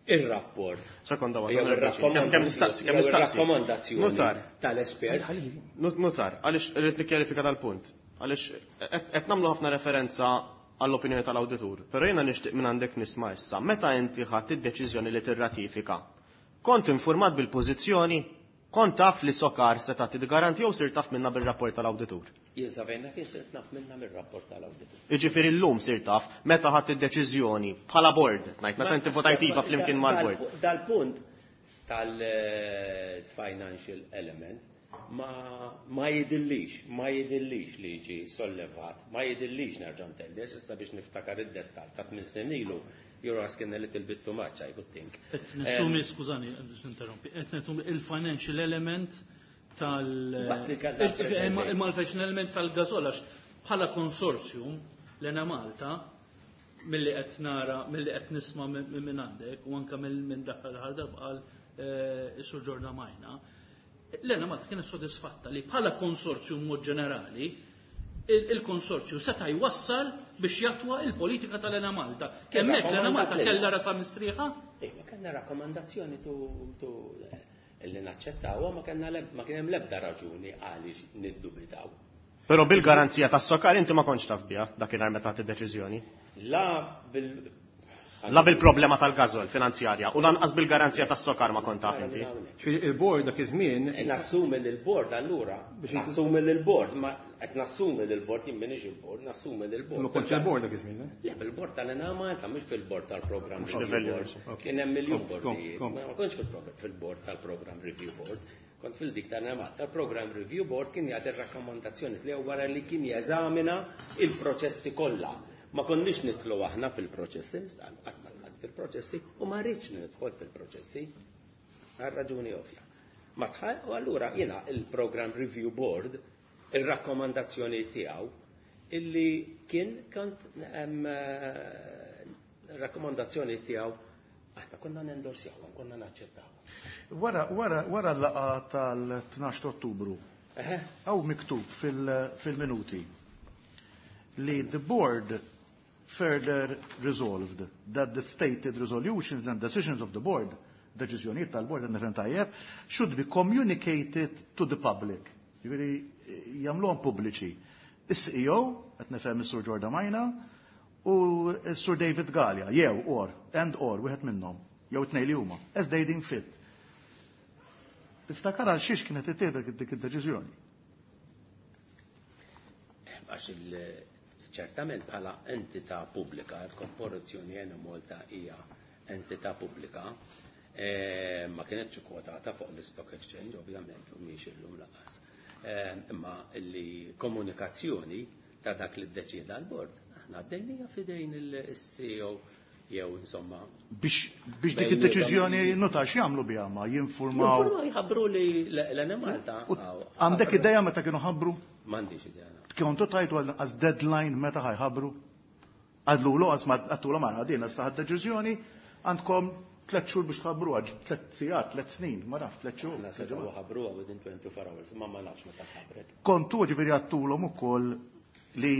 ir-rapport. Sekonda waħda, Jew Onorevole Bencini. Kemm- kemm nistaqsi, kemm nistaqsi? ir-rakkomandazzjoni Notar. tal-espert. Not- Notar, għaliex irrid nikkjarifika dal-punt. Għaliex qed qed nagħmlu ħafna referenza għall-opinjoni tal-awditur, però jiena nixtieq minn għandek nisma' issa, meta inti ħadt id-deċiżjoni li tirratifika, kont informat bil-pożizzjoni, kont taf li Sokar se tagħti garanti jew sir taf minna bir-rapport tal-awditur? Jien sa fejn naf, jien sirt naf minna mir-rapport tal-awditur. Jiġifieri llum sir taf meta ħadt id-deċiżjoni bħala board, ngħid meta inti votajt iva flimkien mal-board. Dal-punt tal-financial element ma, ma jidillix, ma jidillix li ġi sollevat, ma jidillix nerġa' ntenni, għax issa biex niftakar id-dettal ta' tmien snin ilu, you're asking a little bit too much, I would think. Et nessumi, skużani, biex ninterrompi, et nessumi il-financial element tal- Waqt li kellna il- preżenti. imma il-financial element tal-Gasol, għax bħala konsorzjum l-Enemalta, milli qed nara, milli qed nisma' minn minn għandek, u anke minn minn dak l-aħħar darba qal, eh, is-Sur Ġorda Majna, l-Enemalta kienet sodisfatta li bħala konsorzjum mod ġenerali, il-, il-konsorzju seta' jwassal biex jatwa il-politika tal-Enemalta. Kemm hekk l-Enemalta kellha rasa mistrieħa? Iva, kellna rakkomandazzjoni tu, tu li naċċettawha, ma kellna leb-, ma kien hemm l-ebda raġuni għaliex niddubitaw. Però bil-garanzija tas-Sokar inti ma kontx taf biha dakinhar meta ħadt id-deċiżjoni. La bil La bil-problema tal-gażol finanzjarja u lanqas bil-garanzija tas-SOCAR ma kont taf inti. Il-board dak iż-żmien. Nassumi li l-board allura, nassumi li l-board, ma qed nassumi li l-board jien m'iniex il-board, nassumi li l-board. Ma kontx il-board dak iż-żmien, Le, bil-board tal-Enemalta, mhux fil-board tal-programm review board. Kien hemm miljun bordijiet. Ma kontx fil-board tal-programm review board. Kont fil-dik tal-Enemalta, tal-programm review board kien jagħti r-rakkomandazzjoni tiegħu wara li kien jeżamina il-proċessi kollha. Ma konniex nidħlu aħna fil-proċessi, qatt ma dħalt fil-proċessi u ma rridx nidħol fil-proċessi. Għal raġuni ovvja. Ma tħall, u allura jiena il-Program Review Board, il-rakkomandazzjoni tiegħu illi kien kont rakkomandazzjoni tiegħu aħna konna nendorsjaw, konna naċċettaw. Wara wara wara l-laqgħa tal-tnax ta' Ottubru. Hawn miktub fil-minuti li the board further resolved that the stated resolutions and decisions of the board, deċiżjonijiet tal-board nifhem tajjeb, should be communicated to the public. Jiġifieri jagħmluhom pubbliċi. Is-C E O, qed nifhem is-Sur Giordmaina, u s-Sur David Galea, jew or, and or, wieħed minnhom, jew tnejn li huma, as they deem fit. Tiftakar għal xiex kienet ittieħdet dik id-deċiżjoni? Għax il- ċertament bħala entità pubblika, il-Korporazzjoni Enemalta hija entità pubblika, eh, ma kienetx kwotata fuq l-Stock Exchange, ovvjament, u mhix illum lanqas. Eh, imma li komunikazzjoni ta' dak li ddeċieda l-bord, aħna għaddejnija f'idejn il-C E O jew insomma. Biex, biex dik id-deċiżjoni notar x'jagħmlu biha ma jinformaw. Jinformaw jħabbru li l-Enemalta. U għandek idea meta kienu ħabbru? M'għandix idea. Kontu tajtu għal deadline meta ħajħabbru? Għadlu l għas ma għattu l ma għadina saħad deċiżjoni għandkom tliet xhur biex tħabbru, għax tliet sigħat, tliet snin, ma nafx tliet xhur. Aħna setgħu ħabbruha within twenty-four hours, ma ma nafx meta ħabbret. Kontu ġifieri għattulhom ukoll li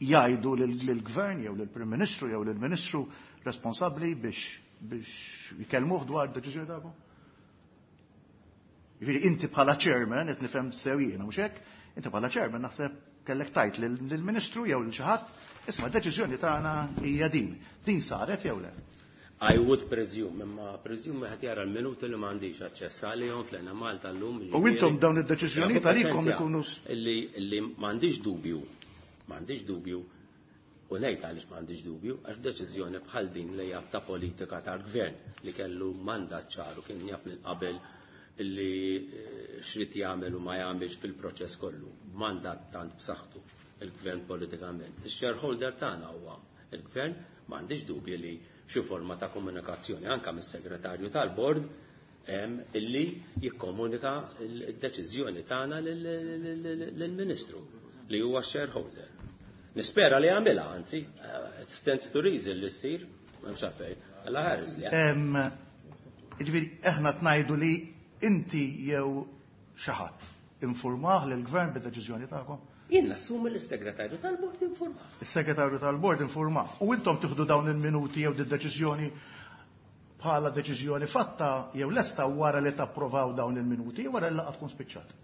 jgħidu lill-gvern jew lill-Prim Ministru jew lill-Ministru responsabbli biex, biex jkellmuh dwar id-deċiżjoni tagħkom? Jiġifieri inti bħala chairman qed nifhem sew jiena mhux hekk? Inti bħala chairman naħseb kellek tajt lill-Ministru jew lil xi ħadd, isma' d-deċiżjoni tagħna hija din. Din saret jew le? I would presume, imma presume qed jara l-minuti li m'għandix aċċess għalihom fl-Enemalta llum. U intom dawn id-deċiżjonijiet għalikom ikunu s- Illi, illi m'għandix dubju, m'għandix dubju, u ngħid għaliex m'għandix dubju, għax deċiżjoni bħal din li hija ta' politika tal-gvern li kellu mandat ċaru kien jaf minn qabel illi, eh, xrid jagħmel u ma jagħmilx fil-proċess kollu, mandat tant b'saħħtu il-gvern politikament. Ix-shareholder tagħna huwa il-gvern, m'għandix dubju li xi forma ta' komunikazzjoni anke mis-segretarju tal-bord hemm illi jikkomunika d-deċiżjoni tagħna lill-Ministru li huwa shareholder. Nispera li jagħmilha, anzi, eh, stands to reason li ssir, m'hemmx għalfejn, Alla ħares li. Em, jiġifieri aħna tnajdu li inti jew xi ħadd informah lill-gvern bid-deċiżjoni tagħkom? Jien nassumi li s-segretarju tal-bord informah. Is-segretarju tal-bord informah. U intom tieħdu dawn il-minuti jew id-deċiżjoni bħala deċiżjoni fatta jew lesta wara li tapprovaw dawn il-minuti wara li laqgħa tkun spiċċat.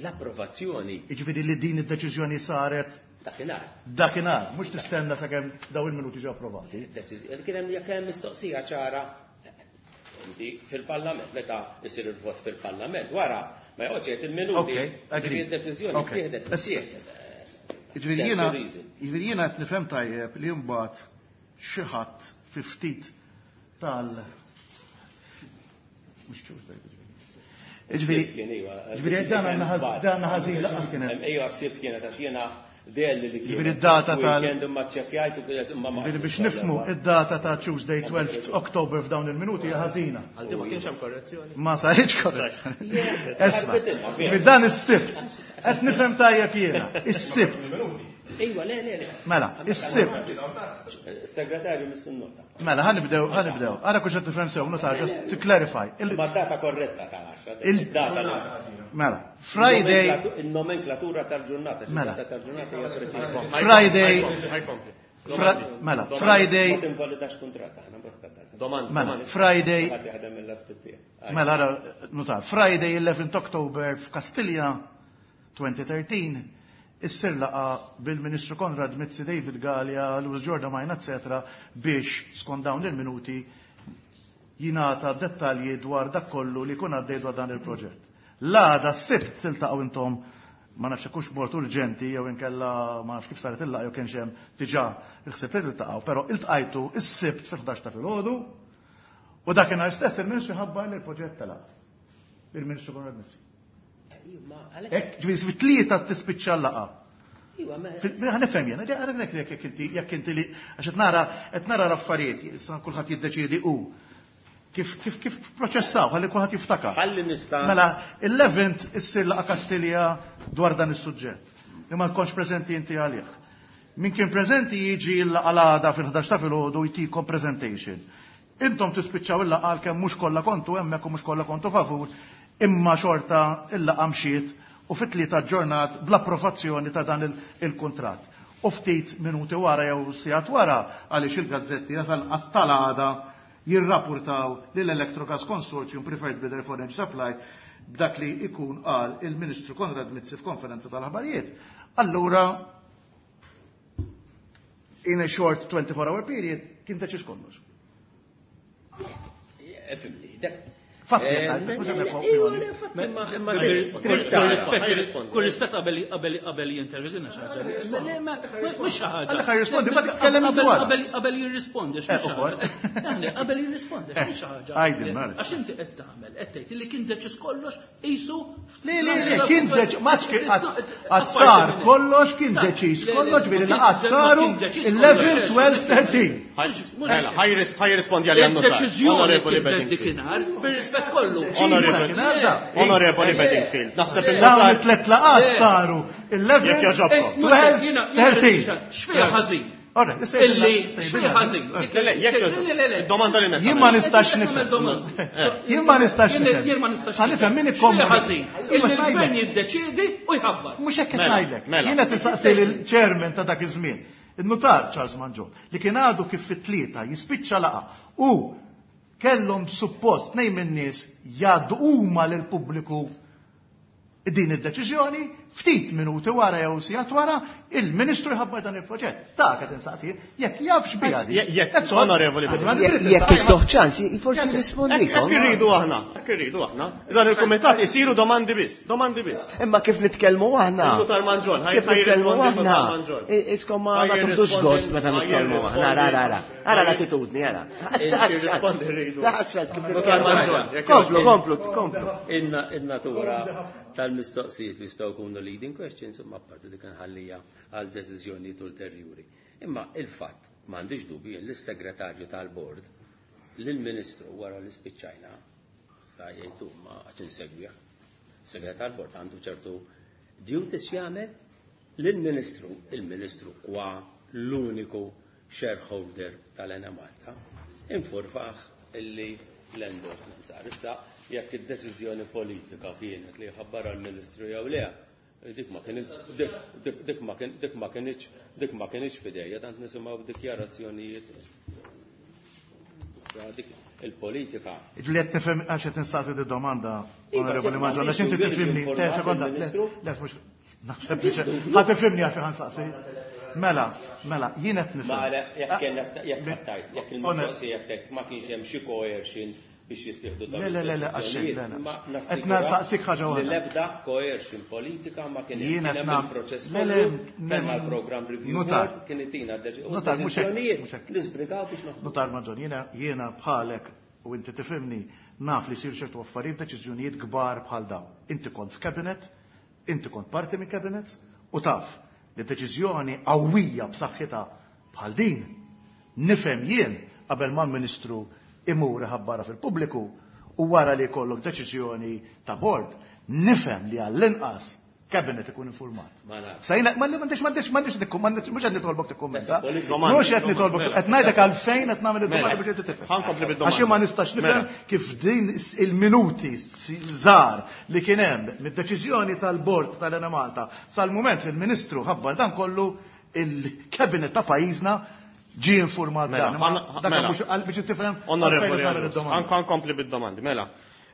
L-approvazzjoni. Jiġifieri li din id-deċiżjoni saret dakinhar. Dakinhar, mhux tistenna sakemm dawn il-minuti ġew approvati. Deċiżjoni kien hemm jekk hemm mistoqsija ċara inti fil-Parlament meta isir il-vot fil-Parlament wara ma joqgħodx jgħid il-minuti. Okay, agree. Ġifieri d-deċiżjoni Okay. ttieħdet, Issa. ttieħdet. Jiġifieri jiena That's the reason. jiġifieri jiena qed nifhem tajjeb li mbagħad xi ħadd fi ftit tal mhux ċuż daj, jiġifieri. Jiġifieri, Sibt kien, iva. jiġifieri dan għandna ħaż-, dan għandna ħażin laqas kien hemm. Ejja, sibt kienet għax jiena dell li kienet Jiġifieri d-data tal- weekend imma ċċekkjajt u kienet imma ma Jiġifieri biex nifhmu id-data ta' Tuesday twelfth October f'dawn il-minuti hija ħażina. Għal din ma kienx hemm korrezzjoni. Ma saritx korrezzjoni. Esma, Ħarbet jiġifieri dan is-Sibt. Qed nifhem tajjeb jiena, is-Sibt. Ejwa, le, le, le. Mela, is-Sibt. Segretarju mis-nota. Mela, ħanibdew, ħanibdew. Ara kull xed tifhem sew, notar, just to clarify. Il- Ma data korretta tal-għaxra. Il- Data l- Mela, Friday. Il-nomenklatura tal-ġurnata, xi Mela. data tal-ġurnata hija preċiża. Friday. Ħajkompli. Fra-, mela, Friday. Ma tinvalidax kuntratt, aħna bosta data. Domanda. Mela, Friday. Ħadd jaħdem mill-aspett tiegħek. Mela, ara, notar, Friday eleventh October f'Kastilja twenty thirteen, issir laqgħa bil-Ministru Konrad Mizzi, David Galea, Louis Giordmaina, eccetera, biex skont dawn il-minuti jingħata dettalji dwar dak kollu li jkun għaddej dwar dan il-proġett. L-għada s-Sibt tiltaqgħu intom, ma nafx hux bord urġenti jew inkella ma nafx kif saret il-laqgħa jew kienx hemm diġà il-ħsieb li tiltaqgħu, però iltqajtu s-Sibt fil-ħdax ta' filgħodu u dakinhar stess il-Ministru ħabbar li l-proġett telaq. Il-Ministru Konrad Mizzi. Hekk, ġifieri fit-tlieta tispiċċa l-laqgħa. Ħa nifhem jiena, jekk inti jekk inti li għax qed nara qed nara l-affarijiet, issa kulħadd jiddeċiedi hu kif kif kif proċessaw, ħalli kulħadd jiftakar. Ħalli nista' Mela, eleventh issir laqgħa Kastilja dwar dan is-suġġett. Li ma tkunx preżenti inti għalih. Min kien preżenti jiġi l-laqgħa l-għada fil-ħdax ta' filgħodu jtikom presentation. Intom tispiċċaw il-laqgħa għalkemm mhux kollha kontu hemmhekk u mhux kollha kontu favur, imma xorta il-laqgħa mxiet u fit-tlieta ġurnat bl-approvazzjoni ta' dan il-kuntratt. U ftit minuti wara jew sigħat wara għaliex il-gazzetti tal-qas tal-għada jirrapportaw li l-Electrogas Consortium Preferred Bidder for Energy Supply b'dak li ikun qal il-Ministru Konrad Mizzi f'konferenza tal-aħbarijiet. Allura, in a short twenty-four hour period, kien deċiż kollox. Ifhimni, dak Fatti, Eh, qed ngħid, mhux qed eh, opinjoni. eh, fatti, imma- imma Kull rispett qabel qabel qabel jintervizina xi ħaġa. Mhux xi ħaġa. Għalhekk jirrispondi, ma titkellem Qabel- dwar. Qabel qabel jirrispondi, Eh, mhux xi ukoll. ħaġa. Aħna qabel jirrispondi, mhux xi ħaġa. Għajdin, mela. Għax inti qed tagħmel, qed tgħid li kien deċiż kollox qisu Le, le, le, kien deċ, maċ kien għad sar kollox, kien deċiż kollox, ġifieri laqgħat saru eleven, twelve, thirteen. Mela, ħa jirrispondi għalija n-notar. Deċiżjoni Onorevoli kien Bedingfield. dikinhar, bir-rispett kollu. Onorevoli Onorevoli Bedingfield. Naħseb Dawn il-notar. it-tlet laqgħat saru eleven, Jekk jogħġobkom. twelve, thirteen. X'fiha ħażin? Ora, issa Illi jgħidilna- x'fiha ħażin? Le, le, jekk jogħġobkom. Domanda li Jien ma nistax nifhem. Jien ma nistax nifhem. Jien ma nistax Ħa nifhem min X'fiha ikkomunika. ħażin? Illi l-gvern jiddeċiedi u jħabbar. Mhux hekk qed Mela, ngħidlek. mela. Jiena tistaqsi lill-chairman ta' dak iż-żmien, il-notar Charles Mangion, li kien għadu kif fit-tlieta jispiċċa laqgħa u kellhom suppost tnejn min-nies jgħaddu huma lill-pubbliku din id-deċiżjoni, ftit minuti wara jew sigħat wara, il-Ministru jħabbar dan il-proġett. Dak qed insaqsi, jekk jaf x'biha di. Jekk- jekk- That's all. Onorevoli Għad Bedingfield. ma Jekk nirrid jekk nistaqsi. ittuh ċans, forsi jirrispondikom. Hekk irridu aħna, hekk irridu aħna. Dan il-kumitat isiru domandi biss, domandi biss. Imma kif nitkellmu aħna? Il-Notar Mangion, ħaj- Kif ħaj nitkellmu jirrispondi aħna? il-Notar Mangion. I- Iskom ma Ħaj ma tieħdux jirrispondi- gost meta ħaj nitkellmu aħna. jirrispondi- Ara, ara, ara. Ara l-attitudni, ara. Jirrispondi rridu. Taħt kif Notar nitkellmu Mangion, aħna. jekk Komplu, jogħġbok. komplu, komplu. Inna in-natura tal-mistoqsijiet li jistgħu jkunu leading questions, imma apparti dik nħallija għal deċiżjonijiet ulterjuri. Imma il-fatt m'għandix dubju li s-segretarju tal-bord lill-Ministru wara li spiċċajna sa jgħidu ma għax insegwih. Segretarju tal-bord għandu ċertu duties jagħmel lill-Ministru, il-Ministru kwa l-uniku shareholder tal-Enemalta, infurmaħ illi l-endorsement sar. Issa, jekk id-deċiżjoni politika kienet li jħabbarha l-Ministru jew le, dik ma kien dik, dik, dik ma kien dik ma kienx dik ma kienx f'idejja, tant nisimgħu dikjarazzjonijiet. Issa dik il-politika. Li qed nifhem għax qed nistaqsi di domanda, Iva, Onorevoli ċert, Mangion, għax inti m'għandix tifhimni, dubju te sekonda, le, il-Ministru. le, mhux naħseb li ħa tifhimni għax ħa nsaqsi. Mela, mela, jien qed nifhem. Ma għala, jekk kellek jekk tajt, jekk Onor- il-mistoqsija jekk ma kienx hemm xi coercion biex jittieħdu dawn Le, le, le, le, għax xejn, le, le. Ma Qed nistaqsik ħaġa li waħda. l-ebda coercion politika ma kien Jien hemm qed kien hemm nam- il-proċess Le, le, kollu, kellna nem- l-program review Notar. board, kien itina deċi- u Notar, mhux hekk, deċiżjonijiet mhux hekk. li żbrigaw biex noħdu. Notar Mangion, jiena jiena bħalek u inti tifhimni naf li jsir ċertu affarijiet deċiżjonijiet kbar bħal dawn. Inti kont f'cabinet, inti kont parti minn cabinets u taf li deċiżjoni qawwija b'saħħitha bħal din nifhem jien qabel ma l-Ministru imur iħabbarha fil-pubbliku u wara li jkollok deċiżjoni ta' board, nifhem li għall-inqas cabinet ikun informat. Ma nafx. Sejna, ma m'għandix, m'għandix, m'għandix nikkum, m'għandix, mhux qed nitolbok tikkummenta. Politika. Mhux qed nitolbok, Mela. qed ngħidlek għalfejn qed nagħmel id-domanda Mela. biex inti tifhem. Ħa nkompli bid-domanda. Għax jien ma nistax nifhem Mela. kif din il-minuti żgħar li kien hemm mid-deċiżjoni tal-bord tal-Enemalta sal-mument li l-Ministru ħabbar dan kollu il-cabinet ta' pajjiżna ġie informat Mela, dan. Ma ħa- dak mela. mhux għal biex tifhem Onorevoli għalfejn qed nagħmel Agius, id-domanda. anka nkompli bid-domandi, mela.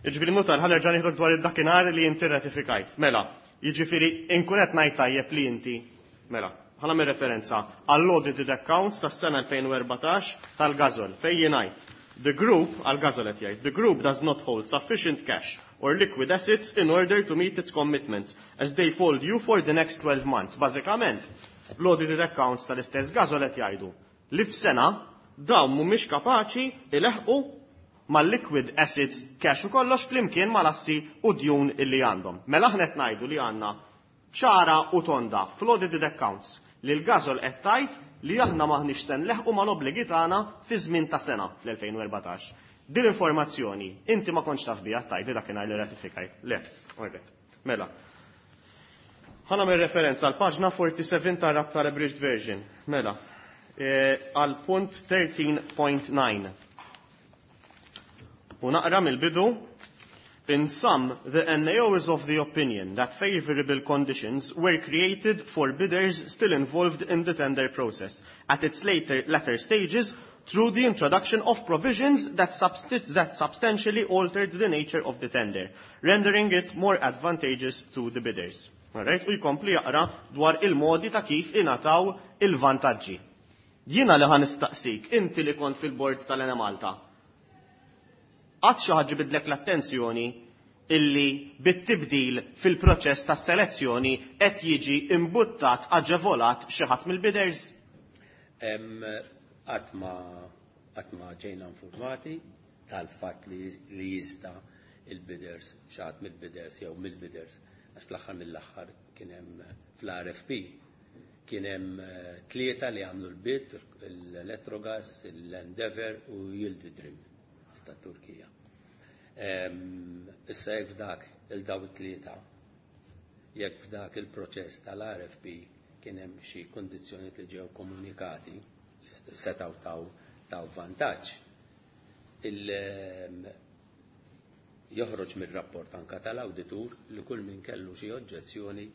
Iġbiri notar, ħa nerġa' nieħdok dwar id-dakinhar li inti ratifikajt. Mela, Jiġifieri inkun qed ngħid tajjeb li inti, mela, ħa nagħmel referenza għall-audited accounts tas-sena elfejn u erbatax tal-Gasol fejn jingħid "The group", għal-Gasol qed jgħid, "the group does not hold sufficient cash or liquid assets in order to meet its commitments as they fall due for the next twelve months." Bażikament, l-audited accounts tal-istess Gasol qed jgħidu li f'sena dawn mhumiex kapaċi ileħqu mal-liquid assets, cash u kollox flimkien mal-assi u djun illi għandhom. Mela aħna qed ngħidu li għandna ċara u tonda fl-audited accounts li l-Gasol qed tgħid li aħna maħniex se nleħqu mal-obbligi tagħna fi żmien ta' sena fl-elfejn u erbatax. Din l-informazzjoni inti ma kontx taf biha tgħid li dakinhar li ratifikaj. Le, alright. Mela. Ħa nagħmel referenza għal paġna erbgħa u sebgħin tar-rab tal-abridged version. Mela, eh, għal punt tlettax punt disa. U naqra mill-bidu. "In sum, the N A O is of the opinion that favorable conditions were created for bidders still involved in the tender process at its later, latter stages through the introduction of provisions that, substi- that substantially altered the nature of the tender, rendering it more advantageous to the bidders." Alright? U jkompli jaqra dwar il-modi ta' kif ingħataw il-vantaġġi. Jiena li ħa nistaqsik, inti li kont fil-bord tal-Enemalta, qatt xi ħaġa bidlek l-attenzjoni illi bit-tibdil fil-proċess ta' selezzjoni qed jiġi imbuttat, aġevolat xi ħadd mill-bidders? Qatt ma qatt ma ġejna informati tal-fatt li, li jista' il-bidders, xi ħadd mill-bidders jew mill-bidders, għax fl-aħħar mill-aħħar kien hemm fl-R F P kien hemm eh, tlieta li għamlu l-bid, l-Electrogas, l-Endeavour u Yildirim ta' Turkija. Issa jekk f'dak il-daw tlieta, jekk f'dak il-proċess tal-R F P kien hemm xi kondizzjoni li ġew komunikati li setgħu taw taw vantaġġ. Il joħroġ mir-rapport anka tal-awditur li kull min kellu xi oġġezzjoni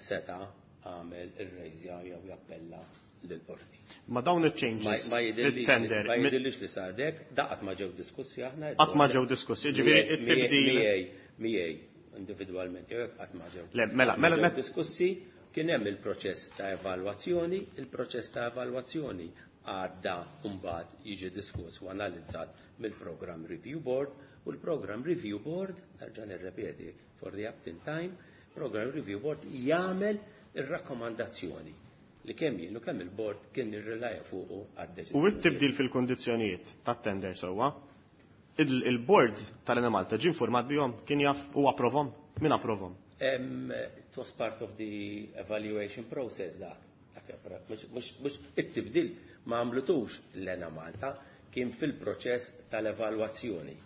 seta' għamel ir-rejżja jew jappella lill-qorti. Ma dawn il-changes Ma jidhirlix il-tender ma jidhirlix li sar dek, daqat ma ġew diskussi aħna. Qatt ma ġew diskussi, ġifieri it-tibdil Miegħi, miegħi individwalment jew hekk qatt ma ġew. Le, mela, mela, ġew mela- diskussi, kien hemm il-proċess ta' evalwazzjoni, il-proċess ta' evalwazzjoni għadda mbagħad jiġi diskuss u analizzat mill-Program Review Board u l-Program Review Board, nerġa' nirrepeti for the umpteenth time, Program Review Board jagħmel ir-rakkomandazzjoni li kemm jien u kemm il-board kien irrelaja fuqu għad-deċiżjoni. U t-tibdil fil-kondizzjonijiet tat-tender sewwa, il- il-board tal-Enemalta ġie informat bihom, kien jaf u approvhom? Min approvhom? Um, it was part of the evaluation process dak. Dak Mux, mux, mux it-tibdil ma għamlutux l-Enemalta, kien fil-proċess tal-evalwazzjoni.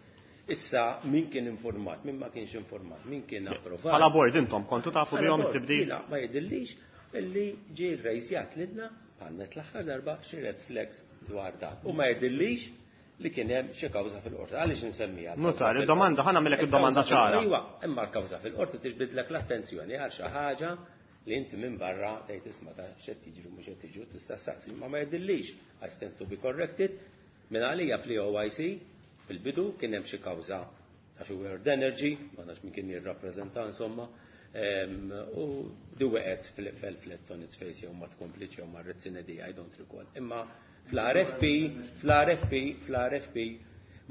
Issa, min kien informat, min ma kienx informat, min kien approvat. Bħala board intom kontu tafu Bħala bihom board, it-tibdil? Jiena ma jidhirlix illi ġie rejżjat lilna għannet l-aħħar darba xi red flags dwar dak. U ma jidhirlix li kien hemm xi kawża fil-qorti. Għaliex insemmija? Nutar, id-domanda, ħa nagħmilek id-domanda Il-kawża ċara. fil- Iwa, imma l-kawża fil-qorti tiġbidlek l-attenzjoni għal xi ħaġa li inti minn barra tgħid isma' ta' x'qed jiġri, mhux qed jiġri, tista' saqsi, ma ma jidhirlix. I stand to be corrected. Minn għalija fl-O I C fil-bidu kien hemm xi kawża ta' xi World Energy, ma nafx min kien jirrappreżenta insomma, em, u di weqgħet fil flat on its face jew ma tkomplitx jew marret sine die, I don't recall. Imma fl-R F P, fl-R F P, fl-R F P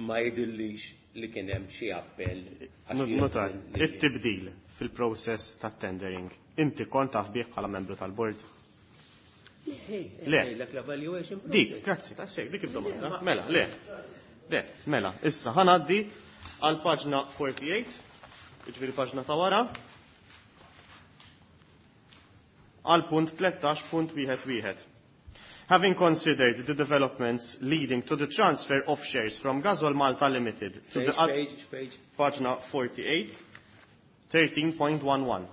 ma jidhirlix li kien hemm xi appell għax jien- Nutar, li- it-tibdil fil-process tat-tendering, inti kont taf bih bħala membru tal-board? Le. Lek l-evaluation Dik, process. grazzi, ta' sek, dik id-domanda. Mela, le. Le, mela, issa ħa ngħaddi għal paġna erbgħa u erbgħin, jiġifieri paġna ta' wara, għal punt tlettax punt wieħed wieħed. "Having considered the developments leading to the transfer of shares from Gasol Malta Limited to the Page, page, page. Paġna erbgħa u erbgħin, tlettax punt wieħed wieħed.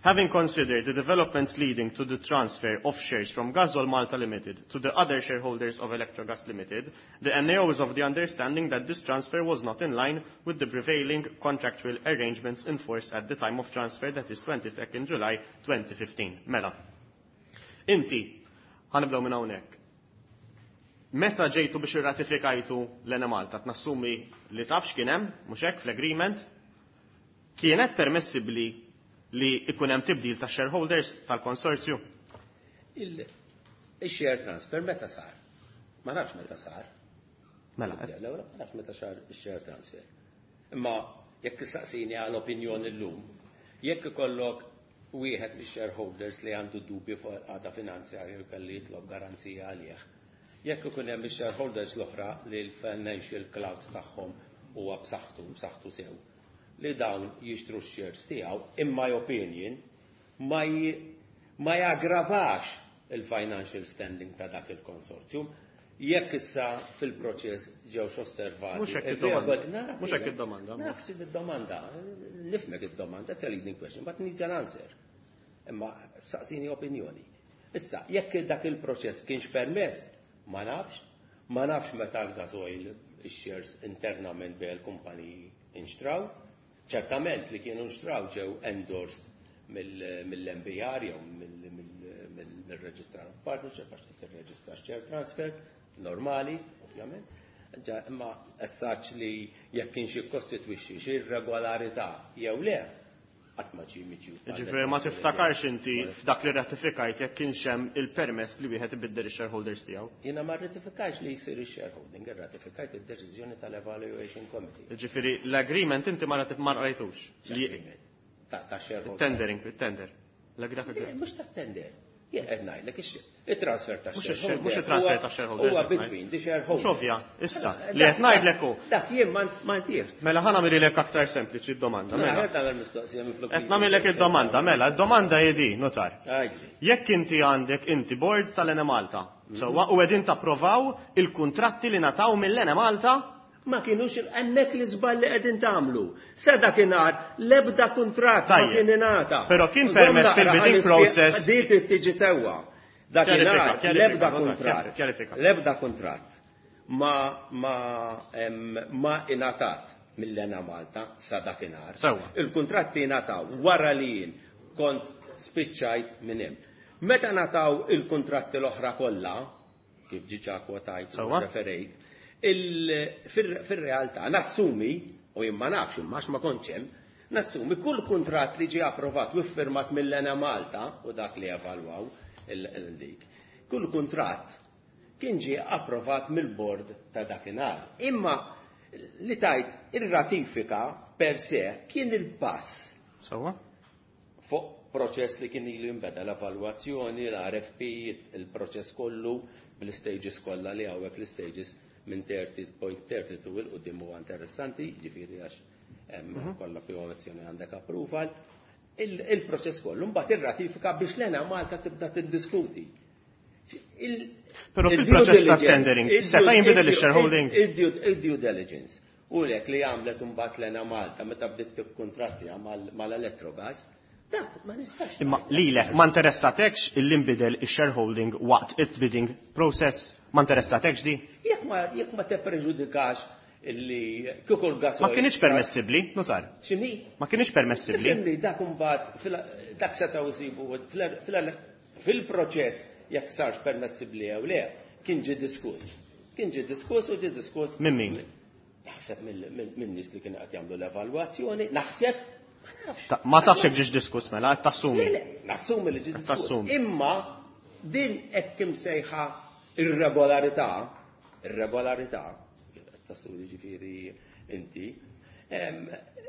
"Having considered the developments leading to the transfer of shares from Gasol Malta Limited to the other shareholders of Electrogas Limited, the N A O is of the understanding that this transfer was not in line with the prevailing contractual arrangements in force at the time of transfer, that is twenty-second July twenty fifteen" Mela. Inti, ħa nibdew minn hawnhekk. Meta ġejtu biex irratifikajtu l-Enemalta, nassumi li taf x'kien hemm, mhux hekk, fl-agreement, Kienet permessibbli li ikun hemm tibdil ta' shareholders tal-konsorzju? Il-share transfer meta sar? Ma nafx meta sar. Mela. Ma nafx meta sar il-share transfer. Imma jekk tistaqsini għal opinjoni llum, jekk ikollok wieħed mix-shareholders li għandu dubju fuq għada finanzjarju kelli jitlob garanzija għalih. Jekk ikun hemm ix-shareholders l-oħra li l-financial clout tagħhom huwa b'saħħtu, b'saħħtu sew, li dawn jixtru x-shares tiegħu, in my opinion, ma, ma jaggravax il-financial standing ta' dak il-konsorzjum. Jekk issa fil-proċess ġewx osservati. Mhux hekk id-domanda. Mhux hekk id-domanda. Nafx id-domanda. Nifhmek id-domanda, that's a leading question, but needs an answer. Imma saqsini opinjoni. Issa, jekk dak il-proċess kienx permess, ma nafx, ma nafx meta l-gasoil shares internament bejn il-kumpaniji inxtraw. Ċertament li kienu nxtraw ġew endorsed mill-M B R jew mill-Registrar of Partnership, għax tirreġistra share transfer, normali, ovvjament. Imma essaċ li jekk kienx jikkostitwixxi xi irregolarità jew le, qatt ma ġie miġjub. Ġifieri ma tiftakarx inti f'dak li ratifikajt jekk kienx hemm il-permess li wieħed ibiddel ix-shareholders tiegħu? Jiena ma rratifikajx li jsir ix-shareholding, irratifikajt id-deċiżjoni tal-Evaluation Committee. Ġifieri l-agreement inti ma rajtux. Ta' shareholding. Tendering, tender. L-agreement. Mhux ta' tender. Jien qed ngħidlek it-transfer ta' shareholders. Mhux it-transfer ta' shareholders. Huwa between the shareholders. Xovja, issa, li qed ngħidlek hu. Dak jien ma ntih. Mela ħa nagħmilek aktar sempliċi d-domanda. Mela tagħmel mistoqsija minflok. Qed nagħmilek id-domanda, mela, d-domanda hi di, notar. Jekk inti għandek inti board tal-Enemalta, sewwa, u qegħdin tapprovaw il-kuntratti li ngħataw mill-Enemalta, ma kienux hemmhekk li żball li qegħdin tagħmlu. Sa dakinhar l-ebda kuntratt ma kien ingħata. Però kien permess fil-bidding process. Di trid tiġi sewwa. Dakinhar l-ebda kuntratt. L-ebda kuntratt ma ma ma ingħatat mill-Enemalta sa dakinhar. Il-kuntratti ingħataw wara li jien kont spiċċajt minn hemm. Meta ngħataw il-kuntratti l-oħra kollha, kif diġà kwotajt u referejt, fil-realtà nassumi, u jien ma nafx imma ma kontx hemm, nassumi kull kuntratt li ġie approvat u ffirmat mill-Enemalta u dak li evalwaw il-dik, kull kuntratt kien ġie approvat mill-bord ta' dakinhar. Imma li tajt ir-ratifika per se kien il-pass. Sewwa? Fuq proċess li kien ilu jinbeda, l-evalwazzjoni, l-R F P, il-proċess kollu bl-stages kollha li hawnhekk, l-stages minn tletin punt tlieta u 'l quddiem huwa interessanti, ġifieri għax kollha approvazzjoni għandek approval. Il-proċess kollu, mbagħad ir-ratifika biex l-Enemalta tibda tiddiskuti. Però fil-proċess ta' tendering, seta' jinbidel il-shareholding? Il-due diligence. U lek li għamlet mbagħad l-Enemalta meta bdiet tikkuntrattja mal-Electrogas, dak ma nistax. Imma lilek ma interessatekx il-inbidel il-shareholding waqt il-bidding process? Ma interessatekx di? Jekk ma jekk ma tippreġudikax illi kieku l-gas. Ma kienx permessibbli, notar? X'inhi? Ma kienx permessibbli? Ifhimni, dak imbagħad dak setgħu jsibu fil-proċess jekk sarx permessibbli jew le, kien ġie diskuss. Kien ġie diskuss u ġie diskuss. Minn min? Naħseb minn nies li kienu qed jagħmlu l-evalwazzjoni, naħseb. Ma tafx jekk ġiex diskuss mela, qed tassumi. Nassumi li ġie diskuss. Imma din hekk imsejħa irregolarità, irregolarità, tassumi ġifieri inti,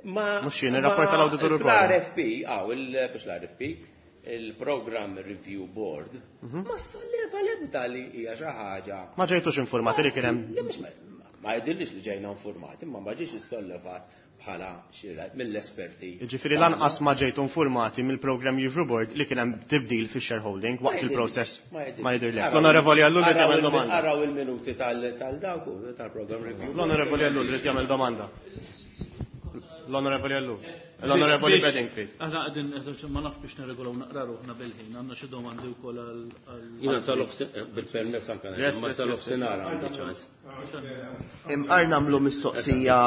ma Mhux jien, ir-rapport tal-awditur ukoll. L-R F P, aw, biex l-R F P, il-Program Review Board, ma solleva l-ebda li hija xi ħaġa. Ma ġejtux informati li kien hemm. Ma jidhirlix li ġejna informati, ma ma ġiex issollevat bħala xi mill-esperti. Ġifieri lanqas ma ġejtu informati mill-Program Review Board li kien hemm tibdil fix-shareholding waqt il-process? Ma jidhirlek. L-Onorevoli Ellul irid jagħmel domanda. Araw il-minuti tal-dawk tal-Program Review. L-Onorevoli Ellul irid jagħmel domanda. L-Onorevoli Ellul. L-Onorevoli Bedingfield. Aħna qegħdin, ma naf biex nirregolaw naqra ruħna bil-ħin, għandna xi domandi wkoll għal. Jiena sal bil-permess anke ma sal-nofsinhar għandi ċans. Imqar nagħmlu mistoqsija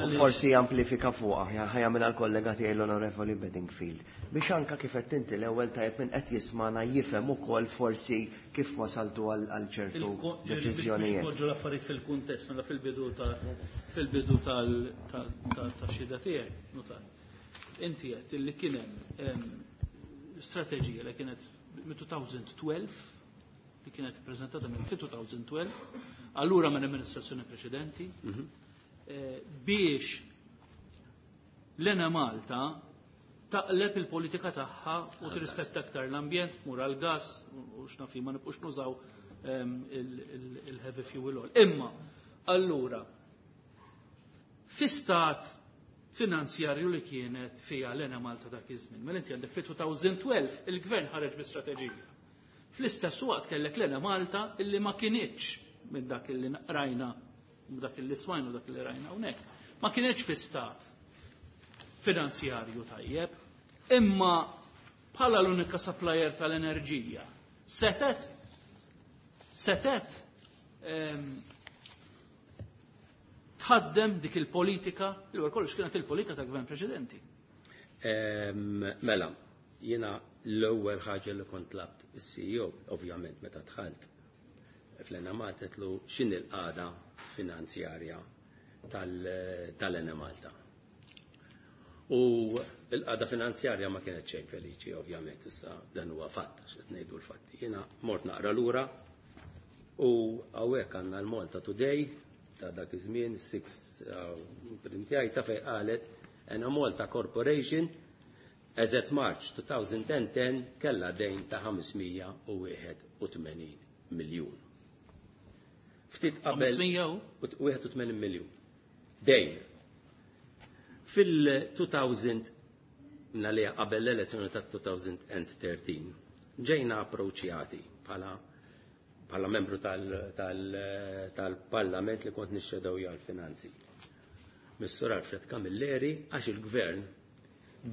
u forsi amplifika fuqha, ħa jagħmilha l-kollega tiegħi l-Onorevoli Bedingfield. Biex anka kif qed inti l-ewwel tajjeb minn qed jismana jifhem ukoll forsi kif wasaltu għal ċertu deċiżjonijiet. Poġġu l-affarijiet fil-kuntest, mela fil-bidu ta' fil-bidu tal-xhieda tiegħek, notar. Inti qed illi kien hemm strateġija li kienet minn elfejn u tnax, li kienet prezentata minn elfejn u tnax, allura minn amministrazzjoni preċedenti, Mhm. eh, biex l-Enemalta taqleb il-politika tagħha u tirrispetta aktar l-ambjent, tmur għal-gas u x'naf ma nibqux nużaw ehm, il-heavy fuel oil. Imma, allura, fi stat finanzjarju li kienet fija l-Enemalta dak iż-żmien, mela inti għandek fi elfejn u tnax il-gvern ħareġ bi strateġija. Fl-istess waqt kellek l-Enemalta illi ma kinitx minn dak illi rajna, dak illi smajna, dak illi rajna hawnhekk. Ma kinitx fi stat finanzjarju tajjeb, imma bħala l-unika supplier tal-enerġija, setet setet em, tħaddem dik il-politika, li wara kollox kienet il-politika ta' gvern preċedenti. Em, Mela, jiena l-ewwel ħaġa li kont tlabt is-C E O, ovvjament meta dħalt fl-Enemalta, għedtlu x'inhi l-qagħda finanzjarja tal-Enemalta. U l-qagħda finanzjarja ma kienet xejn feliċi, ovvjament, issa dan huwa fatt, għax qed ngħidu l-fatti. Jiena mort naqra lura u hawnhekk għandna l-Malta Today ta' dak iż-żmien, sitta printjajta, fejn qalet Enemalta Corporation as at March twenty ten kella dejn ta' ħames mija u wieħed u tmenin miljun. Ftit qabel ħames mija u wieħed u tmenin miljun. Dejn. Fil-elfejn nalija qabel l-elezzjoni ta' elfejn u tlettax ġejna approċjati bħala bħala membru tal-Parlament li kont nixxedew għal-finanzi. Mis-Sur Alfred Camilleri, għax il-gvern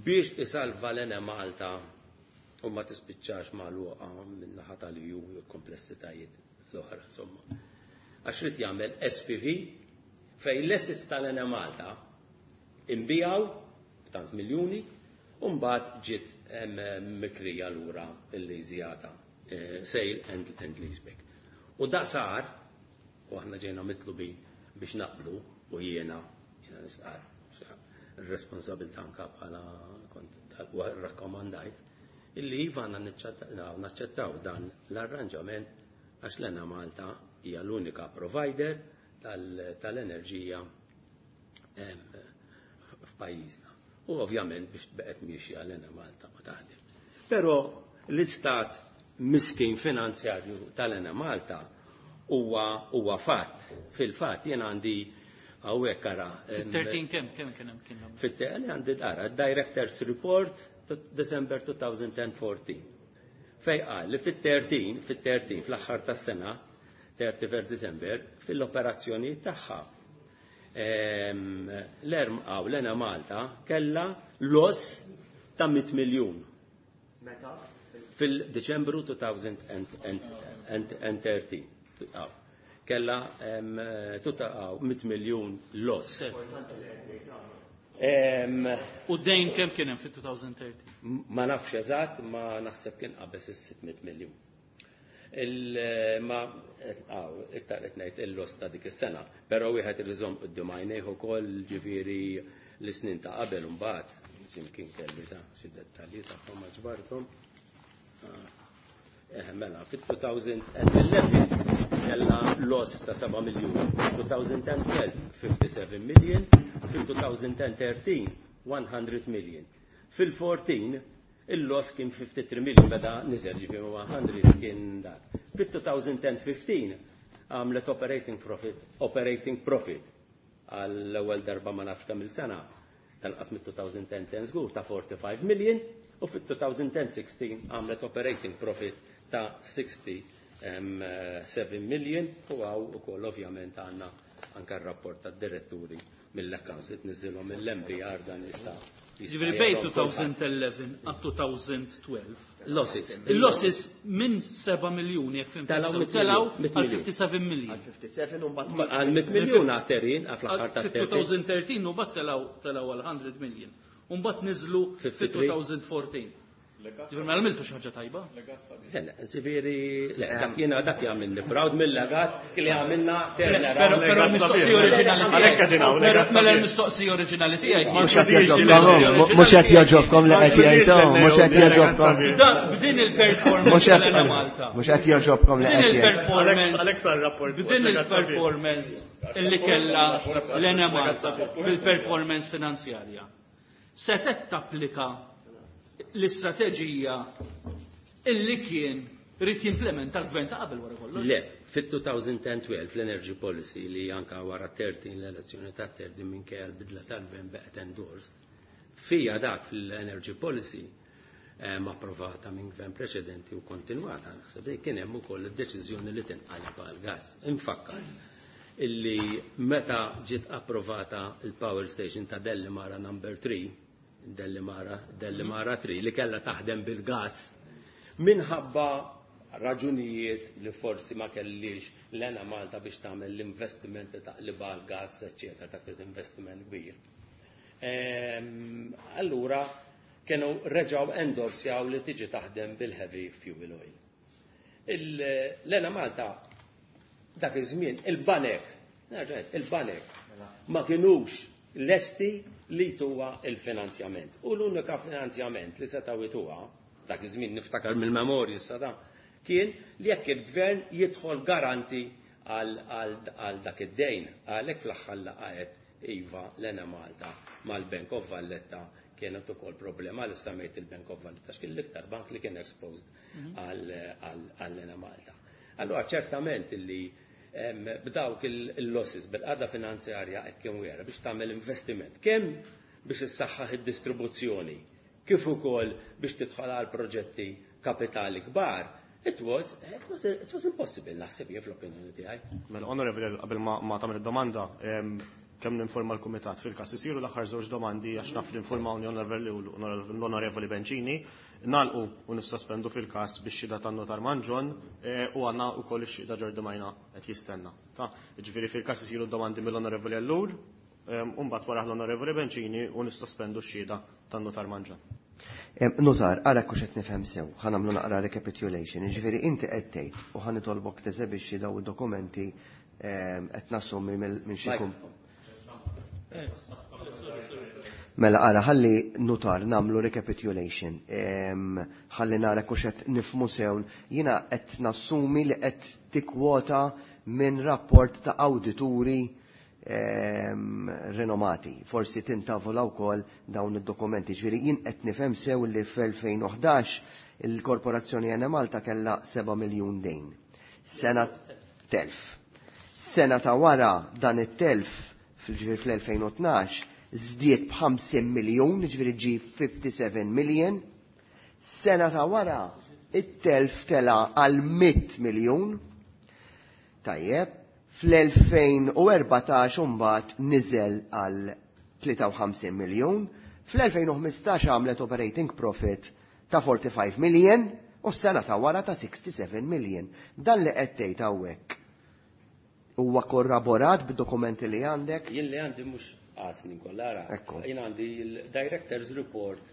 biex isalva l-Enemalta u ma tispiċċax magħluqa min-naħa tal-E U u komplessitajiet l-oħra, insomma. Għax ried jagħmel S P V fejn l-assets tal-Enemalta inbiegħu tant miljuni u mbagħad ġiet mikrija lura l-leasjata, sale and, and leaseback. U da sar, u aħna ġejna mitlubin biex naqblu, u jiena, jiena nistqar, il-responsabilità anka bħala kont rakkomandajt, illi iva għandna naċċettaw dan l-arranġament għax l-Enemalta hija l-unika provider tal-enerġija f'pajjiżna. U ovvjament biex beqgħet miexja l-Enemalta ma taħdem. Però l-istat miskin finanzjarju tal-Enemalta huwa huwa fatt. Fil-fatt jien għandi hawnhekk, ara. Fit-tlettax kemm kemm kien hemm kien hemm? Fit-tlettax għandi dara Directors Report December twenty fourteen. Fej qal li fit-tlettax, fit-tlettax fl-aħħar tas-sena, thirty-first December, fil-operazzjoni tagħha l-erm għaw l-Enemalta kella loss ta' mitt miljun. Meta? Fil-Deċembru elfejn u tlettax. Kella mitt miljun loss. U dejn kemm kien hemm fit-elfejn u tlettax? Ma nafx eżatt, ma naħseb kien qabeż is-sitt mitt miljun. Ma għaw, iktar qed ngħid il-loss ta' dik is-sena, però wieħed iżomm quddiem għajnejh ukoll ġifieri l-snin ta' qabel imbagħad, x'imkien kelli ta' xi dettalji tagħhom ma ġbarthom. Eh, mela, fit-elfejn u ħdax kella loss ta' seba' miljun, elfejn u tnax fifty-seven million, fil-elfejn u tlettax one hundred million. Fil-erbatax il-loss kien fifty-three million, beda niżel, ġifieri mija kien dak. Fit-elfejn u ħmistax għamlet operating profit, operating profit għall-ewwel darba ma nafx kemm il-sena, tal-qas mit-elfejn u għaxra żgur, ta' forty-five million, u fit-elfejn u sittax għamlet operating profit ta' sixty-seven million, u hawn ukoll ovvjament għandna anka r-rapport tad-diretturi mill-accounts li tniżilhom mill-M B R, dan jista' Ġifieri bejn elfejn u ħdax għal elfejn u tnax. Losses. Il-losses minn seba' miljuni, jekk fhimt Telgħu sew, mitt telgħu miljun, għal fifty-seven million. Għal fifty-seven u mbagħad Għal mitt miljun għaterin, għal fl-aħħar ta' Fit-elfejn u tlettax u mbagħad telgħu telgħu għal mija million. U mbagħad niżlu fifty-three. fit-elfejn u erbatax. Ġifieri ma għamiltu xi ħaġa tajba. Ġifieri, le, dak jiena dak jagħmilni proud mill-legat li għamilna Però però l-mistoqsija oriġinali tiegħi. Mela l-mistoqsija oriġinali tiegħi. Mhux qed jogħġobkom, mhux qed jogħġobkom li qed jgħidu, mhux qed jogħġobkom. B'din il-performance tal-Enemalta. Mhux qed jogħġobkom li qed jgħidu. B'din il-performance illi kellha l-Enemalta bil-performance finanzjarja. Setgħet tapplika l-istrateġija illi kien rrid jimplementa l-gvern ta' qabel wara kollox. Le, fit-twenty twelve l-energy policy li anka wara tlettax l-elezzjoni ta' tlettax minkejja l-bidla tal-gvern baqgħet endorsed. Fija dak fil-energy policy approvata minn gvern preċedenti u kontinwata, naħseb li kien hemm ukoll id-deċiżjoni li tinqaleb għal gas. Infakkar illi meta ġiet approvata il-power station ta' Delimara number three, Delimara, Delimara three, li kella taħdem bil-gas, minħabba raġunijiet li forsi ma kellix l-Enemalta biex tagħmel l-investiment ta' taqliba għal gas, eccetera, ta' investiment kbir. Allura kienu reġaw endorsjaw li tiġi taħdem bil-heavy fuel oil. L-Enemalta dak iż-żmien il-banek, il-banek ma kienux lesti li tuwa il-finanzjament. U l-unika finanzjament li setaw jtuha, dak iż-żmien niftakar mill-memorji sada, kien li jekk il-gvern jidħol garanti għal dak id-dejn. Għalhekk fl-aħħar laqgħet iva l-Enemalta mal-Bank of Valletta kienet ukoll problema li semmejt il-Bank of Valletta x'kien l-iktar bank li kien exposed għall-Enemalta. Allora ċertament illi b'dawk il-losses bil-qagħda finanzjarja hekk kien wera biex tagħmel investiment kemm biex issaħħaħ id-distribuzzjoni kif ukoll biex tidħol għal proġetti kapitali kbar. It was, it was, it was impossible, naħseb jien fl-opinjoni tiegħi. Mela, onorevoli, qabel ma, ma tagħmel id-domanda, kemm ninforma l-kumitat fil-każ isiru l-aħħar żewġ domandi għax naf li informawni l-onorevoli Bencini, nagħlqu u nissospendu fil-każ biex xhieda tan-notar Mangion u għandna wkoll ix-xhieda Ġordimajna qed jistenna. Ta' ġifieri fil-każ isiru domandi mill-onorevoli Ellul, u mbagħad wara l-onorevoli Bencini u nissospendu x-xhieda tan-notar Mangion. Notar, ara kux qed nifhem sew, ħa nagħmlu naqra recapitulation. Ġifieri inti qed tgħid u ħa nitolbok teżebixxi daw id-dokumenti qed nassumi minn xi Mela ara ħalli notar nagħmlu recapitulation. Ħalli nara kux qed nifhmu sew. Jiena qed nassumi li qed tikkwota minn rapport ta' awdituri renomati. Forsi tintavola wkoll dawn id-dokumenti. Ġifieri jien qed nifhem sew li fl-elfejn u ħdax il-Korporazzjoni Enemalta kellha seba' miljun dejn. Sena telf. Sena ta' wara dan it-telf fl-elfejn u tnax żdied b'ħamsin miljun, ġifieri ġi fifty-seven million. Sena ta' wara it-telf tela għal mitt miljun. Tajjeb, fl-elfejn u erbatax imbagħad niżel għal tlieta u ħamsin miljun, fl-elfejn u ħmistax għamlet operating profit ta' forty-five million u s-sena ta' wara ta' sixty-seven million. Dan li qed tgħid hawnhekk huwa korroborat bid-dokumenti li għandek? Jien li għandi mhux għasni kollha. Ekku. Jien għandi il-Director's Report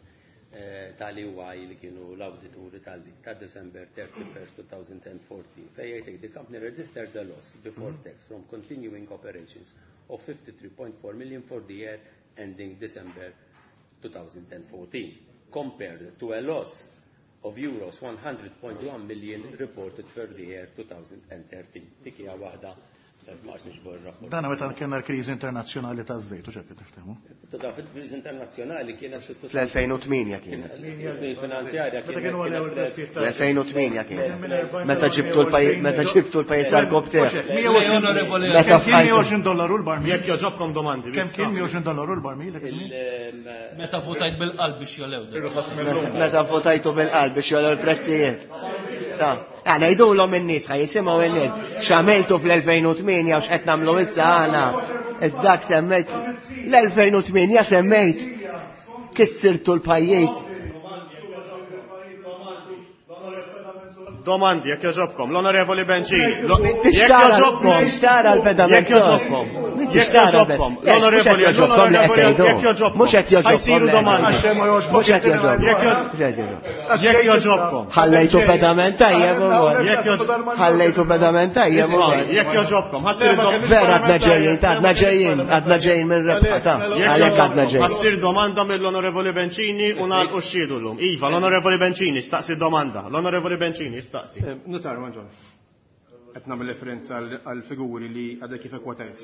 tal-E Y li kienu l-awdituri ta' December thirty-first twenty fourteen fejn jgħidlek the company registered a loss before tax from continuing operations of fifty-three point four million for the year ending December twenty fourteen compared to a loss of euros one hundred point one million reported for the year twenty thirteen. Dik hija waħda ma għax nixbor rapport. Dana meta kellna l-kriżi internazzjonali taż-żejt, u x'hekk niftehmu. Ta' fil-kriżi internazzjonali kienet Fl-elfejn u tmienja kienet. Finanzjarja. Meta kienu għalew il-prezzijiet ta' Fl-elfejn u tmienja kienet. Meta ġibtu l-pajjiż, meta ġibtu l-pajjiż għal Mija Meta Kemm kien mija u għoxrin dollaru l-barmil? Jekk jogħġobkom domandi. Kemm kien mija u għoxrin dollaru l-barmil dak iż-żmien? Meta votajt bil-qalb biex jolew. Meta votajtu bil-qalb biex jolew il-prezzijiet. Ta' għana jgħidulhom in-nies, ħa jisimgħu in-nies. X'għamiltu fl-elfejn u tmienja u x'qed nagħmlu issa aħna. Dak semmejt l-elfejn u tmienja, semmejt kissirtu l-pajjiż. Domandi, jekk jogħġobkom, l-onorevoli Bencini. Jekk Tixtara jogħġobkom. Tixtara l-pedament. Jekk jogħġobkom. Jekk joġobkom, l-onorevoli, l-onorevoli, jekk joġobkom. Mhux qed joġobkom. Ħa jsiru domandi. Mhux qed joġobkom. Jekk joġobkom. Ħallejtu pedament tajjeb ukoll. Ħallejtu pedament tajjeb ukoll. Jekk joġobkom, ħa ssir domanda. Vera għadna ġejjin, għadna ġejjin, għadna ġejjin minn rebħa ta' għalhekk għadna ġejjin. Ħa ssir domanda mill-Onorevoli Bencini u nagħlqu x-xhieda llum. Iva, l-Onorevoli Bencini staqsi domanda. L-Onorevoli Bencini staqsi. Nutar, Manġon. Qed nagħmel referenza għal figuri li għadek kif ikkwotajt.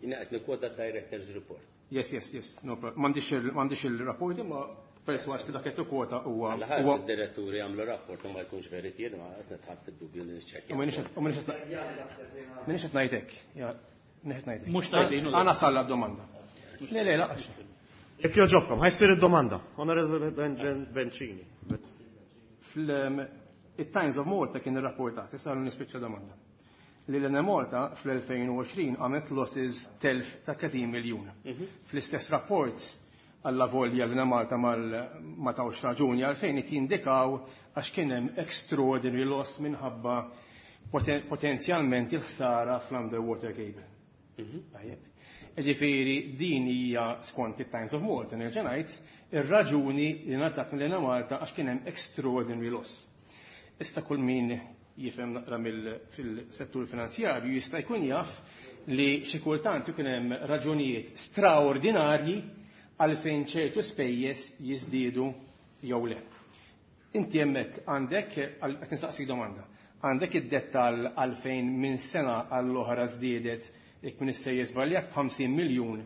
Jiena qed nikkwota Director's Report. Yes, yes, yes. No problem. M'għandix il-rapport imma persważ li dak qed tikkwota huwa. Għal id-diretturi jagħmlu rapport u ma jkunx veritier, ma qed nitħadd fid-dubju li niċċekkja. U m'iniex qed ngħid hekk. M'iniex qed ngħid hekk. Mhux tgħidlin. Għana salla domanda. Le, le, laqax. Jekk joġobkom, ħa jsir id-domanda. Onorevoli Bencini. Il-Times of Malta kien irrapportat, issa nispiċċa domanda. Li l-Enemalta fl-elfejn u għoxrin għamlet losses telf ta' tletin miljun. Fl-istess rapport għalla volja l-Enemalta ma tawx raġuni għalfejn it jindikaw għax kien hemm extraordinary loss minħabba potenzjalment il-ħsara fl-underwater cable. Tajjeb. Ġifieri din hija skont it-Times of Malta nerġa' ngħid ir-raġuni li ngħatat mill-Enemalta għax kien hemm extraordinary loss. Issa kull min jifhem naqra fil-settur finanzjarju jista' jkun jaf li xi kultant ikun hemm raġunijiet straordinarji għalfejn ċertu spejjeż jiżdiedu jew le. Inti hemmhekk għandek, qed nistaqsik domanda, għandek id-dettall għalfejn minn sena għall-oħra żdiedet jekk min issejjer żbaljat b'ħamsin miljun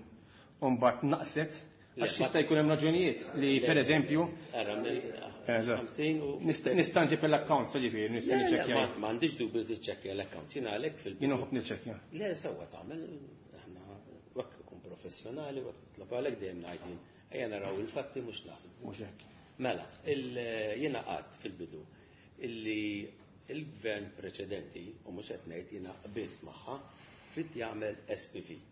u mbagħad naqset għax jista' jkun hemm raġunijiet li pereżempju Nista' nġib l-accounts, ġifieri, nista' niċċekkja. M'għandix dubju tiċċekkja l-accounts, jiena għalhekk fil- Jien nħobb niċċekkja. Le, sewwa tagħmel, aħna hekk ikun professjonali, u hekk nitlob għalhekk dejjem ngħid jien, ejja naraw il-fatti mhux naħsbu. Mhux hekk. Mela, jiena qatt fil-bidu illi il-gvern preċedenti, u mhux qed ngħid jiena qbilt magħha, trid jagħmel S P V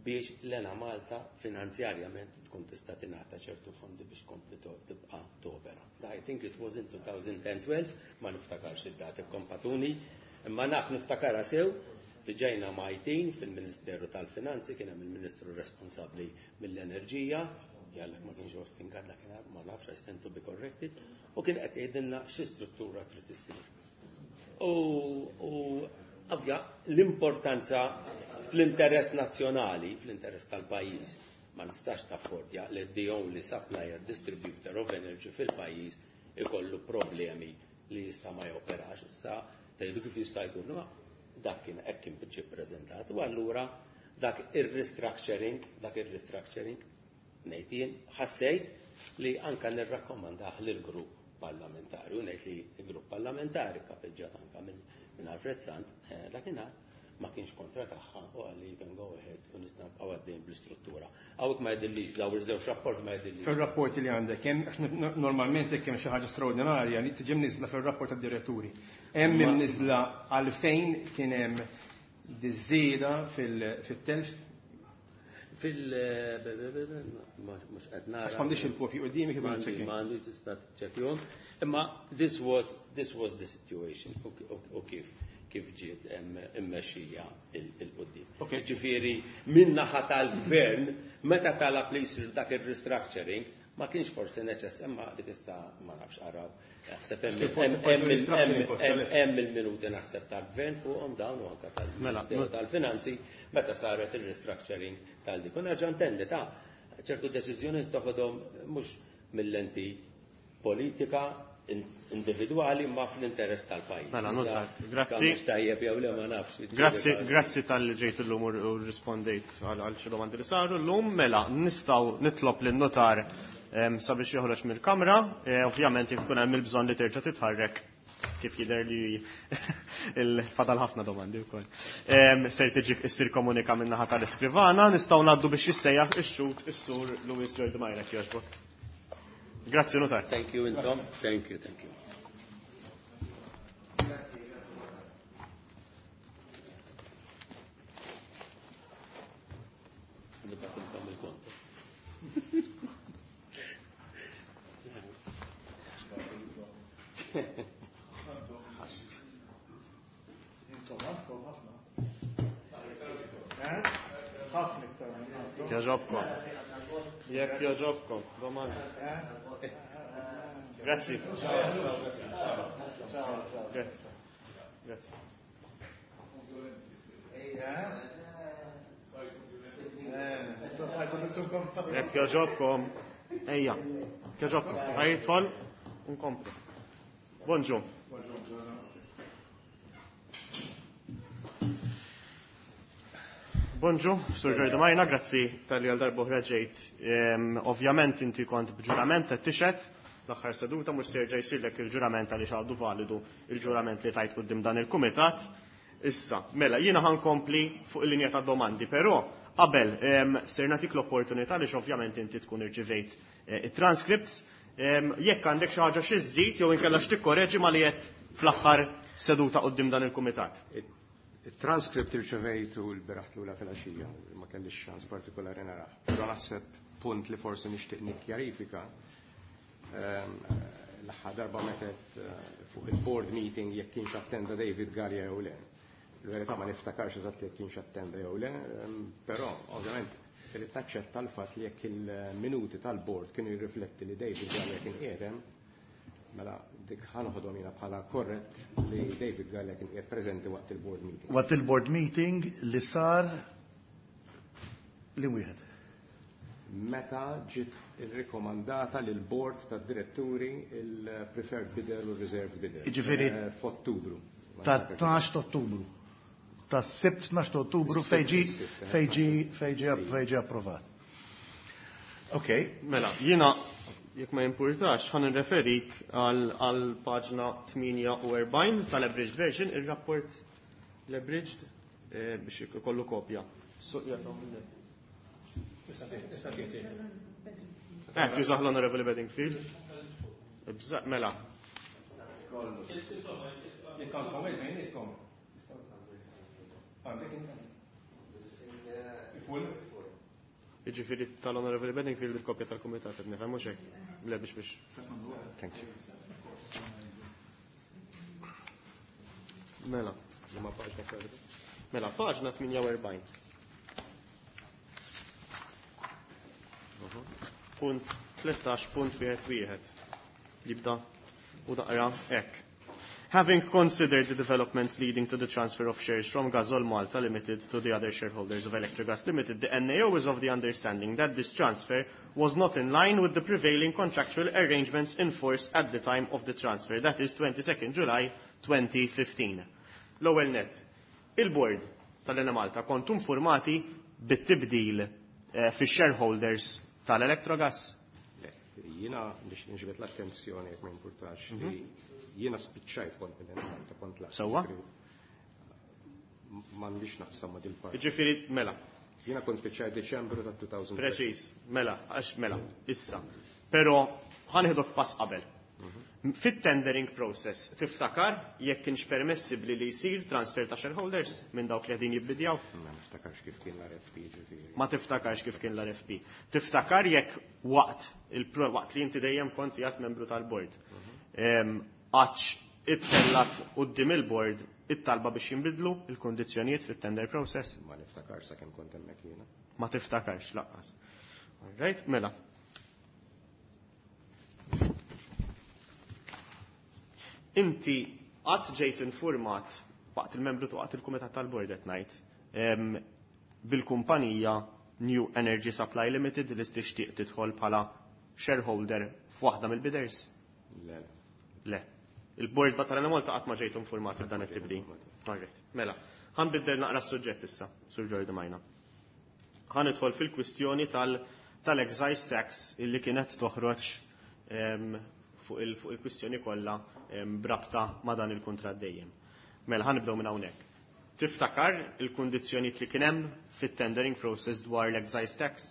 biex l-Enemalta finanzjarjament tkun tista' tingħata ċertu fondi biex tkompli tibqa' topera. I think it was in two thousand and twelve, ma niftakarx id-dati kompatuni, imma naf niftakarha sew li ġejna majtin fil-Ministeru tal-Finanzi, kien hemm il-Ministru responsabbli mill-Enerġija, jalla ma kienx Austin Gatt dakinhar, ma nafx, I stand to be corrected, u kien qed jgħidilna xi struttura trid issir. U, u ovvja l-importanza fl-interess nazzjonali, fl-interess tal-pajjiż, ma nistax taffordja li the only supplier distributor of energy fil-pajjiż ikollu problemi li jista' ma joperax. Issa tgħidu kif jista' jkun, ma dak kien hekk kien ġie ppreżentat, u allura dak ir-restructuring, dak ir-restructuring ngħid jien ħassejt li anka nirrakkomandah lill-grupp parlamentari, u ngħid li l-grupp parlamentari kapeġġat anka minn, minn Alfred Sant, eh, dakinhar ma kienx kontra tagħha u qal li you can go ahead u nista' nibqgħu għaddejjin bl-istruttura. Hawnhekk ma jidhirlix, daw iż-żewġ rapport ma jidhirlix. Fir-rapporti li għandek hemm, għax n-, normalment jekk hemm xi ħaġa straordinarja li tiġi mniżla fir-rapport tad-diretturi. Hemm Ma- imniżla għalfejn kien hemm diżieda fil-, fit-telf. Fil-, be-, be-, be-, be-, ma-, mhux qed nara. Għax m'għandix il-kopji quddiemi kif M'għandix, niċċekkja. m'għandix, tista' tiċċekkjahom. Imma this was, this was the situation u, u, u kif, kif ġiet immexxija il-qudiem. Ok. Ġifieri min naħa tal-gvern meta talab li jsir dak ir-restructuring ma kienx forsi neċess, imma dik issa ma nafx araw. Naħseb hemm Kif forsi hemm forsi hemm restructuring hemm cost, hemm għalhekk. hemm il-minuti naħseb tal-gvern fuqhom dawn u anke tal-Ministeru Mela, tal-Finanzi meta saret il-restructuring tal-dik. U nerġa' ntenni ta' ċertu deċiżjoni toħodhom mhux mill-lenti politika in-, individwali ma fl-interess tal-pajjiż. Mela, Issa, notar. Grazzi. kemm tajjeb jew le ma nafx. Grazzi, grazzi tal-li ġejt illum u u rispondejt għal, għal xi domandi li saru llum. Mela, nistgħu nitlob lin-notar, em, sabiex joħroġ mill-kamra. E, ovvjament jekk ikun hemm il-bżonn li terġa' titħarrek kif jidher li il-fadal ħafna domandi wkoll. Em, ser tiġi issir komunika min-naħa tal-iskrivana, nistgħu ngħaddu biex jissejjaħ ix-xhud is-sur Louis George Majrek jogħġbok. Grazzi, notar. Thank you, intom. Thank you, thank you. Intom għandkom ħafna. Ħafna iktar minn ħadd. Jogħġobkom. Jekk jogħġobkom, domanda. Grazzi. Grazzi. Grazzi. Jekk jogħġobkom, ejja, jekk jogħġobkom, ħa jidħol u nkomplu. Bonġu. Bonġu, Sur Jordi Majna, grazzi talli għal darb'oħra ġejt. Ovvjament inti kont b'ġurament qed tixhed l-aħħar seduta, mhux se jerġa' jsirlek il-ġurament għaliex għadu validu il-ġurament li tajt quddiem dan il-kumitat. Issa, mela, jiena ħankompli fuq il-linja ta' domandi, però qabel ser nagħtik l-opportunità li ovvjament inti tkun irċivejt it-transcripts, jekk għandek xi ħaġa xi żżid jew inkella x'tikkoreġi ma li qed fl-aħħar seduta quddiem dan il-kumitat. Il-transcript irċevejtu l-bieraħ lura fil-għaxija, ma kellix ċans partikolari narah. Però naħseb punt li forsi nixtieq nikkjarifika, l-aħħar darba metet fuq il-board meeting jekk kienx attenda David Galea jew le. Il-verità ma niftakarx eżatt jekk kienx attenda jew le, però ovvjament irid taċċetta l-fatt li jekk il-minuti tal-board kienu jirrifletti li David Galea kien qiegħed, mela dik ħa noħodhom jiena bħala korrett li David Galea kien qiegħed preżenti waqt il-board meeting. Waqt il-board meeting li sar li wieħed. Meta ġiet irrikomandata lil board tad-diretturi il-preferred bidder u reserved bidder. Jiġifieri f'Ottubru. Ta' tnax ta' Ottubru. Ta' sibt tnax ta' Ottubru fejn ġie fejn ġie fejn ġie fejn ġie approvat. Ok. Mela, jiena jekk ma jimpurtax, ħa nirreferik għal paġna tmienja u erbgħin tal-abridged version, il-rapport l-abridged biex ikollu kopja. Eh, jużah l-Honorable Bedingfield. Mela. Jekk għandkom il-bejnietkom. Għandek inti? Il-full? Jiġifieri tal-Honorable Bedingfield il-kopja tal-Kumitat qed nifhem mhux hekk. Le biex biex. Thank you. Mela. Ma paġna ferda. Mela, paġna tmienja u erbgħin. Punt tlettax punt wieħed wieħed. Jibda u naqra hekk. Having considered the developments leading to the transfer of shares from Gasol Malta Limited to the other shareholders of Electrogas Limited, the N A O is of the understanding that this transfer was not in line with the prevailing contractual arrangements in force at the time of the transfer, that is twenty-second July twenty fifteen. L-ewwel net, il-board tal-Enemalta kontu informati bit-tibdil eh, fix-shareholders tal-Electrogas? Le, jiena biex nġibet l-attenzjoni jekk ma jimpurtax li jiena spiċċajt kont mill-Enemalta kont laqt. Sewwa? M'għandix naqsam ma' dil-parti. Jiġifieri mela. Jiena kont spiċċajt Deċembru ta' elfejn u tlettax. Preċiż, mela, għax mela, issa. Però ħa nieħdok pass qabel. Fit-tendering process, tiftakar jekk kienx permessibbli li jsir transfer ta' shareholders minn dawk li qegħdin jibbidjaw? Ma niftakarx kif kien l-R F P ġifieri. Ma tiftakarx kif kien l-R F P. Tiftakar jekk waqt il waqt li inti dejjem kont qiegħed membru tal-board. Għax ittellat quddiem il-board it-talba biex jinbidlu il-kondizzjonijiet fit-tender process? Ma niftakarx sakemm kont hemmhekk jiena. Ma tiftakarx lanqas. All right, mela. Inti qatt ġejt informat waqt il-membru waqt il-kumitat tal-board qed ngħid bil-kumpanija New Energy Supply Limited li tixtieq tidħol bħala shareholder f'waħda mill-bidders? Le. Le. Il-board tal-Enemalta qatt ma ġejt informat b'dan it-tibdil. All right. Mela, ħa nbiddel naqra s-suġġett issa, Sur Jordi Majna. Ħa nidħol fil-kwistjoni tal-excise tax illi kienet toħroġ fuq il-kwistjoni kollha brabta ma' dan il-kuntratt dejjem. Mela ħa nibdew minn hawnhekk. Tiftakar il-kundizzjonijiet li kien hemm fit-tendering process dwar l-excise tax?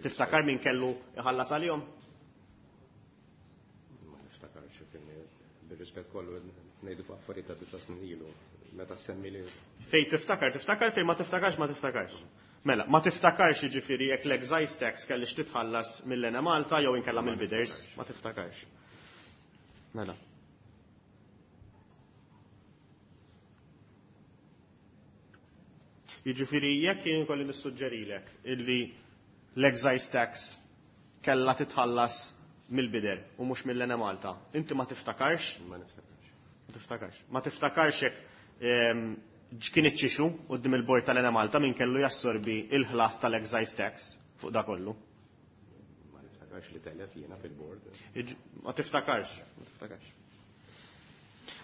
Tiftakar min kellu iħallas għalihom? Ma niftakarx kien bir-rispett kollu ngħidu fuq affarijiet ta' disa' snin ilu meta semmi li Fej tiftakar, tiftakar, fej ma tiftakarx, ma tiftakarx. Mela, ma tiftakarx jiġifieri jekk l-excise tax kellix titħallas mill-Enemalta jew inkella mill-bidders, ma tiftakarx. Mela. Jiġifieri jekk jien kolli nissuġġerilek illi l-excise tax kellha titħallas mill-bidder u mhux mill-Enemalta, inti ma tiftakarx? Ma niftakarx. Ma tiftakarx. Ma tiftakarx hekk ehm, kien iċ-ċixu quddiem il-bord tal-Enemalta min kellu jassorbi il-ħlas tal-excise tax fuq da kollu. Ma niftakarx li telef jiena fil-bord. Iġ- Ma tiftakarx, ma tiftakarx.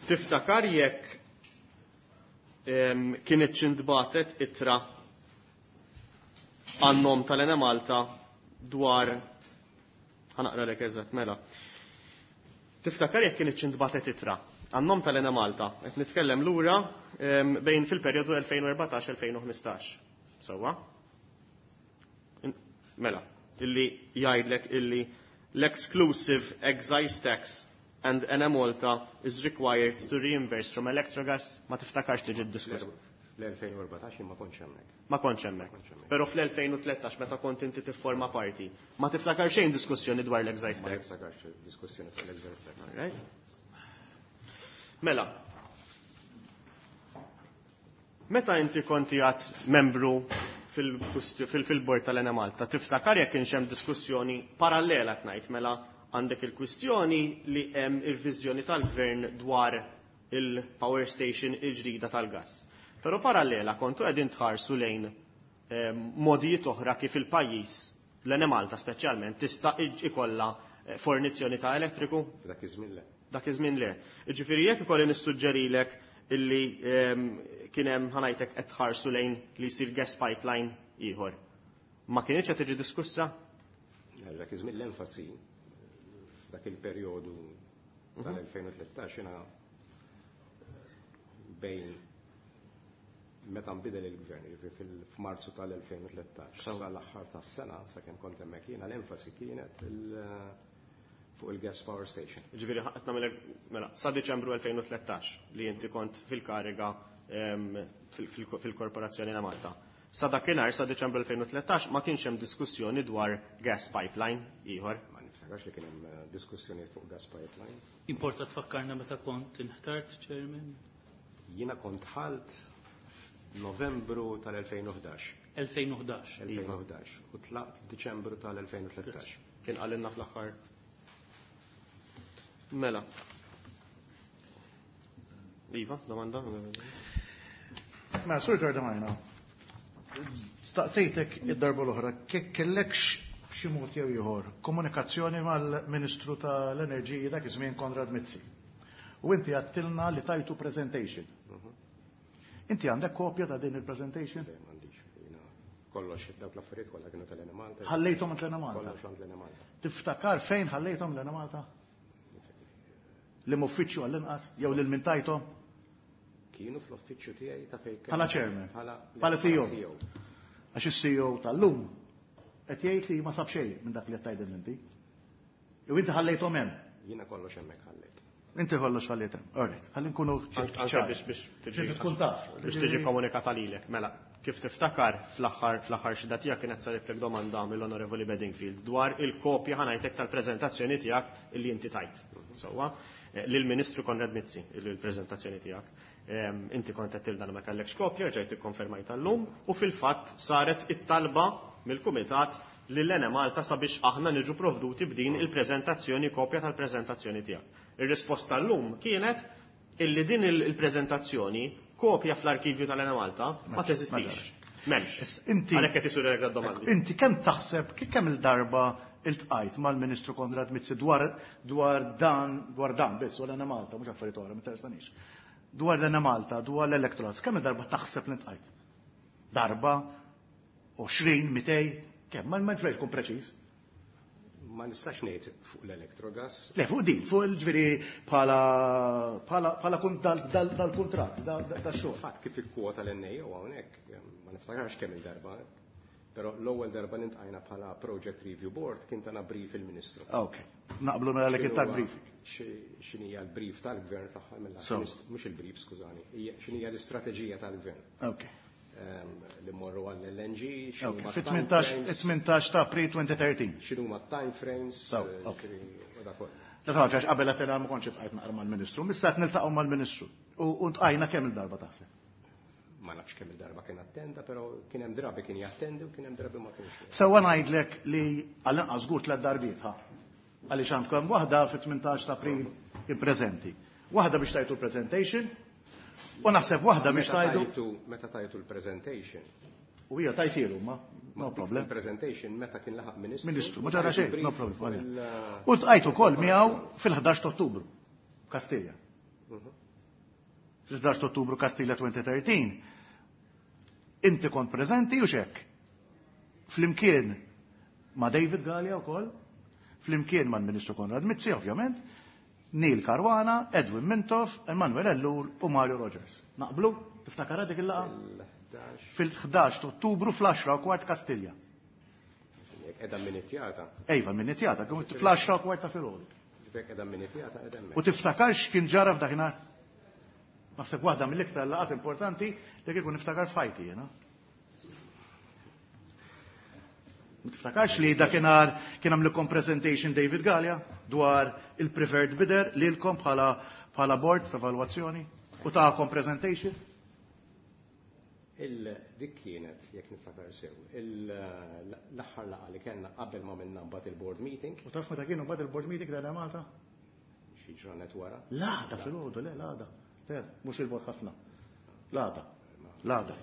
Tiftakar jekk em, kienet intbagħtet ittra għan-nom tal-Enemalta dwar, ħa naqralek eżatt, mela. Tiftakar jekk kienet intbagħtet ittra għan-nom tal-Enemalta, qed nitkellem lura em, bejn fil-perjodu elfejn u erbatax-elfejn u ħmistax. Sewwa? In- Mela, illi jgħidlek illi l-exclusive excise tax and Enemalta is required to reimburse from Electrogas, ma tiftakarx li ġiet diskuss. L-elfejn u erbatax ma kontx hemmhekk. Ma kontx hemmhekk. Kontx hemmhekk. Però fl-elfejn u tlettax meta kont inti tifforma parti, ma tiftakar xejn diskussjoni dwar l-excise Ma tax. niftakarx diskussjoni fuq l-excise tax. Alright? Mela. Meta inti konti għad membru fil-bord tal-Enemalta, tiftakar jekk kienx hemm diskussjoni parallela tnajt, mela għandek il-kwistjoni li hemm il-viżjoni tal-gvern dwar il-power station il-ġdida tal-gas. Però parallela kontu qegħdin tħarsu lejn eh, modijiet oħra kif il-pajjiż, l-Enemalta speċjalment, tista' ikolla eh, fornizzjoni ta' elettriku? Dak iż-żmien le. Dak iż-żmien le. Ġifieri jekk ikolli nissuġġerilek illi ehm, kien hemm, ħa ngħidlek, qed tħarsu lejn li jsir gas pipeline ieħor. Ma kienx qed tiġi diskussa? Dak iż-żmien l-enfasi f'dak il-perjodu tal-elfejn u tlettax jiena bejn meta nbidel il-gvern, jiġifieri fil- f'Marzu tal-elfejn u tlettax sal-aħħar tas-sena, sakemm kont hemmhekk jiena, l-enfasi kienet il- fuq il-gas power station. Ġifieri qed nagħmilek, mela, sa Diċembru elfejn u tlettax li inti kont fil-kariga ehm, fil- fil- fil-Korporazzjoni ta' Malta. Sa dakinhar, sa Diċembru elfejn u tlettax, ma kienx hemm diskussjoni dwar gas pipeline ieħor. Ma niftakarx li kien hemm eh, diskussjoni fuq gas pipeline. Importa tfakkarna meta kont inħtart, Chairman? Jiena kont dħalt Novembru tal-elfejn u ħdax. elfejn u ħdax. elfejn u ħdax u tlaqt Diċembru tal-elfejn u tlettax. Kien qalilna fl-aħħar. Mela. Iva, domanda? Ma, Sur Giordamajna, staqsejtek id-darba l-oħra, kek kellekx b'xi mod jew ieħor komunikazzjoni mal-Ministru tal-Enerġija dak iż-żmien Konrad Mizzi. U inti għedtilna li tajtu presentation. Inti għandek kopja ta' din il-presentation? Le, m'għandix. Jiena kollox dawk l-affarijiet kollha kienu tal-Enemalta. Ħallejthom l-Enemalta? Kollox għand l-Enemalta. Tiftakar fejn ħallejthom l-Enemalta? Liema uffiċċju għall-inqas jew lil min tajthom? Kienu fl-uffiċċju tiegħi ta' fejn Bħala chairman? Bħala Bħala C E O? C E O. Għax is-C E O tal-lum qed jgħid li ma sab xejn minn dak li qed tgħidil inti. Jew inti ħallejthom hemm? Jiena kollox hemmhekk ħallejt. Inti kollox ħallejt hemm. Alright, ħalli nkunu Anke ċari. biex biex tiġi Biex tkun taf. Biex tiġi komunikata lilek. Mela, kif tiftakar, fl-aħħar fl-aħħar xhieda tiegħek kienet saritlek domanda mill-Onorevoli Bedingfield dwar il-kopja, ħa ngħidlek, tal-preżentazzjoni tiegħek illi inti tajt. Sewwa, eh, lill-Ministru Konrad Mizzi il-preżentazzjoni tiegħek. Em, Inti kont qed tilna ma kellekx kopja, ġejt ikkonfermajt llum u fil-fatt saret it-talba mill-Kumitat lil Malta sabiex aħna niġu provduti b'din il-preżentazzjoni, kopja tal-preżentazzjoni tiegħek. Ir-risposta llum kienet illi din il-preżentazzjoni, kopja fl-arkivju tal-Enemalta ma teżistix. M'hemmx. Inti Għalhekk qed isir domandi. Inti kemm taħseb kemm il-darba iltqajt mal-Ministru Konrad Mizzi dwar dwar dan dwar dan biss u l-Enemalta, mhux affarijiet oħra, ma interessanix. Dwar l-Enemalta, dwar l-Electrogas, kemm il-darba taħseb li ltqajt? Darba, għoxrin, mitejn, kemm? Ma ma tkun preċiż. Ma nistax ngħid fuq l-Electrogas. Le, fuq din, fuq il-ġifieri bħala bħala bħala kun dal- dal- dal-kuntratt, da- da- da-xogħol. Fatt kif ikkwota l-N A O hawnhekk, ma niftakarx kemm il-darba, però l-ewwel darba iltqajna bħala Project Review Board kien tana brief il-Ministru. Ah, ok. Naqblu mela li kien tak briefing. X'inhija l-brief tal-gvern fl-aħħar mill So. Mhux il-brief, skużani, hija x'inhija l-istrateġija tal-gvern. Ok. Ehm, Li mmorru għall-L N G, Ok. x'inhuma Fit-tmintax tmintax ta' April elfejn u tlettax. X'inhuma time frames, So, eh, ok. ġifieri, u dak kollu. Da tafx għax qabel għedtilna ma kontx iltqajt naqra mal-Ministru, issa qed niltaqgħu mal-Ministru. U u ltqajna kemm il-darba taħseb? Ma nafx kemm il-darba kien attenda, però kien hemm drabi kien jattendi u kien hemm drabi ma kienx. Sewwa ngħidlek li għall-inqas żgur tliet darbiet ħa. Għaliex għandkom waħda fit-tmintax ta' April ippreżenti. Waħda biex tajtu presentation u naħseb waħda biex tajtu. Meta tajtu l-presentation. U hija tajtilu ma, no problem. Il-presentation meta kien laħaq ministru. Ministru, ma ġara xejn, no problem. U tqajtu wkoll miegħu fil-ħdax ta' Ottubru, Kastilja. Fil-ħdax ta' Ottubru Kastilja elfejn u tlettax. Inti kont preżenti u xek. Flimkien ma' David Galea wkoll, flimkien mal-Ministru Konrad Mizzi, ovvjament, Neil Caruana, Edwin Mintoff, Emanuel Ellul u Mario Rogers. Naqblu? Tiftakara dik il-laqgħa? Fil-ħdax ta' Ottubru fl-għaxra u kwart Kastilja. Edha minitjata. Ejva, minitjata, fl-għaxra u kwart ta' filgħodu. Edha minitjata, edha. U tiftakarx kien ġara f'dakinhar? Naħseb waħda mill-iktar laqgħat importanti li kieku niftakar f'ħajti jiena. Ma tiftakarx li dakinhar kien għamlukom presentation David Galea dwar il-preferred bidder lilkom bħala bħala board ta' evalwazzjoni u tagħkom presentation? Dik kienet, jekk niftakar sew, l-aħħar laqgħa li kellna qabel ma minna mbagħad il-board meeting. U taf meta kienu mbagħad il-board meeting ta' Malta? Xi ġranet wara. L-għada filgħodu, le l-għada. Le, mhux il-bord ħafna. L-għada. L-għada.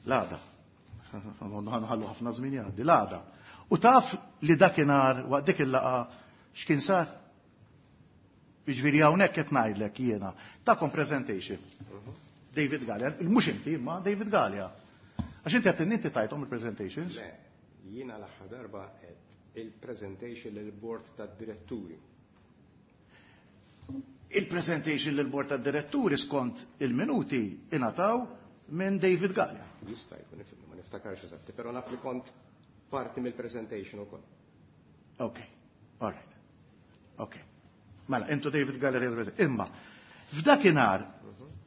L-għada. Nħallu ħafna żmien jgħaddi, l-għada. U taf li dakinhar waqt dik il-laqgħa x'kien sar? Jiġifieri hawnhekk qed ngħidlek jiena takom presentation. David Galea, mhux inti, ma David Galea. Għax inti qed inti tajthom il-presentations? Le, jiena l-aħħar darba qed il-presentation lill-board tad-diretturi. Il-presentation lill-board tad-diretturi skont il-minuti ingħataw minn David Galea. Jista' jkun, ma niftakarx eżatti, però naf li kont parti mill-presentation ukoll. Ok, all right. Ok. Mela, intu David Galea, imma f'dakinhar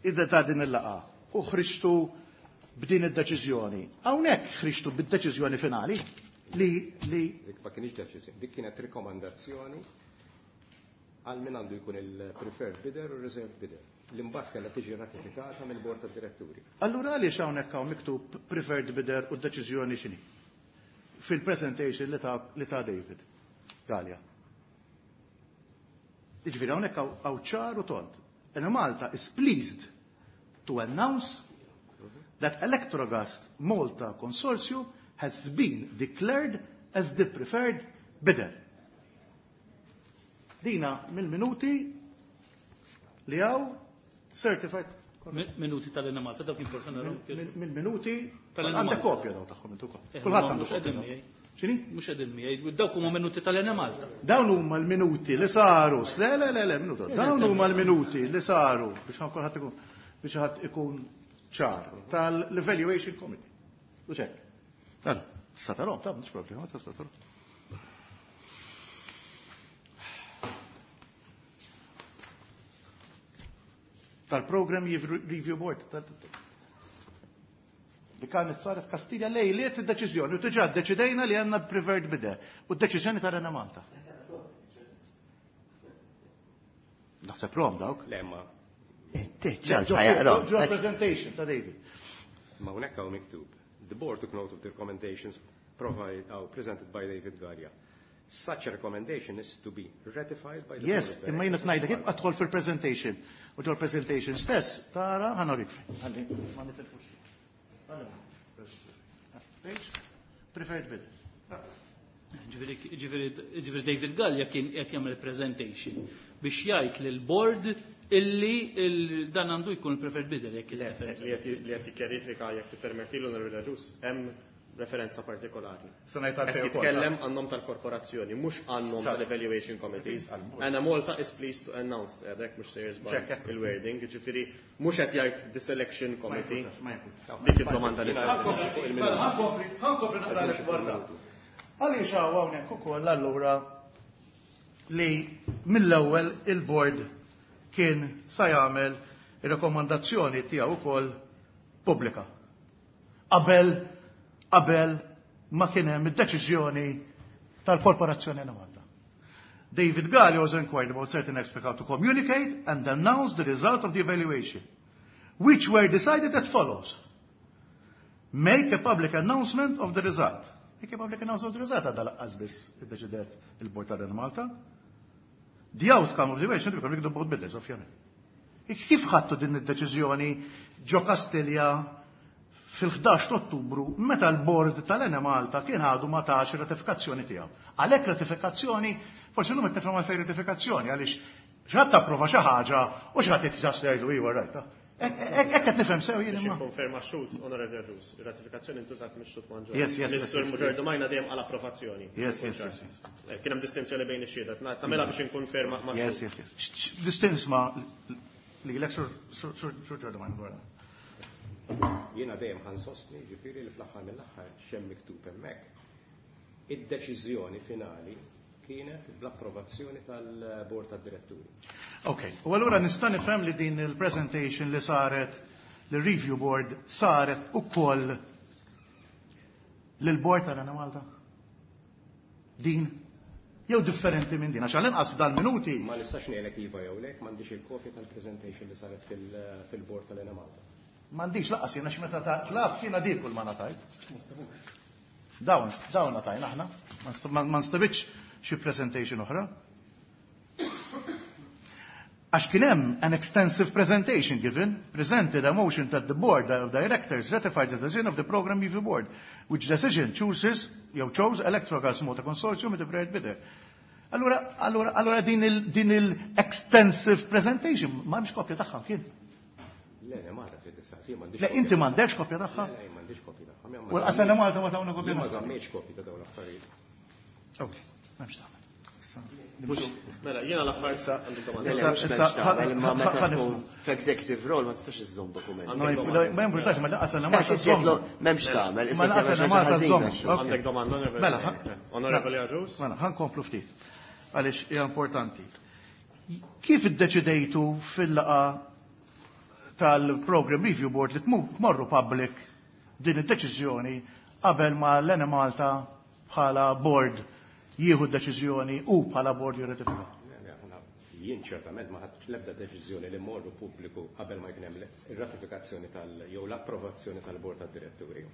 idda ta' din il-laqa u ħriġtu b'din id-deċiżjoni. Hawnhekk ħriġtu bid-deċiżjoni finali li li dik ma kienx deċiżjoni, dik kienet rikomandazzjoni għal min għandu jkun il-preferred bidder u reserved bidder. Li mbagħad kellha tiġi ratifikata mill-bord tad-diretturi. Allura għaliex hawnhekk hawn miktub preferred bidder u d-deċiżjoni x'inhi? Fil-presentation li ta' li ta' David Galea. Jiġifieri hawnhekk hawn ċar u tont. And Malta is pleased to announce that Electrogas Malta Consortium has been declared as the preferred bidder. Dina mill-minuti li għaw certified. Minuti tal-Enemalta, dawk importanti. Mill-minuti għandek kopja daw tagħhom intu ukoll. Kulħadd għandu kopja. X'inhi? Mhux qegħdin miegħi, dawk huma minuti tal-Enemalta. Dawn huma l-minuti li saru. Le le le le minuta. Dawn huma l-minuti li saru biex kulħadd ikun biex ħadd ikun ċar tal-Evaluation Committee. U xek. Mela, tista' tarhom, ta' mhux problema, tista' tarhom. Tal-Program Review Board. Li kanet saret Kastilja lejliet id-deċiżjoni u diġà ddeċidejna li għandna preferred bidder u d-deċiżjoni ta' Enemalta. Naħseb rom dawk. Le ma. Ġo presentation ta' David. Ma hawnhekk hawn miktub. The board took note of the recommendations provided, oh, presented by David Galea. Such a recommendation is to be ratified by the Yes, imma jiena tnajdlek ibqa' tħol fil-presentation. U ġol presentation stess tara ħa norik fejn. Ħalli ma nitilfux. Preferred bidder. Ġifieri David Galea kien qed jagħmel presentation biex jgħid lill-board illi dan għandu jkun preferred bidder jekk li qed jikkjarifika jekk tippermettilu Onorevoli Ġus, hemm referenza partikolari. Jitkellem għan-nom tal-korporazzjoni, mhux għan-nom tal-Evaluation Committees. Enemalta is pleased to announce, għedek mhux sejjer żball il-wording, ġifieri mhux qed jgħid the selection committee. Dik id-domanda li saret. Ħankompli naqra dwar dan. Għaliex hawn hawnhekk ukoll allura li mill-ewwel il-board kien sa jagħmel ir-rakkomandazzjoni tiegħu wkoll pubblika. Qabel qabel ma kien hemm id-deċiżjoni tal-Korporazzjoni Enemalta. David Galea was inquired about certain aspects how to communicate and announce the result of the evaluation, which were decided as follows. Make a public announcement of the result. Make a public announcement of the result, għadha lanqas biss iddeċidiet il-Bord tal-Enemalta. The outcome of the evaluation will be the board bidders, ovvjament. Kif ħadtu din id-deċiżjoni ġo Kastilja fil-ħdax ta' Ottubru meta l-bord tal-Enemalta kien għadu ma tax ratifikazzjoni tiegħu? Għalhekk ratifikazzjoni, forsi llum qed nifhem għalfejn ratifikazzjoni, għaliex xi ħadd approva xi ħaġa u xi ħadd jitġas jgħidu iva rajta. Hekk qed nifhem sew jien Biex imma. Nikkonferma x-xhud, Onorevoli Agius, ir-ratifikazzjoni ntużat mix-xhud Mangion. Yes, yes, yes, Mr. yes, Giordomajna dejjem għal approvazzjoni. Yes, yes, yes, yes. Eh, Kien hemm distinzjoni bejn ix-xhieda. Nagħmilha biex inkonferma ma' Yes, xhud. yes, yes. Distinzma li l Sur Giordomajna dwar. Jiena dejjem ħa nsostni, ġifieri li fl-aħħar mill-aħħar x'hemm miktub hemmhekk. Id-deċiżjoni finali kienet bl-approvazzjoni tal-Bord tad-Diretturi. Ok, u allura nista' nifhem li din il-presentation li saret l-review board saret ukoll lill-board tal-Enemalta? Din? Jew differenti minn din, għax għall-inqas f'dal-minuti. Ma nistax ngħidlek iva jew le, m'għandix il-kopja tal-presentation li saret fil- fil-Bord tal-Enemalta. M'għandix lanqas jiena meta ta' tlab jiena dik kull ma ngħatajt. Dawn, dawn ngħatajna aħna, ma ma nstabitx xi presentation oħra. Għax kien hemm an extensive presentation given, presented a motion that the board of directors ratified the decision of the program review board, which decision chooses, jew chose Electrogas Malta Consortium with the preferred bidder. Allura, allura, allura din il, din il-extensive presentation, m'hemmx kopja tagħha kien. Le, le, Malta trid tistaqsi, m'għandix. Le, inti m'għandekx kopja tagħha? Le, le, m'għandix kopja tagħha. U lanqas Enemalta ma tawna kopja Jien ma tagħha. żammejtx kopja ta' dawn l-affarijiet. Ok, m'hemmx tagħmel. Mela, jiena l-aħħar għandu domanda. Le, le, mhux m'hemmx tagħmel, imma meta tkun f'executive role ma tistax iżżomm dokumenti. Ma jimpurtax, ma lanqas Enemalta Għax inti m'hemmx tagħmel, Ma lanqas Enemalta żżomm. Għandek domanda, Onorevoli? Mela, Onorevoli Agius? Mela, ħa nkomplu ftit. Għaliex hija importanti. Kif iddeċidejtu fil-laqgħa tal-Program Review Board li tmorru public din id-deċiżjoni qabel ma l-Enemalta bħala board jieħu d-deċiżjoni u bħala board jirratifika? Le, le, aħna jien ċertament ma ħadtx l-ebda deċiżjoni li mmorru pubbliku qabel ma jkun hemm ir-ratifikazzjoni tal jew l-approvazzjoni tal-Bord tad-Diretturi.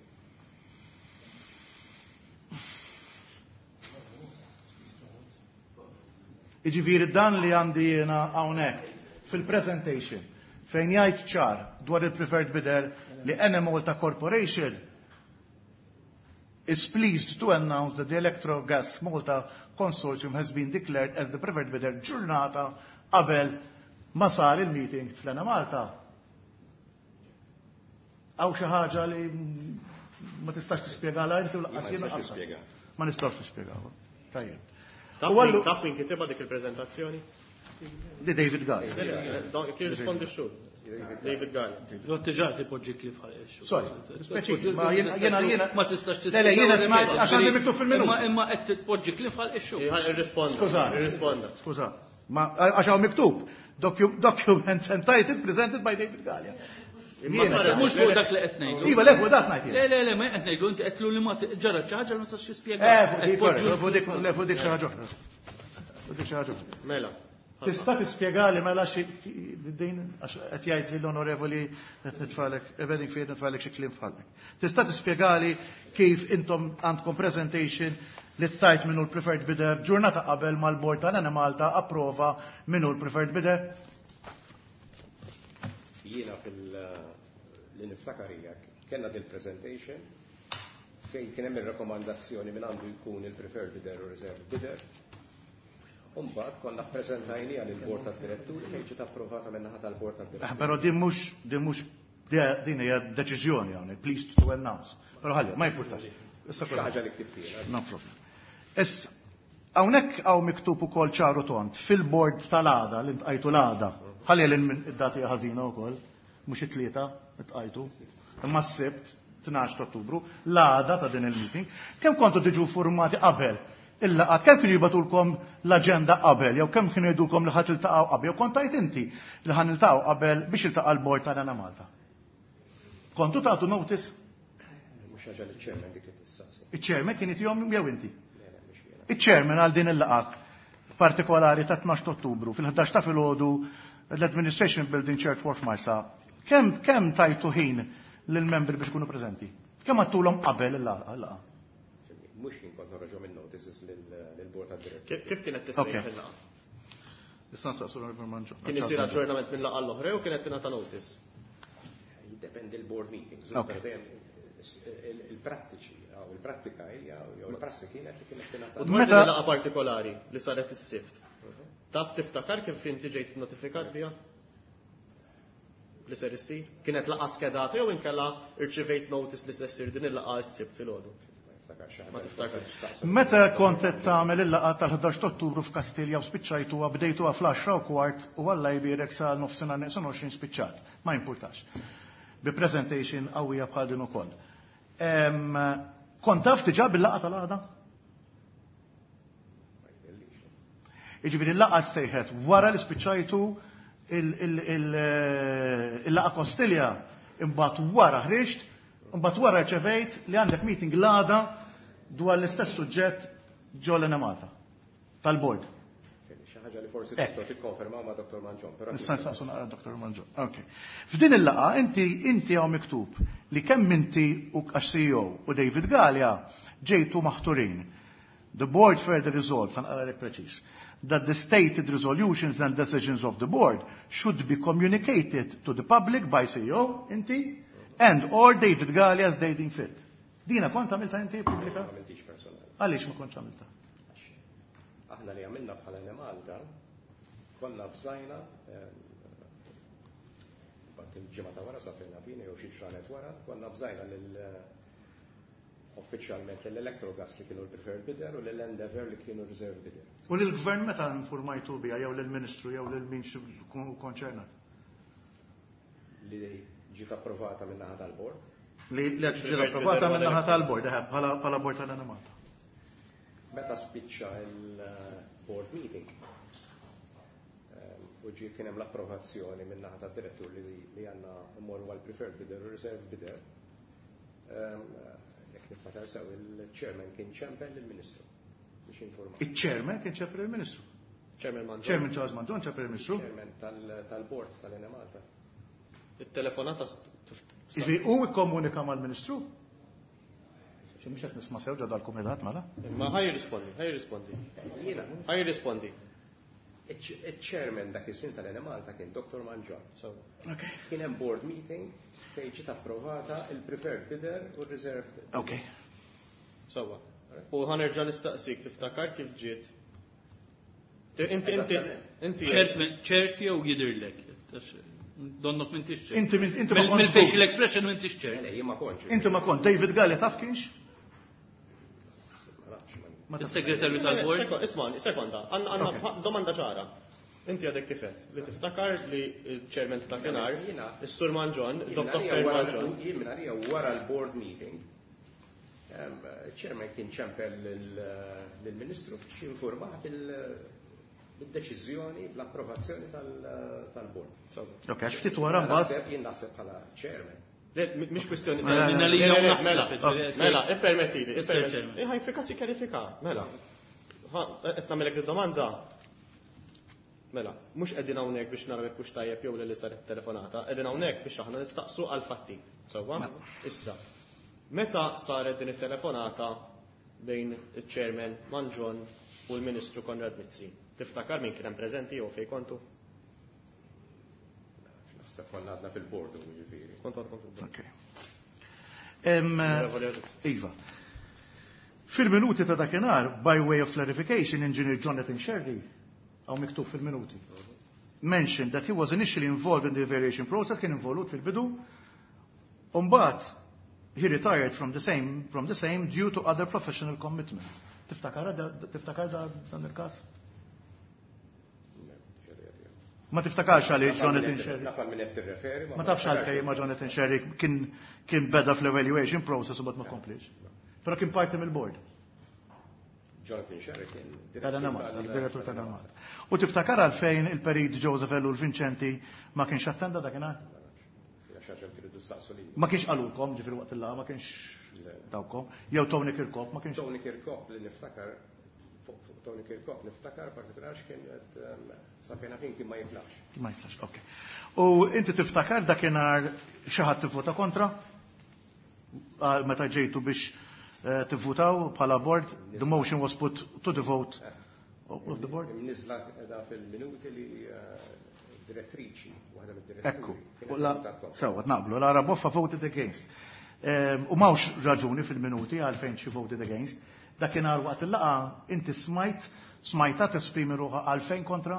Iġifieri dan li għandi jiena hawnhekk fil-presentation fejn jgħid ċar dwar il-preferred bidder li Enemalta Corporation is pleased to announce that the Electrogas Malta Consortium has been declared as the preferred bidder ġurnata qabel ma sar il-meeting fl-Enemalta. Hawn xi ħaġa li ma tistax tispjegala inti u Ma lanqas jiena nistax qasam. nispjega. Ma nistax nispjegaw. Tajjeb. Taf U min- allu- Taf min kitibha dik il-preżentazzjoni? Di David Galea. Kif rispondi x-xhud? David Galea. Diġà tipoġġi kliem f'ħalq. Sorry, speċi, ma jiena jiena jiena Ma tistax Le, le, jiena għax għandi miktub fil-minuti. Imma imma qed tpoġġi kliem f'ħalq ix-xhud. Irrisponda. Skuża. Irrisponda. Skuża. Ma għax hawn miktub docu- documents entitled presented by David Galea. Imma Jiena- saret- Mhux fuq dak li qed ngħidu. Iva, le, fuq dak ngħid Le, jien. le, le, ma qed ngħidu inti qed li ma ġara xi ħaġa li ma tistax tispjega. Eh, fuq dik, correct, fuq dik, le, fuq dik xi ħaġa oħra. Fuq dik xi ħaġa oħra. Mela. Tista' tispjegali mela xi din għax qed jgħid li l-onorevoli qed nitfalek Bedingfield nitfalek xi kliem f'ħalqek. Tista' tispjegali kif intom għandkom presentation li tajt minnu l-preferred bidder ġurnata qabel mal-bord tal-Enemalta approva minnu l-preferred bidder? Jiena fil li niftakar hija kellna dil-presentation fejn kien hemm ir-rakkomandazzjoni minn għandu jkun il-preferred bidder u reserved bidder. U mbagħad konna ppreżentajniha lill-Bord tad-Diretturi fejn ġiet approvata min-naħa tal-Bord Eh, tad-Diretturi. Però din mhux din mhux din hija deċiżjoni hawnhekk, pleased to announce. Però ħalli, ma jimpurtax. Issa Xi ħaġa li ktibt jiena. No problem. Issa, hawnhekk hawn miktub ukoll ċaru tond fil-board tal-għada li ntqajtu l-għada. Ħalli l minn id-dati ħażina wkoll, mhux it-tlieta ntqajtu. Imma s-Sibt tnax ta' Ottubru, l-għada ta' din il-meeting, kemm kontu tiġu formati qabel il-laqgħat, kemm kienu jibagħtulkom l-aġenda qabel, jew kemm kienu jgħidulkom li ħa tiltaqgħu qabel, jew kont tgħid inti li ħa niltaqgħu qabel biex iltaqa' l-bord tal-Enemalta. Kontu tagħtu notice? Mhux ħaġa li ċ-chairman dik li tistaqsi. Iċ-chairman kien jtihom jew inti? Le, le, mhux jiena. Iċ-chairman għal din il-laqgħa partikolari ta' tnax ta' Ottubru fil-ħdax ta' filgħodu l-Administration Building Church Wharf Marsa Kemm kemm tajtu ħin lill-membri biex ikunu preżenti? Kemm għedtulhom qabel il-laqgħa? Mhux jien kont noħroġhom il-notices lill-board tad-diretturi. Kif kienet tissejjaħ il-laqgħa? Issa nsaqsu l-Manġon. Kien isir aġġornament minn laqgħa l-oħra jew kienet tingħata notice? Jiddependi l-board meetings. Il-prattiċi, il-prattika hija jew il-prassi kienet li kienet tingħata. U dwar din il-laqgħa partikolari li saret is-Sibt. Taf tiftakar kif inti ġejt notifikat biha? Li ser issir? Kienet laqgħa skedata jew inkella irċivejt notice li se ssir din il-laqgħa s-Sibt filgħodu? Ma tiftakarx. Meta kont qed tagħmel il-laqgħa tal-ħdax ta' Ottubru f'Kastilja u spiċċajtuha bdejtuha fl-għaxra u kwart u Alla jbierek sa nofsinhar neqsin għoxrin spiċċat. Ma jimpurtax. Bi presentation qawwija bħal din ukoll. Kont taf diġà bil-laqgħa tal-għada? Jiġifieri l-laqgħa ssejħet wara li spiċċajtu il-laqgħa Kastilja, imbagħad wara ħriġt, imbagħad wara rċevejt li għandek meeting l-għada dwar l-istess suġġett ġo l-Enemalta tal-board. Xi ħaġa li forsi tistgħu tikkonfermaw ma' Dottor Mangion, però Nista' nsaqsu naqra Dottor Mangion. Okay. F'din il-laqgħa inti inti hawn miktub li kemm inti u għax C E O u David Galea ġejtu maħturin. The board further resolved, ħa naqra lek preċiż, that the stated resolutions and decisions of the board should be communicated to the public by C E O, inti, and or David Galea as they deem fit. Dina kont għamilta inti pubblika? Ma għamiltix personali. Għaliex ma kontx għamilta? Aħna li għamilna bħala Enemalta, konna bżajna, bat il-ġimgħa ta' wara safrina fini jew xi ġranet wara, konna bżajna lil uffiċjalment l-Electrogas li kienu l-preferred bidder u l-Endeavour li kienu reserve bidder. U lill-gvern meta informajtu biha jew lill-Ministru jew lil min konċernat? Li ġiet approvata min-naħa tal-bord. Li ġiet approvata min-naħa tal-bord, eħe, bħala, bħala bord tal-Enemalta. Meta spiċċa il-board meeting, ehm, u ġie kien hemm l-approvazzjoni min-naħa tad-direttur li, li għandna mmorru għal preferred bidder u reserve bidder. Ehm, jekk niftakar sew, il-chairman kien ċempel lill-Ministru biex jinforma. Il-chairman kien ċempel lill-Ministru? Chairman Mangion. Chairman Charles Mangion ċempel lill-Ministru? Chairman tal-, tal-board tal-Enemalta. Il-telefonata s-, tif-, Jiġifieri hu ikkomunika mal-Ministru? Xi mhux qed nisma' sew ġo dal-kumitat mela? Imma ħaj jirrispondi, ħaj jirrispondi. Jiena. Ħaj jirrispondi. Iċ-chairman dak iż-żmien tal-Enemalta kien Doktor Mangion. So. Okay. Kien hemm board meeting fejn ġiet approvata il-preferred bidder u r-reserved bidder. Okay. Sewwa. U ħanerġa' nistaqsik tiftakar kif ġiet. Inti, inti, inti ċert, ċert jew jidhirlek. Donnok m'intix ċert. Inti min-, inti ma Mill-, kontx Mill-facial żgur. expression m'intix ċert. Le, jien ma kontx. Inti ma kont. David Galea taf kienx? Il-segretarju tal-bord? Seko-, isma', sekonda, għandna, għandna Ok. pa-, domanda ċara. Inti għadek kifet, li tiftakar li il-chairman ta' dakinhar, Jiena- is-Sur Mangion, Jien Doktor għalija wara Mangion. l-, jien minn għalija wara l-board meeting, ehm, il-chairman kien ċempel lil-, lill-Ministru biex jinformah bil-, bil-deċiżjoni, bl-approvazzjoni tal-, tal-board. Ok, għax ftit wara mbagħad. Naħseb, jien naħseb bħala chairman. Le, m-, mhix kwistjoni Mela, ta' mela, le, le, mela, mela, mela, mela, ippermettili, Mister ippermettili. Chairman. Eh, ħaj, fika si kjarifika, mela. Ha, qed nagħmilek id-domanda. Mela, mhux qegħdin hawnhekk biex naraw jekk hux tajjeb jew li saret telefonata, qegħdin hawnhekk biex aħna nistaqsu għal fatti. Sewwa? Mela. Issa, meta saret din it-telefonata bejn iċ-chairman Mangion u l-Ministru Konrad Mizzi? Tiftakar min kien hemm preżenti jew fejn kontu? Naħseb konna għadna fil-board, jiġifieri. Kont għadkom fil-board. Ok. Em, Onorevoli Agius. Iva. Fil-minuti ta' dakinhar, by way of clarification, Engineer Jonathan Scerri, hawn miktub fil-minuti, mentioned that he was initially involved in the evaluation process, kien involut fil-bidu, u mbagħad he retired from the same, from the same due to other professional commitments. Tiftakar da, tiftakar da dan il-każ? Ma tiftakarx għaliex Jonathan Scerri? Naf għal min qed tirreferi, ma Ma tafx għalfejn ma Jonathan Scerri kien, kien beda fl-evaluation process u bad ma komplix. Però kien parti mill-board. Jonathan Scerri kien Tal-Enemalta, tal- direttur tal-Enemalta. U tiftakar għalfejn il-perit Joseph Ellul Vincenti ma kienx attenda dakinhar? Ma kienx qalulkom, ġifieri waqt il-laqgħa, ma kienx dawkom. Jew Tony Kirkop, ma kienx. Tony Kirkop li niftakar fuq, fuq Tony Kirkop niftakar partikolar x'kien qed sa fejn kien kien ma jiflax. Ma jiflax, ok. U inti tiftakar dakinhar xi ħadd tivvota kontra? Meta ġejtu biex tivvutaw bħala board, the motion was put to the vote of the board? Nizla da fil-minuti li direttriċi, waħda mid-direttriċi. Ekku, sewa, naqblu, Lara Boffa voted against. U m'hawnx raġuni fil-minuti għalfejn xi voted against. Dakinhar waqt il-laqgħa inti smajt, smajta tesprimi ruħha għalfejn kontra?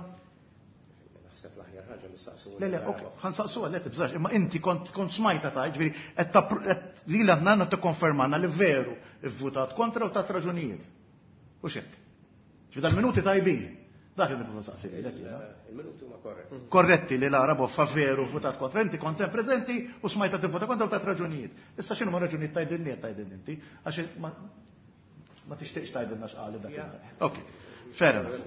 Naħseb l-aħjar ħaġa nistaqsu. Le, le, ok, ħansaqsuha, le tibżax, imma inti kont kont smajta ta' ġifieri qed lilha għandna tikkonfermana li veru vvutat kontra u tat raġunijiet. U x'hekk. Ġifieri dal-minuti tajbin. Dak li nipprova nsaqsi lilek. Il-minuti huma korretti. Korretti li Lara Boffa veru votat kontra. Inti kont hemm preżenti u smajta tivvota kontra u tat raġunijiet. Issa x'inhu ma raġunijiet tgħidilni qed tgħidilni inti għax ma tixtieqx tgħidilna x'qali dak. Ok, fair enough.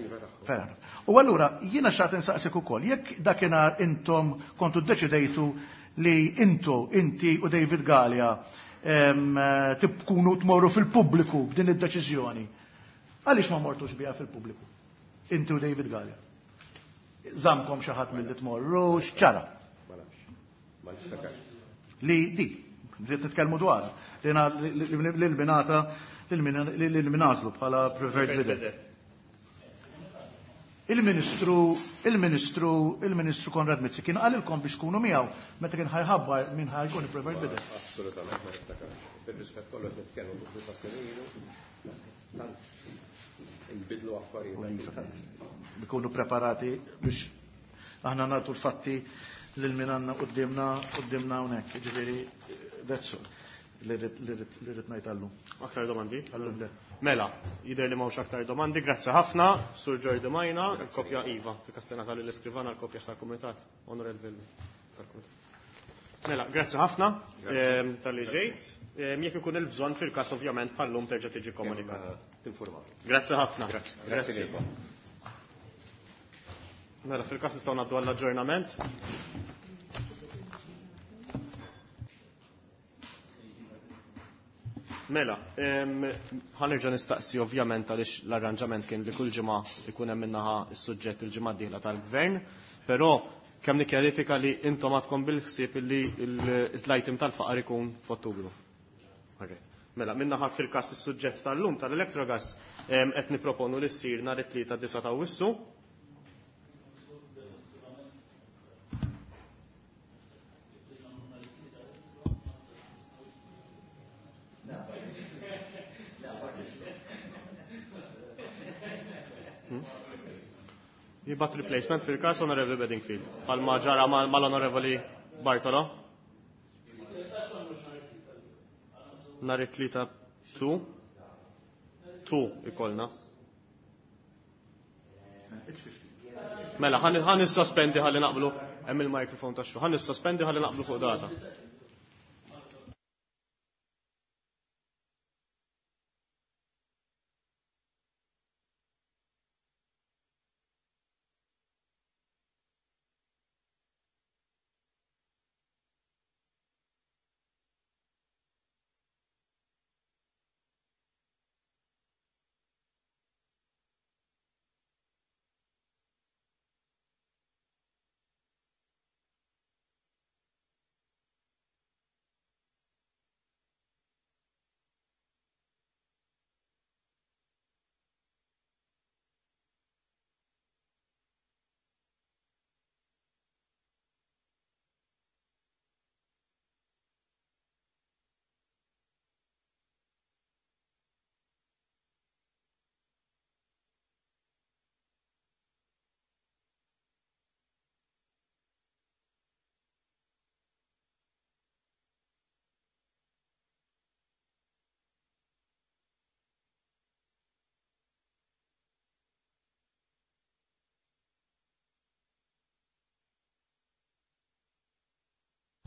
Fair enough. U allura jiena x'għad insaqsik ukoll, jekk dakinhar intom kontu ddeċidejtu li intu, inti u David Galea tkunu tmorru fil-pubbliku b'din id-deċiżjoni. Għaliex ma mortux biha fil-pubbliku? Inti u David Galea. Żamkom xi ħadd milli tmorru, x'ċara? Ma nafx. Ma niftakarx. Li di, li titkellmu dwarha, li l-binata li l-minażlu bħala preferred bidder. Il-Ministru, il-Ministru, il-Ministru Konrad Mizzi kien qalilkom biex tkunu miegħu meta kien ħajħabbar min ħajkun il-preferred bidder. Assolutament ma niftakarx. Bir-rispett kollu qed nitkellmu fuq disa' snin ilu, tant inbidlu affarijiet. Bikunu preparati biex aħna nagħtu l-fatti lil min għandna quddiemna quddiemna hawnhekk. Ġifieri that's all. Li rrid ngħid għallum. Aktar domandi? Għallum le. Mela, jidher li m'hawnx aktar domandi, grazzi ħafna, Sur Jordi Majna, il-kopja Iva, fil-Kastena tal-Iskrivana, l-kopja tal-Kumitat, Onorevoli tal-Kumitat. Mela, grazzi ħafna tal-li ġejt. Jekk ikun il-bżonn fil-każ ovvjament bħallum terġa' tiġi komunikat. Tinformaw. Grazzi ħafna. Grazzi. Grazzi. Mela, fil-każ nistgħu ngħaddu għall-aġġornament. Mela, ħanerġa' nistaqsi ovvjament għaliex l-arranġament kien li kull ġimgħa ikun hemm minnaħa s-suġġett il-ġimgħa d-dieħla tal-gvern, però kemm nikkjarifika li intom għadkom bil-ħsieb li l-item tal-faqar ikun f'Ottubru. Mela, minnaħa fil-każ is-suġġett tal-lum tal-Electrogas qed nipproponu li ssir nhar it-tlieta disa' ta' Awwissu. Jibat replacement fil-kas Onorevoli Bedingfield. Palma ġara mal-Onorevoli Bartolo. Nhar it-tlieta tu. Tu ikolna. Mela, ħan nissospendi ħalli naqblu. Hemm il-mikrofon tax-xu. Ħan nissospendi ħalli naqblu fuq data.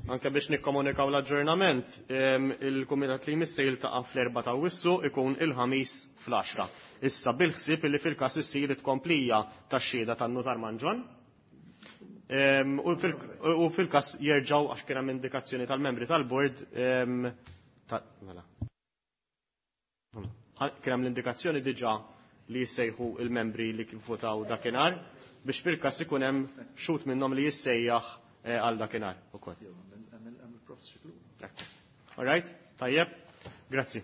Anke biex nikkomunikaw l-aġġornament, il-Kumitat li jmiss se jiltaqa' fl-erba' ta' Awwissu ikun il-ħamis fl-għaxra. Issa bil-ħsieb li fil-każ issir it-tkomplija tax-xhieda tan-Nutar Manġon. U fil-każ jerġgħu għax kien hemm indikazzjoni tal-membri tal-bord mela. Kien hemm l-indikazzjoni diġà li jissejħu il-membri li votaw dakinhar biex fil-każ ikun hemm xhud minnhom li jissejjaħ eh, għal dakinhar ukoll. All right, tajjeb, grazzi.